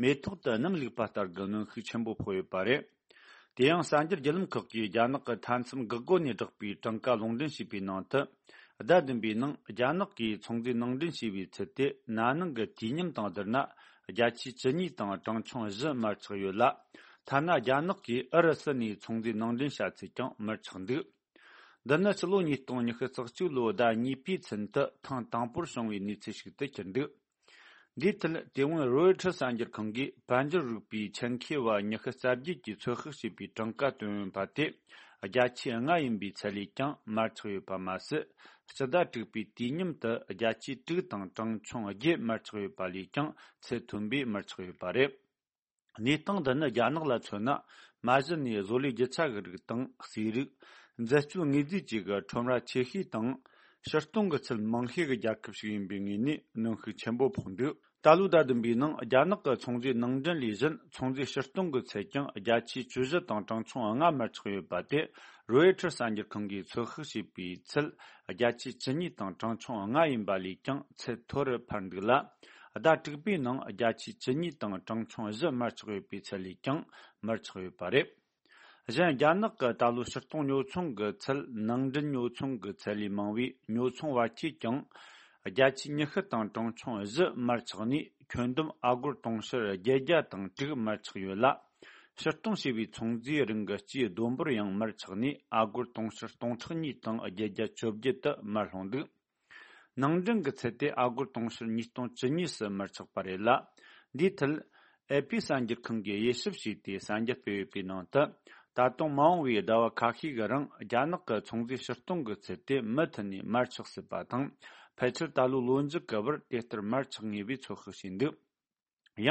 མེ་ཏོག་ཏུ་སྣུམ་བླུགས་པ་ལྟར་གྱི་གནོན་ཤུགས་ཆེན་པོ་ཕོག་ཡོད་པ་རེད། དེ་ཡང་གསར་འགྱུར་བརྒྱུད་ལམ་ཁག་གིས་རྒྱ་ནག་གི་མཐའ་མཚམས་འགག་སྒོ་ནས་བསྒྲགས་པའི་གྲངས་ཀ་ལུང་འདྲེན་བྱས་པའི་ནང་དུ། ཟླ་བདུན་པའི་ནང་རྒྱ་ནག་གིས་ཚོང་རྫས་ནང་འདྲེན་བྱས་པའི་ཚད་དེ་ན་ནིང་གི་དུས་མཉམ་དང་བསྡུར་ན། བརྒྱ་ཆའི་བཅུ་གཉིས་དང་གྲངས་ཆུང་བཞི་མར་ཆག་ཡོད་ལ། ཐ་ན་རྒྱ་ནག་གིས་ཨུ་རུ་སུ་ནས་ཚོང་རྫས་ནང་འདྲེན་བྱ་ཚད་ཀྱང་མར་ཆག་འདུག། འདི་ནི་ཕྱི་ལོ་ཉིས་སྟོང་ཉི་ཤུ་རྩ་གཅིག་ལོའི་ཟླ་གཉིས་པའི་ཚུན་དུ་ཐེངས་དང་པོར་བྱུང་བའི་གནས་ཚུལ་ཞིག་ཏུ་གྱུར་འདུག། འདིའི་ཐད་དེ་སྔོན་རོའི་ཊར་གསར་འགྱུར་ཁང་གིས་དཔལ་འབྱོར་རིག་པའི་ཆེད་མཁས་པ་ཉི་ཤུ་རྩ་བརྒྱད་ཀྱིས་ཚོད་དཔག་བྱས་པའི་གྲངས་ཀ་བཏོན་ཡོད་པ་དེ། བརྒྱ་ཆའི་ལྔ་ཡིན་པའི་ཚད་ལས་ཀྱང་མར་ཆག་ཡོད་པ་མ་ཟད། སྤྱི་ཟླ་དྲུག་པའི་དུས་མཉམ་དུ་བརྒྱ་ཆའི་དྲུག་དང་གྲངས་ཆུང་བརྒྱད་མར་ཆག་ཡོད་པ་ལས་ཀྱང་ཚད་མཐོན་པོས་མར་ཆག་ཡོད་པ་རེད། གནས་སྟངས་འདི་ནི་རྒྱ་ནག་ལ་མཚོན་ན། མ་གཞི་ནས་བཟོ་ལས་རྒྱུ་ཆ་གི་རིགས་དང་ཟས་རིགས། འཛད་སྤྱོད་དངོས་རྫས་བཅས་ཀྱི་ཁྲོམ་ར་ཆེ་ཤོས་དང་། ཕྱིར་གཏོང་གི་ཚད་མང་ཤོས་ཀྱི་རྒྱལ་ཁབ་ཞིག་ཡིན་པའི་ངོས་ནས་གནོན་ཤུགས་ཆེན་པོ་ཕོག་འདུག། ད་ལོའི་ཟླ་བདུན་པའི་ནང་རྒྱ་ནག་གི་ཚོང་རྫས་ནང་འདྲེན་ལས་གཞན་ཚོང་རྫས་ཕྱིར་གཏོང་གི་ཚད་ཀྱང་བརྒྱ་ཆའི་བཅུ་བཞི་དང་གྲངས་ཆུང་ལྔ་མར་ཆག་ཡོད་པ་དེ། རོའི་ཊར་གསར་འགྱུར་ཁང་གིས་ཚོད་དཔག་བྱས་པའི་ཚད་བརྒྱ་ཆའི་བཅུ་གཉིས་དང་གྲངས་ཆུང་ལྔ་ཡིན་པ་ལས་ཀྱང་ཚད་མཐོ་རུ་འཕར་འདུག་ལ། ཟླ་དྲུག་པའི་ནང་བརྒྱ་ཆའི་བཅུ་གཉིས་དང་གྲངས་ཆུང་བཞི་མར་ཆག་ཡོད་པའི་ཚད་ལས་ཀྱང་མར་ཆག་ཡོད་པ་རེད། གཞན། རྒྱ་ནག་གི་ད་ལོའི་ཕྱིར་གཏོང་ཉོ་ཚོང་གི་ཚད། ནང་འདྲེན་ཉོ་ཚོང་གི་ཚད་ལས་མང་བའི་ཉོ་ཚོང་བར་ཁྱད་ཀྱང་། བརྒྱ་ཆའི་ཉི་ཤུ་དང་གྲངས་ཆུང་བཞི་མར་ཆག་ནས། ཁྱོན་བསྡོམས་ཨ་སྒོར་དུང་ཕྱུར་བརྒྱད་བརྒྱ་དང་དྲུག་མར་ཆག་ཡོད་ལ། ཕྱིར་གཏོང་བྱས་པའི་ཚོང་རྫས་རིགས་ཀྱི་སྤྱིའི་བསྡོམས་འབོར་ཡང་མར་ཆག་ནས། ཨ་སྒོར་དུང་ཕྱུར་སྟོང་ཕྲག་གཉིས་དང་བརྒྱད་བརྒྱ་བཅོ་བརྒྱད་དུ་མར་ལྷུང་འདུག། ནང་འདྲེན་གྱི་ཚད་དེ་ཨ་སྒོར་དུང་ཕྱུར་ཉིས་སྟོང་བཅུ་གཉིས་སུ་མར་ཆག་པ་རེད་ལ། འདིའི་ཐད། ཨེ་པི་གསར་འགྱུར་ཁང་གིས་དབྱེ་ཞིབ་བྱས་ཏེ་གསར་འགྱུར་སྤེལ་ཡོད་པའི་ནང་དུ། ད་དུང་མ་འོངས་པའི་ཟླ་བ་ཁ་ཤས་ཀྱི་རིང་རྒྱ་ནག་གི་ཚོང་རྫས་ཕྱིར་གཏོང་གི་ཚད་དེ་མུ་མཐུད་ནས་མར་ཆག་སྲིད་པ་དང་། ཕལ་ཆེར་ད་ལོའི་ལོ་མཇུག་གི་བར་དེ་ལྟར་མར་ཆག་ངེས་པའི་ཚོད་དཔག་བྱས་འདུག།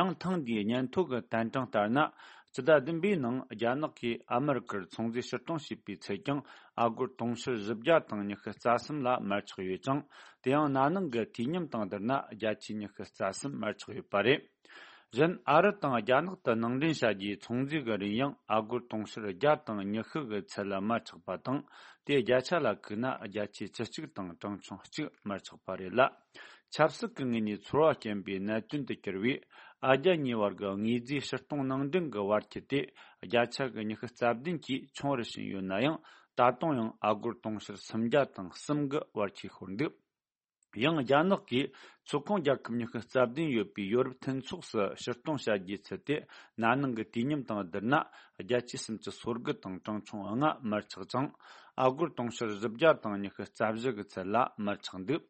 ཡང་ཐེངས་འདིའི་སྙན་ཐོ་གི་བསྟན་གྲངས་ལྟར་ན། སྤྱི་ཟླ་བདུན་པའི་ནང་རྒྱ་ནག་གིས་ཨ་མི་རི་ཀར་ཚོང་རྫས་ཕྱིར་གཏོང་བྱས་པའི་ཚད་ཀྱང་ཨ་སྒོར་དུང་ཕྱུར་བཞི་བརྒྱ་དང་ཉི་ཤུ་རྩ་གསུམ་ལ་མར་ཆག་ཡོད་ཅིང་། དེ་ཡང་ན་ནིང་གི་དུས་མཉམ་དང་བསྡུར་ན་བརྒྱ་ཆའི་ཉི་ཤུ་རྩ་གསུམ་མར་ཆག་ཡོད་པ་རེད། གཞན། ཨ་རི་དང་རྒྱ་ནག་ཏུ་ནང་འདྲེན་བྱ་རྒྱུའི་ཚོང་རྫས་ཀྱི་རིན་ཡང་ཨ་སྒོར་དུང་ཕྱུར་བརྒྱ་དང་ཉི་ཤུ་གི་ཚད་ལ་མར་ཆག་པ་དང་། དེ་བརྒྱ་ཆ་ལ་བཀུག་ན་བརྒྱ་ཆའི་བཅུ་གཅིག་དང་གྲངས་ཆུང་གཅིག་མར་ཆག་པ་རེད་ལ། ཆབ་སྲིད་ཀྱི་ངོས་ནས་ཚོར་བ་སྐྱེན་པའི་གནད་དོན་དུ་གྱུར་བའི་ཨ་རྒྱ་གཉིས་བར་གྱི་དངོས་རྫས་ཕྱིར་གཏོང་ནང་འདྲེན་གྱི་བར་ཁྱད་དེ་བརྒྱ་ཆ་གི་ཉི་ཤུ་རྩ་བདུན་གྱིས་ཆུང་རུ་ཕྱིན་ཡོད་ན་ཡང་། ད་དུང་ཡང་ཨ་སྒོར་དུང་ཕྱུར་སུམ་བརྒྱ་དང་གསུམ་གྱི་བར་ཁྱད་ཤོར་འདུག། ཡང་རྒྱ་ནག་གིས་ཚོགས་ཁོངས་རྒྱལ་ཁབ་ཉི་ཤུ་རྩ་བདུན་ཡོད་པའི་ཡོ་རོབ་མཐུན་ཚོགས་སུ་ཕྱིར་གཏོང་བྱ་རྒྱུའི་ཚད་དེ་ན་ནིང་གི་དུས་མཉམ་དང་བསྡུར་ན་བརྒྱ་ཆའི་སུམ་ཅུ་སོ་དགུ་དང་གྲངས་ཆུང་ལྔ་མར་ཆག་ཅིང་། ཨ་སྒོར་དུང་ཕྱུར་བཞི་བརྒྱ་དང་ཉི་ཤུ་རྩ་བཞི་གི་ཚད་ལ་མར་ཆག་འདུག།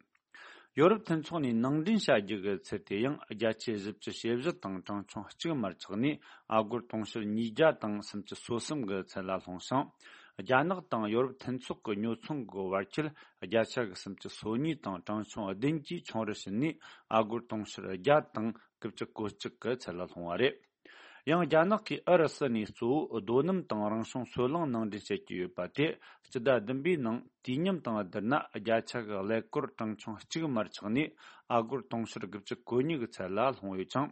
ཡོ་རོབ་མཐུན་ཚོགས་ནས་ནང་འདྲེན་བྱ་རྒྱུ་གི་ཚད་དེ་ཡང་བརྒྱ་ཆ་བཞི་བཅུ་ཞེ་བཞི་དང་གྲངས་ཆུང་གཅིག་མར་ཆག་ནས། ཨ་སྒོར་དུང་ཕྱུར་ཉིས་བརྒྱ་དང་སུམ་ཅུ་སོ་གསུམ་གི་ཚད་ལ་ལྷུང་ཞིང་། རྒྱ་ནག་དང་ཡོ་རོབ་མཐུན་ཚོགས་ཀྱི་ཉོ་ཚོང་གི་བར་ཁྱད་བརྒྱ་ཆ་གི་སུམ་ཅུ་སོ་གཉིས་དང་གྲངས་ཆུང་བདུན་གྱིས་ཆུང་རུ་ཕྱིན་ནས། ཨ་སྒོར་དུང་ཕྱུར་བརྒྱ་དང་དགུ་བཅུ་གོ་གཅིག་གི་ཚད་ལ་ལྷུང་བ་རེད། ཡང་རྒྱ་ནག་གིས་ཨུ་རུ་སུ་ནས་གཙོ་བོ་རྡོ་སྣུམ་དང་རང་བྱུང་སོལ་རླངས་ནང་འདྲེན་བྱེད་ཀྱི་ཡོད་པ་དེ། སྤྱི་ཟླ་བདུན་པའི་ནང་དུས་མཉམ་དང་བསྡུར་ན། བརྒྱ་ཆ་གི་ཀླད་ཀོར་གྲངས་ཆུང་གཅིག་མར་ཆག་ནས། ཨ་སྒོར་དུང་ཕྱུར་དགུ་བཅུ་གོ་གཉིས་ཀྱི་ཚད་ལ་ལྷུང་ཡོད་ཅིང་།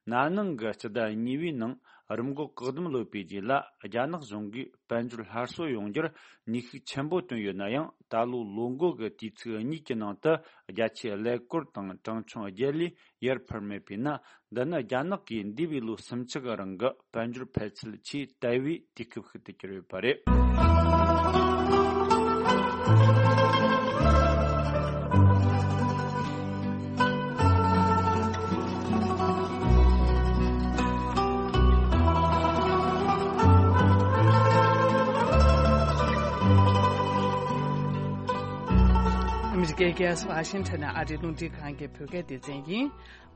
ན་ནིང་གི་སྤྱི་ཟླ་གཉིས་པའི་ནང་རིམས་འགོག་བཀག་སྡོམ་ལོག་པའི་རྗེས་ལ། རྒྱ་ནག་གཞུང་གིས་དཔལ་འབྱོར་སླར་གསོ་ཡོང་རྒྱུར་ནུས་ཤུགས་ཆེན་པོ་བཏོན་ཡོད་ན་ཡང་། ད་ལོའི་ལོ་འགོ་གི་དུས་ཚིགས་གཉིས་ཀྱི་ནང་དུ་བརྒྱ་ཆའི་ཀླད་ཀོར་དང་གྲངས་ཆུང་བརྒྱད་ལས་ཡར་འཕར་མེད་པས་ན། འདི་ནི་རྒྱ་ནག་གིས་འདས་པའི་ལོ་སུམ་ཅུ་གི་རིང་གི་དཔལ་འབྱོར་འཕར་ཚད་ཆེས་དལ་བའི་དུས་སྐབས་ཤིག་ཏུ་གྱུར་ཡོད་པ་རེད། ཨ་མི་རི་ཀའི་རྒྱལ་ས་ཝ་ཤིང་ཊོན་ནས་ཨ་རིའི་རླུང་འཕྲིན་ཁང་གི་བོད་སྐད་སྡེ་ཚན་ཡིན།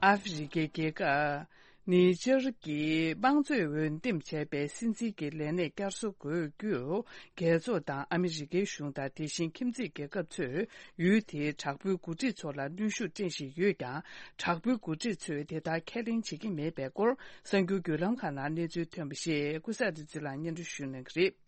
ཨ་ཧྥེ་རི་ཁའི་རྒྱལ་ཁབ་ནི་ཇར་གྱི་དམངས་གཙོས་འོས་འདེམས་བྱས་པའི་སྲིད་འཛིན་གྱི་ལས་གནས་བསྐྱར་གསོ་དགོས་རྒྱུར། རྒྱལ་ཚོགས་དང་ཨ་མི་རི་ཀའི་གཞུང་དང་། དེ་བཞིན་ཁྱིམ་མཚེས་རྒྱལ་ཁབ་ཚོས་ཡུལ་དེའི་དྲག་པོའི་འགོ་ཁྲིད་ཚོ་ལ་གནོན་ཤུགས་སྤྲད་བཞིན་ཡོད་ཀྱང་། དྲག་པོའི་འགོ་ཁྲིད་ཚོས་དེ་ལྟར་ཁས་ལེན་བྱེད་ཀྱི་མེད་པའི་སྐོར། གསར་འགྱུར་བརྒྱུད་ལམ་ཁག་ནང་གནས་ཚུལ་ཐོན་པ་ཞིག་ཀུན་བཟང་བདེ་ཚེ་ལགས་སྙན་སྒྲོན་ཞུ་གནང་གི་རེད།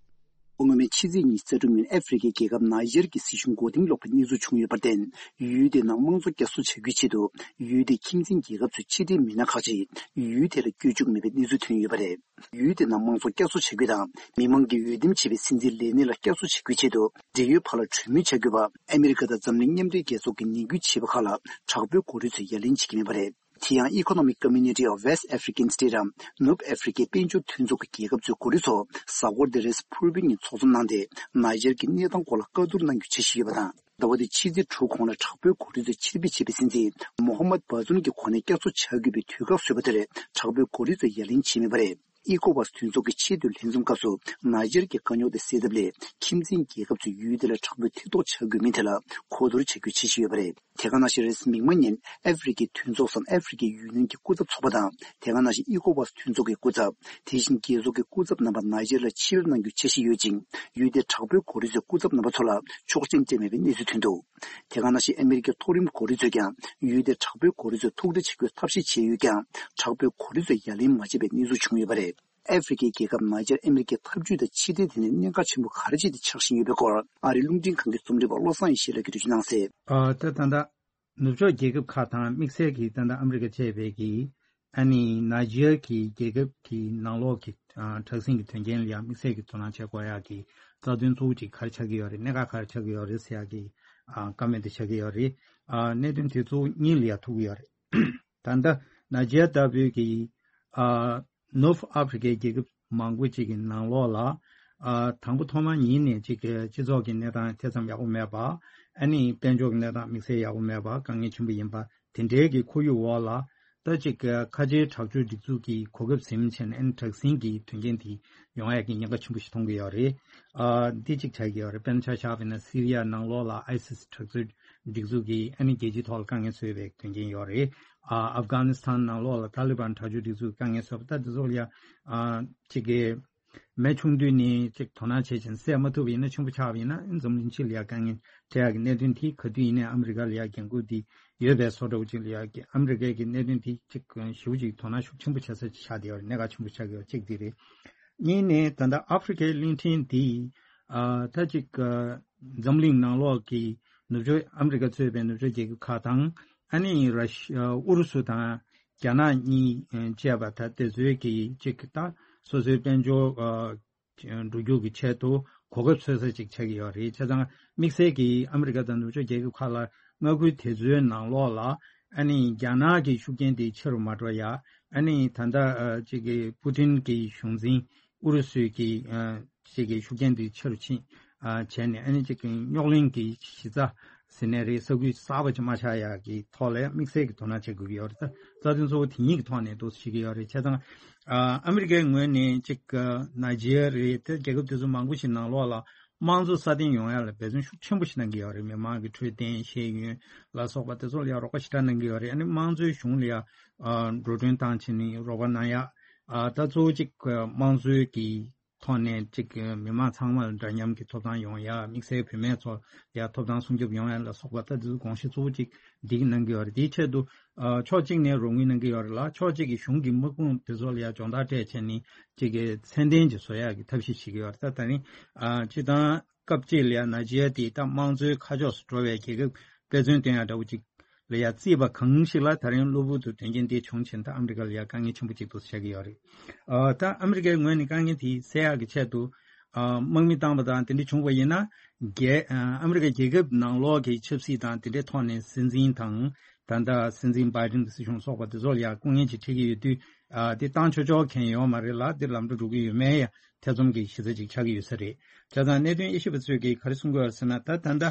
སྔོན་མའི་ཕྱི་ཚེས་ཉི་ཤུ་རྩ་དྲུག་ཉིན་ཨ་ཧྥེ་རི་ཁའི་རྒྱལ་ཁབ་ནཱི་ཇར་གྱི་སྲིད་གཞུང་མགོ་རྟིང་སློག་པའི་གནས་ཚུལ་བྱུང་ཡོད་པར་བརྟེན། ཡུལ་དེའི་ནང་དམངས་གཙོ་བསྐྱར་གསོ་བྱ་རྒྱུའི་ཆེད་དུ། ཡུལ་དེའི་ཁྱིམ་མཚེས་རྒྱལ་ཁབ་ཚོའི་ཕྱི་འབྲེལ་མི་སྣ་ཁག་ཅིག་ཡུལ་དེ་ལ་བསྐྱོད་བཅུག་མེད་པའི་གནས་ཚུལ་ཐོན་ཡོད་པ་རེད། ཡུལ་དེའི་ནང་དམངས་གཙོ་བསྐྱར་གསོ་བྱ་རྒྱུ་དང་། མི་མང་གིས་འོས་འདེམས་བྱས་པའི་སྲིད་འཛིན་ལས་གནས་ལ་བསྐྱར་གསོ་བྱ་རྒྱུའི་ཆེད་དུ། འབྲེལ་ཡོད་བར་ལ་གྲོས་མོལ་བྱ་དགོས་པ། ཨ་མི་རི་ཀ་དང་འཛམ་གླིང་མཉམ་འབྲེལ་རྒྱལ་ཚོགས་ཀྱིས་ནན་སྐུལ་བྱས་པ་ཁག་ལ། དྲག་པོའི་འགོ་ཁྲིད་ཚོས་ཡ་ལན་བྱེད་ཀྱི་མེད་པ་རེད། དེ་ཡང་Economic Community of West African States རམ། ནུབ་ཨ་ཧྥེ་རི་ཁའི་དཔལ་འབྱོར་མཐུན་ཚོགས་ཀྱི་རྒྱལ་ཁབ་ཚོའི་འགོ་ཁྲིད་ཚོ་གཟའ་འཁོར་འདིར་རེས་ཕུར་བུའི་ཉིན་ཚོགས་འཛོམས་གནང་སྟེ། ནཱི་ཇར་གྱི་གནས་སྟངས་སྐོར་ལ་བཀའ་བསྡུར་གནང་རྒྱུ་འཆར་གཞི་ཡོད་པ་དང་། ཟླ་བ་འདིའི་ཕྱི་ཚེས་དྲུག་གོང་ལ་དྲག་པོའི་འགོ་ཁྲིད་ཚོས་ཕྱིར་འབུད་བྱས་པའི་སྲིད་འཛིན་མོ་ཧམ་མད་བྷ་ཛུམ་གྱི་གོ་གནས་བསྐྱར་གསོ་བྱ་དགོས་པའི་དུས་བཀག་བཟོས་པ་དེར། དྲག་པོའི་འགོ་ཁྲིད་ཚོས་ཡ་ལན་བྱས་མེད་པ་རེད། ཨི་ཀོ་ཝཱས་མཐུན་ཚོགས་ཀྱི་ཆེས་མཐོའི་ལྷན་འཛོམས་སྐབས་སུ། ནཱི་ཇར་གྱི་དཀའ་རྙོག་དེ་སེལ་ཐབས་སླད། ཁྱིམ་མཚེས་རྒྱལ་ཁབ་ཚོས་ཡུལ་དེ་ལ་དྲག་པོའི་ཐེ་གཏོགས་བྱ་དགོས་མིན་ཐད་ལ་གོ་བསྡུར་བྱ་རྒྱུའི་འཆར་གཞི་ཡོད་པ་རེད། དེ་ག་ནང་བཞིན་རེས་གཟའ་མིག་དམར་ཉིན་ཨ་ཧྥེ་རི་ཁའི་མཐུན་ཚོགས་སམ། ཨ་ཧྥེ་རི་ཁའི་ཡུ་ནིཡན་གྱི་སྐུ་ཚབ་ཚོགས་པ་དང་། དེ་ག་ནང་བཞིན་ཨི་ཀོ་ཝཱས་མཐུན་ཚོགས་ཀྱི་སྐུ་ཚབ། དེ་བཞིན་རྒྱལ་ཚོགས་ཀྱི་སྐུ་ཚབ་རྣམ་པ་ནཱི་ཇར་ལ་ཕྱིར་གནང་རྒྱུའི་འཆར་གཞི་ཡོད་ཅིང་། ཡུལ་དེའི་དྲག་པོའི་འགོ་ཁྲིད་ཚོའི་སྐུ་ཚབ་རྣམ་པ་ཚོ་ལ་ཆོག་མཆན་སྤྲད་མེད་པའི་གནས་ཚུལ་ཐོན་འདུག་དེ་ག་ནང་བཞིན་ཨ་མི་རི་ཀའི་མཐོ་རིམ་འགོ་ཁྲིད་ཚོས་ཀྱང་ཡུལ་དེའི་དྲག་པོའི་འགོ་ཁྲིད་ཚོས་ཐུག་འཕྲད་བྱེད་རྒྱུའི་ཐབས་ཤེས་བྱས་ཡོད་ཀྱང་། དྲག་པོའི་འགོ་ཁྲིད་ཚོས་ཡ་ལན་མ་བྱས་པའི་གནས་ཚུལ་བྱུང་ཡོད་པ་རེད། ཨ་ཧྥེ་རི་ཁའི་རྒྱལ་ཁབ་ནཱི་ཇར་ཨ་མི་རི་ཀའི་འཐབ་ཇུས་དང་ཕྱི་འབྲེལ་ཐད་ནས་གནད་འགག་ཆེན་པོ་ག་རེ་བྱས་ཏེ་ཆགས་བཞིན་ཡོད་པའི་སྐོར། ཨ་རིའི་རླུང་འཕྲིན་ཁང་གི་རྩོམ་སྒྲིག་པ་བློ་བཟང་ཡེ་ཤེས་ལགས་ཀྱིས་འགྲེལ་བརྗོད་གནང་གསལ། ཨ། ད་ད་ལྟ་ནུབ་ཕྱོགས་རྒྱལ་ཁབ་ཁག་དང་དམིགས་བསལ་གྱིས་ད་ལྟ་ཨ་མི་རི་ཀ་བཅས་པའི་གི། ཨ་ནི་ནཱི་ཇར་གྱི་རྒྱལ་ཁབ་ཀྱི་ནང་ལོགས་ཀྱི། ཨ། དྲག་ཟིང་གི་དོན་རྐྱེན་ལ་ཡང་དམིགས་བསལ་གྱི་དོ་སྣང་བྱེད་དགོས་ཡག་གི་རྩ་དོན་གཙོ་བོ་གཅིག་ག་རེ་ཆགས་ཀྱི་ཡོད་རེད། གནད་འགག་ག་རེ་ཆགས་ཀྱི་ཡོད་རེད་ཟེར་ཡག་གི། ཨ། བཀའ་མོལ་དེ་ཆགས་ཀྱི་ཡོད་རེད། ཨ། གནད་དོན་དེ་ཚོ་གཉིས་ལ་ཡང་ཐུག་གི་ཡོད་རེད། ད་ལྟ་ནཱི་ཇར་ལྟ་བུའི་གི། ཨ། ནུབ་ཨ་ཧྥེ་རི་ཁའི་རྒྱལ་ཁབ་མང་པོ་ཅིག་གི་ནང་ལོགས་ལ། ཨ། དང་པོ་ཐོག་མ་ཉིད་ནས་ཅིག་གི་སྤྱི་ཚོགས་ཀྱི་གནས་སྟངས་དེ་ཙམ་ཡག་པོ་མེད་པ། ཨ་ནི་དཔལ་འབྱོར་གྱི་གནས་སྟངས་དམིགས་བསལ་ཡག་པོ་མེད་པ། དཀའ་ངལ་ཆེན་པོ་ཡིན་པ། དེ་འདྲའི་གི་ཁོར་ཡུག་འོག་ལ། ད་ཅིག་གི་ཁ་ཆེའི་དྲག་སྤྱོད་སྒྲིག་འཛུགས་ཀྱི་གོ་སྐབས་ཟིན་བྱས་ནས། ཨ་ནི་དྲག་ཟིང་གི་དོན་རྐྱེན་དེ་ཡོང་ཡག་གི་ཉེན་ཁ་ཆེན་པོ་ཞིག་མཐོང་གི་ཡོད་རེད། ཨ། འདི་གཅིག་ཆགས་ཀྱི་ཡོད་རེད། དཔེར་ན་ཆ་བཞག་པ་ཡིན་ན་སི་རི་ཡ་ནང་ལོགས་ལ་ཨའི་སི་སི་དྲག་སྤྱོད་སྒྲིག་འཛུགས་ཀྱིས་ཨ་ནི་རྒྱལ་སྤྱིའི་ཐོག་ལ་དཀའ་ངལ་བཟོས་པའི་དོན་རྐྱེན་ཡོད་རེད། ཨ། ཨབ་གྷ་ནི་སི་ཐན་ནང་ལོགས་ལ་ཏཱ་ལི་བན་དྲག་སྤྱོད་སྒྲིག་འཛུགས་དཀའ་ངལ་བཟོས་པ། ད་འདི་ཚོ་ལ་ཡ། ཨ། གཅིག་གི་མེ་ཆུང་དུས་ནས་གཅིག་དོ་སྣང་བྱས་ཤིང་སེལ་མ་ཐུབ་པ་ཡིན་ན། ཆེན་པོ་ཆགས་པ་ཡིན་ན། ཨ་ནི་འཛམ་གླིང་སྤྱི་ལ་ཡ་དཀའ་ངལ་འཕྲད་ཡག་གི་གནད་དོན་དེ་ག་དུས་ཡིན་ནའི་ཨ་མི་རི་ཀ་ལ་ཡ་འགན་ཁུར་དེ་ཡོད་པའི་བཟོ་འདྲ་བོ་ཅིག་ལ་ཡ་གི། ཨ་མི་རི་ཀའི་གི་གནད་དོན་དེ་གཅིག་ཞེ་པོ་ཅིག་དོ་སྣང་ཤུགས་ཆེན་པོ་བྱེད་ས་ཅིག་ཆགས་བསྡད་ཡོད་རེད། གནད་འགག་ཆེན་པོ་ཆགས་ཀྱི་ཡོད། གཅིག་དེ་རེད། གཉིས་ནས་ད་ལྟ་ཨ་ཧྥེ་རི་ཁའི་གླིང་ཕྲན་འདི། ཨ། ད་ཅིག་ཨ། འཛམ་གླིང་ནང་ལོགས་ཀྱི་ནུབ་ཕྱོགས་ཨ་མི་རི་ཀ་གཙོས་པའི་ནུབ་ཕྱོགས་རྒྱལ་ཁབ་ཁག་དང་། ཨ་ནི་ར་ཤི། ཨ། ཨུ་རུ་སུ་དང་རྒྱ་ནག་གཉིས་བཅས་པ་ད་དེ་ཚོའི་གི་ཅིག་ད་སོ་སོའི་དཔལ་འབྱོར། ཨ། འགྲོ་རྒྱུག་གི་ཆེད་དུ་གོ་སྐབས་འཚོལ་ས་ཅིག་ཆགས་ཀྱི་ཡོད་རེད། བྱས་ཙང་དམིགས་བསལ་གྱིས་ཨ་མི་རི་ཀ་དང་ནུབ་ཕྱོགས་རྒྱལ་ཁབ་ཁག་ལ་མངའ་ཁུལ་དེ་ཚོའི་ནང་ལོགས་ལ། ཨ་ནི་རྒྱ་ནག་གི་ཤུགས་རྐྱེན་དེ་ཆེ་རུ་མ་འགྲོ་ཡ། ཨ་ནི་ད་ལྟ་ཨ་ཅིག་གི་པུ་ཏིན་གྱི་གཞུང་འཛིན་ཨུ་རུ་སུའི་གི་ཨ་ཅིག་གི་ཤུགས་རྐྱེན་དེ་ཆེ་རུ་ཕྱིན། ཨ། བྱས་ནས་ཨ་ནི་ཅིག་གི་རྙོག་གླེང་གི་གཞི་རྩ་ ཟེར་ནའི་རེད། ས་ཁུལ་གསར་པ་ཅིག་མ་ཆགས་ཡག་གི་ཐོག་ལ་དམིགས་བསལ་གྱི་དོ་སྣང་བྱེད་དགོས་ཀྱི་ཡོད་རེད། ད་རྩ་དོན་གཙོ་བོ་དེ་གཉིས་ཀྱི་ཐོག་ནས་འདུག་སེ་བྱེད་ཀྱི་ཡོད་རེད། བྱས་ཙང་ཨ་ཨ་མི་རི་ཀའི་ངོས་ནས་ཅིག་ནཱི་ཇི་རི་ཡ་རེད། དེ་རྒྱལ་ཁབ་དེ་ཚོ་མང་པོ་ཞིག་ནང་ལོགས་ལ་དམངས་གཙོ་སྲ་བརྟན་ཡོང་ཡ་ལ་འབད་བརྩོན་ཤུགས་ཆེན་པོ་ཞིག་གནང་གི་ཡོད་རེད། མི་མང་གི་འཕྲོད་བསྟེན་ཤེས་ཡོན་ལ་སོགས་པ་དེ་ཚོ་ལ་ཡ་རོགས་པ་ཞེ་དྲག་གནང་གི་ཡོད་རེད། ཨ་ནི་དམངས་གཙོའི་གཞུང་ལ་ཡ་ཨ་འགྲོ་གྲོན་བཏང་བྱས་ནས་རོགས་པ་གནང་ཡ། ཨ་ད་གཙོ་བོ་གཅིག་དམངས་གཙོའི་གི་ཐོག་ནས་གཅིག་མི་མང་ཚང་མ་ལ་འདྲ་མཉམ་གྱི་ཐོབ་ཐང་ཡོང་ཡ། དམིགས་བསལ་བུད་མེད་ཚོ་ཡ་ཐོབ་ཐང་སྲུང་སྐྱོབ་ཡོང་ཡ་ལ་སོགས་པ་ད་དེ་ཚོ་དགོངས་གཞི་གཙོ་བོ་གཅིག་འདི་གནང་གི་ཡོད་རེད། དེའི་ཆེད་དུ་ཨ་ཕྱོགས་གཅིག་ནས་རོགས་དངུལ་གནང་གི་ཡོད་རེད་ལ། ཕྱོགས་གཅིག་གིས་གཞུང་གི་དམག་དཔུང་དེ་ཚོ་ལ་ཡ་སྦྱོང་བརྡར་སྤྲད་བྱས་ནས་གཅིག་གི་ཚད་ལྡན་ཅིག་བཟོ་ཡ་གི་ཐབས་ཤེས་བྱེད་ཀྱི་ཡོད་རེད། ད་ད་རིང་ཨ་སྤྱིར་བཏང་སྐབས་གཅིག་ལ་ཡ་ནཱི་ཇི་རི་ཡ་དེ་ད་དམངས་གཙོའི་ཁ་ཕྱོགས་སུ་འགྲོ་བའི་རྒྱལ་ཁབ་དཔེ་མཚོན་སྟོན་ཡ་འདྲ་བོ་ཅིག་ལ་ཡ་བརྩིས་པ་གང་ཞིག་ལ་ད་རིང་གློ་བུར་དུ་དོན་རྐྱེན་འདི་བྱུང་ཕྱིན། ད་ཨ་མི་རི་ཀ་ལ་ཡ་དཀའ་ངལ་ཆེན་པོ་ཅིག་ཏུ་ཆགས་ཀྱི་ཡོད་རེད། ཨ་ད་ཨ་མི་རི་ཀའི་ངོས་ནས་དཀའ་ངལ་དེ་སེལ་ཡག་གི་ཆེད་དུ་ཨ་དམག་མི་བཏང་པ་དང་དེ་འདྲ་བྱུང་བ་ཡིན་ན། རྒྱལ་ཨ་ཨ་མི་རི་ཀ་རྒྱལ་ཁབ་ནང་ལོགས་ཀྱི་ཆབ་སྲིད་དང་དེ་འདྲའི་ཐོག་ནས་སྲིད་འཛིན་དང་ད་ལྟ་སྲིད་འཛིན་བྷའི་ཌེན་སྲིད་གཞུང་སོགས་པ་དེ་ཚོ་ལ་ཡ་སྐུ་ངལ་ཅིག་འཕྲད་ཀྱི་ཡོད་དུས། ཨ་དེ་བཏང་ཆོག་ཆོག་མཁན་ཡོད་མ་རེད་ལ། དེ་ལམ་འགྲོ་འགྲོ་གི་ཡོད་མེད་ཡ་ཐེ་ཚོམ་གྱི་གཞི་རྩ་ཅིག་ཆགས་ཀྱི་ཡོད་ས་རེད། བྱས་ཙང་གནད་དོན་དབྱེ་ཞིབ་པ་ཚོས་ཀྱིས་ག་རེ་གསུང་གི་ཡོད་ཟེར་ན། ད་ད་ལྟ་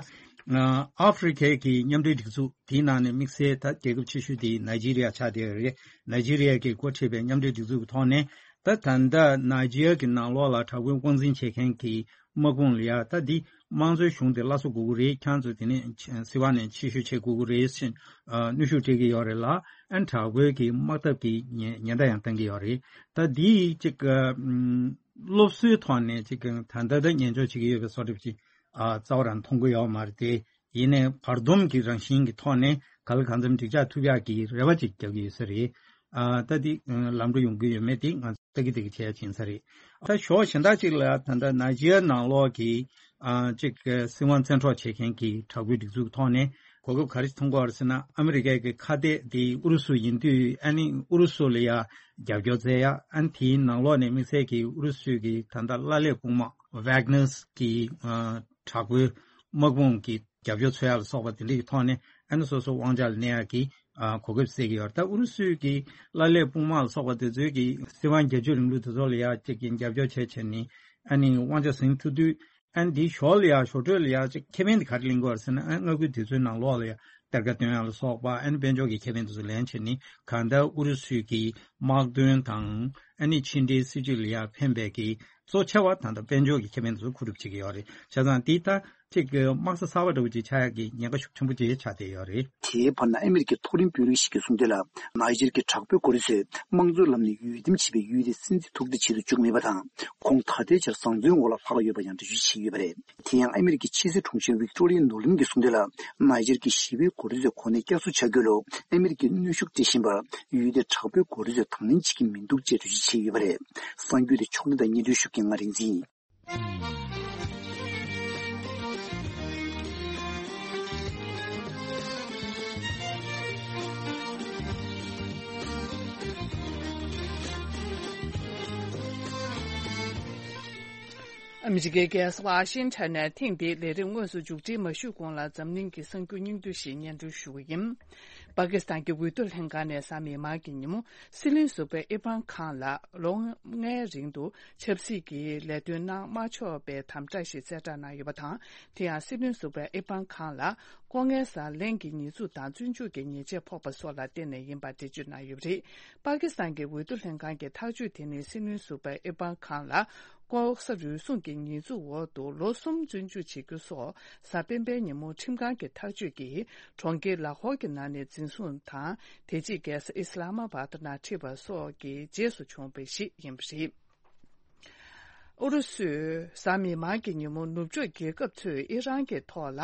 ཨ་ཨ་ཧྥེ་རི་ཁའི་གི་མཉམ་འབྲེལ་སྒྲིག་འཛུགས་དེའི་ནང་ནས་དམིགས་བསལ་ད་རྒྱལ་ཁབ་ཆེ་ཤོས་དེ་ནཱི་ཇི་རི་ཡ་ཆགས་བསྡད་ཡོད་རེད། ནཱི་ཇི་རི་ཡ་གིས་འགོ་ཁྲིད་པའི་མཉམ་འབྲེལ་སྒྲིག་འཛུགས་ཀྱི་ཐོག་ནས་ད་ད་ལྟ་ནཱི་ཇི་རི་ཡ་གི་ནང་ལོགས་ལ་དྲག་པོའི་དབང་འཛིན་བྱེད་མཁན་གྱི་དམག་དཔུང་ལ་ཡ་ད་འདི་དམངས་གཙོའི་གཞུང་དེ་སླར་གསོ་དགོས་ཀྱི་རེད། ཁྱེད་ཚོ་དེ་ནས་སྲིད་དབང་ནས་ཕྱིར་བཤོལ་བྱེད་དགོས་ཀྱི་རེད་ཟེར་ཨ་གནོན་ཤུགས་སྤྲད་ཀྱི་ཡོད་རེད་ལ། ཨ་ནི་དྲག་པོའི་གི་དམག་འཐབ་ཀྱི་ཉེན་ཉེན་བརྡ་ཡང་བཏང་གི་ཡོད་རེད། ད་འདི་གཅིག་ཨ་ཨམ་སློབ་གསོའི་ཐོག་ནས་གཅིག་ད་ལྟ་ད་ཉན་འཇོག་བྱེད་ཀྱི་ཡོད་པའི་བཟོ་འདྲ་ཅིག་ཨ་རྩ་བ་རང་མཐོང་གི་ཡོད་མ་རེད་དེ། ཡིན་ནའི་བར་འདུམ་གྱི་རང་བཞིན་གྱི་ཐོག་ནས་ག་ལ་གང་འཚམ་འགྲིག་ཆགས་ཐུབ་ཡག་གི་རེ་བ་ཅིག་རྒྱག་གི་ཡོད་ས་རེད། ཨ་ད་འདི་ཨ་ལམ་འགྲོ་ཡོང་གི་ཡོད་མེད་དེ་ང་ཚོ་ལྟ་གི་ལྟ་གི་བྱས་ཡ་ཡིན་ས་རེད། ད་ཕྱོགས་གཞན་དག་ཅིག་ལ་ད་ལྟ་ནཱི་ཇི་རི་ཡ་ནང་ལོགས་ཀྱི་ཨ་ཅིག་སྲིད་དབང་བཙན་འཕྲོག་བྱེད་མཁན་གྱི་དྲག་པོའི་སྒྲིག་འཛུགས་ཀྱི་ཐོག་ནས་གོ་སྐབས་ག་རེ་མཐོང་གི་ཡོད་རེད་ཟེར་ན། ཨ་མི་རི་ཀའི་གི་ཁ་གཏད་དེ་ཨུ་རུ་སུ་ཡིན་དུས། ཨ་ནི་ཨུ་རུ་སུ་ལ་ཡ་རྒྱབ་སྐྱོར་བཙལ་ཡ། ཨ་ནི་དེའི་ནང་ལོགས་ནས་དམིགས་བསལ་གྱི་ཨུ་རུ་སུའི་གི་ད་ལྟ་བླ་ལྷག་དཔུང་དམག་ཝེག་ནར་གྱི་ཨ་དྲག་པོའི་དམག་དཔུང་གི་རྒྱབ་སྐྱོར་འཚོལ་ཡ་ལ་སོགས་པ་དེ་འདྲ་གི་ཐོག་ནས། ཨ་ནི་སོ་སོ་དབང་ཆ་ལ་གནས་ཡ་གི་ཨ་གོ་སྐབས་བཙལ་གྱི་ཡོད་རེད། ད་ཨུ་རུ་སུའི་གི་བླ་ལྷག་དཔུང་དམག་ལ་སོགས་པ་དེ་ཚོའི་གི་སྲིད་དབང་རྒྱ་ཆེའི་རིང་ལུགས་དེ་ཚོ་ལ་ཡ་གཅིག་གི་རྒྱབ་སྐྱོར་བྱས་བྱས་ནས། ཨ་ནི་དབང་ཆ་ཟིན་ཐུབ་དུས། ཨ་ནི་འདིའི་ཞོར་ལ་ཡ་ཞོར་འཕྲོས་ལ་ཡ་གཅིག་ཁེ་ཕན་དེ་ག་རེ་ལེན་དགོས་རེད་ཟེར་ན། ཨ་མངའ་ཁུལ་དེ་ཚོའི་ནང་ལོགས་ལ་ཡ་གཏེར་ཁ་བཏོན་ཡ་ལ་སོགས་པ། ཨ་ནི་དཔལ་འབྱོར་གྱི་ཁེ་ཕན་དེ་ཚོ་ལེན་བྱས་ནས། གང་ལྟར་ཨུ་རུ་སུའི་གི་དམག་དོན་དང་ཨ་ནི་ཕྱི་འབྲེལ་སྲིད་ཇུས་ལ་ཡ་ཕན་པའི་གི་གཙོ་ཆེ་བ་ད་ལྟ་དཔལ་འབྱོར་གྱི་ཁེ་ཕན་དེ་ཚོ་མཁོ་སྒྲུབ་བྱེད་ཀྱི་ཡོད་རེད། བྱས་ཙང་འདི་ལྟ་གཅིག་གི་དམག་ས་གསར་པ་འདྲ་བོ་ཅིག་ཆགས་ཡག་གི་ཉེན་ཁ་ཤུགས་ཆེན་པོ་ཅིག་ཆགས་བསྡད་ཡོད་རེད། དེའི་བར་ན་ཨ་མི་རི་ཀའི་མཐོ་རིམ་དཔོན་རིགས་ཤིག་གིས་གསུངས་དོན་ལ། ནཱི་ཇར་གྱི་དྲག་པོའི་གོ་རིམ་ཚོས་དམངས་གཙོའི་ལམ་ནས་ཡུལ་འདེམས་བྱས་པའི་ཡུལ་དེ་སྲིད་འཛིན་ཐུག་འཕྲད་བྱེད་དུ་བཅུག་མེད་པ་དང་། ཁོང་ད་ལྟའི་ཆར་བཟང་བཙོན་འོག་ལ་ལྷག་ཡོད་པ་ཡང་འགྲེལ་བརྗོད་བྱས་ཡོད་པ་རེད། དེ་ཡང་ཨ་མི་རི་ཀའི་ཕྱི་སྲིད་དྲུང་ཆེ་ཝིག་ཏོ་རི་ཡ་ནོ་ལིན་གྱིས་གསུངས་དོན་ལ། ནཱི་ཇར་གྱི་ཞི་བའི་གོ་རིམ་ཚོས་གོ་གནས་བསྐྱར་གསོ་བྱ་རྒྱུ་ལ་ཨ་མི་རི་ཀས་གནོན་ཤུགས་སྤྲད་བཞིན་པར། ཡུལ་དེའི་དྲག་པོའི་གོ་རིམ་ཚོས་དང་ལེན་བྱེད་ཀྱི་མི་འདུག་ཅེས་འགྲེལ་བརྗོད་བྱས་ཡོད་པ་རེད། གསར་འགྱུར་དེ་ཕྱོགས་སྒྲིག་དང་སྙན་སྒྲོན་ཞུ་མཁན་ང་རིག་འཛིན་ཡིན། ཨ་མི་རི་ཀའི་རྒྱལ་ས་ཝ་ཤིང་ཊོན་ནས་ཐེངས་འདིའི་ལས་རིམ་དངོས་སུ་མཇུག་སྒྲིལ་མ་ཞུས་གོང་ལ། འཛམ་གླིང་གི་གསར་འགྱུར་སྙིང་བསྡུས་ཤིག་སྙན་སྒྲོན་ཞུ་གི་ཡིན། པ་ཀི་སི་ཐན་གྱི་འོས་བསྡུ་ལྷན་ཁང་ནས་གཟའ་མིག་དམར་གྱི་ཉིན་མོ། སྲིད་བློན་ཟུར་པ་ཨི་ཕན་ཁཱན་ལགས་ལོ་ལྔའི་རིང་དུ་ཆབ་སྲིད་ཀྱི་ལས་དོན་གནང་མ་ཆོག་པའི་དམ་བསྒྲགས་ཤིག་གསལ་བསྒྲགས་གནང་ཡོད་པ་དང་། དེ་ཡང་སྲིད་བློན་ཟུར་པ་ཨི་ཕན་ཁཱན་ལ་ལྐོག་རྔན་ཟ་ལེན་གྱི་ཉེས་འཛུགས་དང་བཙོན་འཇུག་གི་ཉེས་ཆད་ཕོག་པ་སོགས་ལ་བརྟེན་ནས་ཡིན་པར་འགྲེལ་བརྗོད་གནང་ཡོད་པ་རེད། པ་ཀི་སི་ཐན་གྱི་འོས་བསྡུ་ལྷན་ཁང་གི་ཐག་གཅོད་དེ་ནི་སྲིད་བློན་ཟུར་པ་ཨི་ཕན་ཁཱན་ལ་ལྐོག་ཟ་རུལ་སུངས་ཀྱི་ཉེས་འཛུགས་འོག་ཏུ་ལོ་གསུམ་བཙོན་འཇུག་བྱེད་རྒྱུ་སོགས་གཟའ་སྤེན་པའི་ཉིན་མོ་ཁྲིམས་ཁང་གི་ཐག་གཅོད་ཀྱིས་གྲོང་ཁྱེར་ལ་ཧོར་གྱི་ནང་ནས་འཛིན་བཟུང་དང་། དེ་རྗེས་རྒྱལ་ས་ཨི་སི་ལ་མ་བྷ་དི་ནང་ཁྲིད་པ་སོགས་ཀྱི་རྗེས་སུ་བྱུང་བ་ཞིག་ཡིན་པ་རེད། ཨུ་རུ་སུས་གཟའ་མིག་དམར་གྱི་ཉིན་མོ་ནུབ་ཕྱོགས་རྒྱལ་ཁབ་ཚོས་ཨི་རན་གྱི་ཐོག་ལ་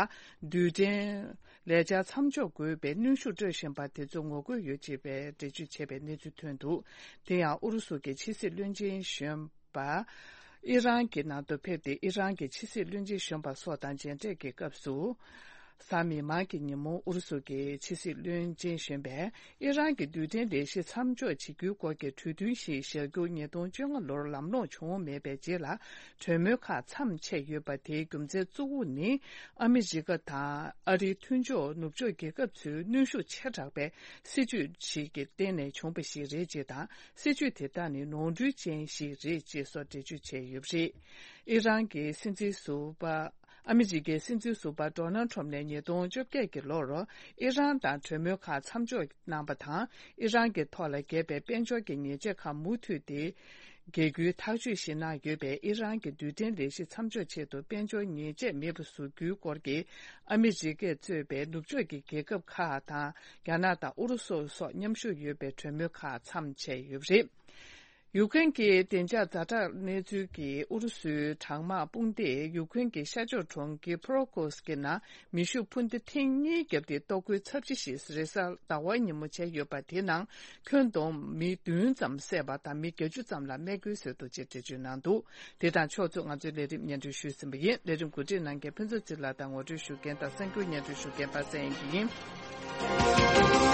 རྡུལ་ཕྲན་ལས་འཆར་མཚམས་འཇོག་དགོས་པའི་གནོན་ཤུགས་སྤྲོད་བཞིན་པ་དེ་ཚོར་ངོ་རྒོལ་ཡོད་ཅེས་པའི་འགྲེལ་བརྗོད་བྱས་པའི་གནས་ཚུལ་ཐོན་འདུག་དེ་ཡང་ཨུ་རུ་སུ་གྱི་ཕྱི་སྲིད་བློན་ཆེན་གཞོན་པ་ཨི་རན་གྱི་ནང་དུ་ཕེབས་ཏེ། ཨི་རན་གྱི་ཕྱི་སྲིད་བློན་ཆེན་གཞོན་པ་སོགས་དང་མཇལ་འཕྲད་ཀྱི་སྐབས་སུ། གཟའ་མིག་དམར་གྱི་ཉིན་མོ་ཨུ་རུ་སུ་གྱི་ཕྱི་སྲིད་བློན་ཆེན་གཞོན་པས། ཨི་རན་གྱི་རྡུལ་ཕྲན་ལས་གཞི་མཚམས་འཇོག་བྱེད་རྒྱུའི་སྐོར་གྱི་གྲོས་མཐུན་ཞིག་བཞག་རྒྱུ་ཉིས་སྟོང་བཅོ་ལྔ་ལོར་ལམ་ལྷོང་བྱུང་མེད་པའི་རྗེས་ལ། གྲོས་མོལ་ཁག་མཚམས་ཆད་ཡོད་པ་དེའི་རྒྱུ་མཚན་གཙོ་བོ་ནི། ཨ་མི་རི་ཀ་དང་ཨ་རིའི་མཐུན་ཕྱོགས་ནུབ་ཕྱོགས་རྒྱལ་ཁབ་ཚོའི་གནོན་ཤུགས་ཆེ་དྲགས་པའི་སྲིད་ཇུས་ཤིག་གི་སྟེང་ནས་བྱུང་བ་ཞིག་རེད་ཅེས་དང་། སྲིད་ཇུས་དེ་དག་ནི་ནོར་འཁྲུལ་ཅན་ཞིག་རེད་ཅེས་སོགས་འགྲེལ་བརྗོད་བྱས་ཡོད་པ་རེད། ཨི་རན་གྱི་སྲིད་འཛིན་ཟུར་པ། ཨ་མི་རི་ཀའི་སྲིད་འཛིན་ཟུར་པ་ཌོ་ནལ་ཁྲོམ་ནས་ཉིས་སྟོང་བཅོ་བརྒྱད་ཀྱི་ལོར་ཨི་རན་དང་གྲོས་མོལ་ཁག་མཚམས་འཇོག་གནང་པ་དང་། ཨི་རན་གྱི་ཐོག་ལ་འགེབས་པའི་དཔལ་འབྱོར་གྱི་ཉེས་ཆད་ཁག་མུ་མཐུད་དེ་འགེལ་རྒྱུའི་ཐག་གཅོད་ཞིག་གནང་ཡོད་པས། ཨི་རན་གྱི་རྡུལ་ཕྲན་ལས་གཞི་མཚམས་འཇོག་ཆེད་དུ་དཔལ་འབྱོར་ཉེས་ཆད་མེད་པར་བཟོ་རྒྱུའི་སྐོར་གྱི་ཨ་མི་རི་ཀས་གཙོས་པའི་ནུབ་ཕྱོགས་ཀྱི་རྒྱལ་ཁབ་ཁག་དང་། རྒྱ་ནག་དང་ཨུ་རུ་སུ་སོགས་མཉམ་ཞུགས་ཡོད་པའི་གྲོས་མོལ་ཁག་མཚམས་ཆད་ཡོད་པ་རེད། ཡུཀ་རེན་གྱི་བདེ་འཇགས་ཛ་དྲག་གནས་ཚུལ་གྱིས་ཨུ་རུ་སུའི་གྲང་དམག་དཔུང་སྡེས་ཡུཀ་རེན་གྱི་ཤར་ཕྱོགས་གྲོང་ཁྱེར་ཕུ་རོ་ཀོས་ཀྱི་ནང་མེ་ཤུགས་འཕུར་མདའ་ཐེངས་གཉིས་བརྒྱབ་སྟེ། གཏོར་རྒོལ་ཚབས་ཆེ་ཞིག་རེས་གཟའ་ཟླ་བའི་ཉིན་མོ་བྱས་ཡོད་པ། དེའི་ནང་ཁྱོན་བསྡོམས་མི་བདུན་ཙམ་བསད་པ་དང་། མི་བརྒྱད་ཅུ་ཙམ་ལ་རྨས་སྐྱོན་བཟོས་འདུག་ཅེས་འགྲེལ་བརྗོད་གནང་འདུག་དེ་དང་ཕྱོགས་མཚུངས། ང་ཚོའི་ལས་རིམ་སྙན་སྒྲོན་ཞུས་ཟིན་པ་ཡིན། ལས་རིམ་གོ་སྒྲིག་གནང་མཁན་ཕུན་ཚོགས་ཚེ་རིང་ལགས་དང་ངོ་སྤྲོད་ཞུ་མཁན་དང་གསན་རྒྱུ་སྙན་སྒྲོན་ཞུ་མཁན་པ་སངས་དབྱངས་སྐྱིད་ཡིན།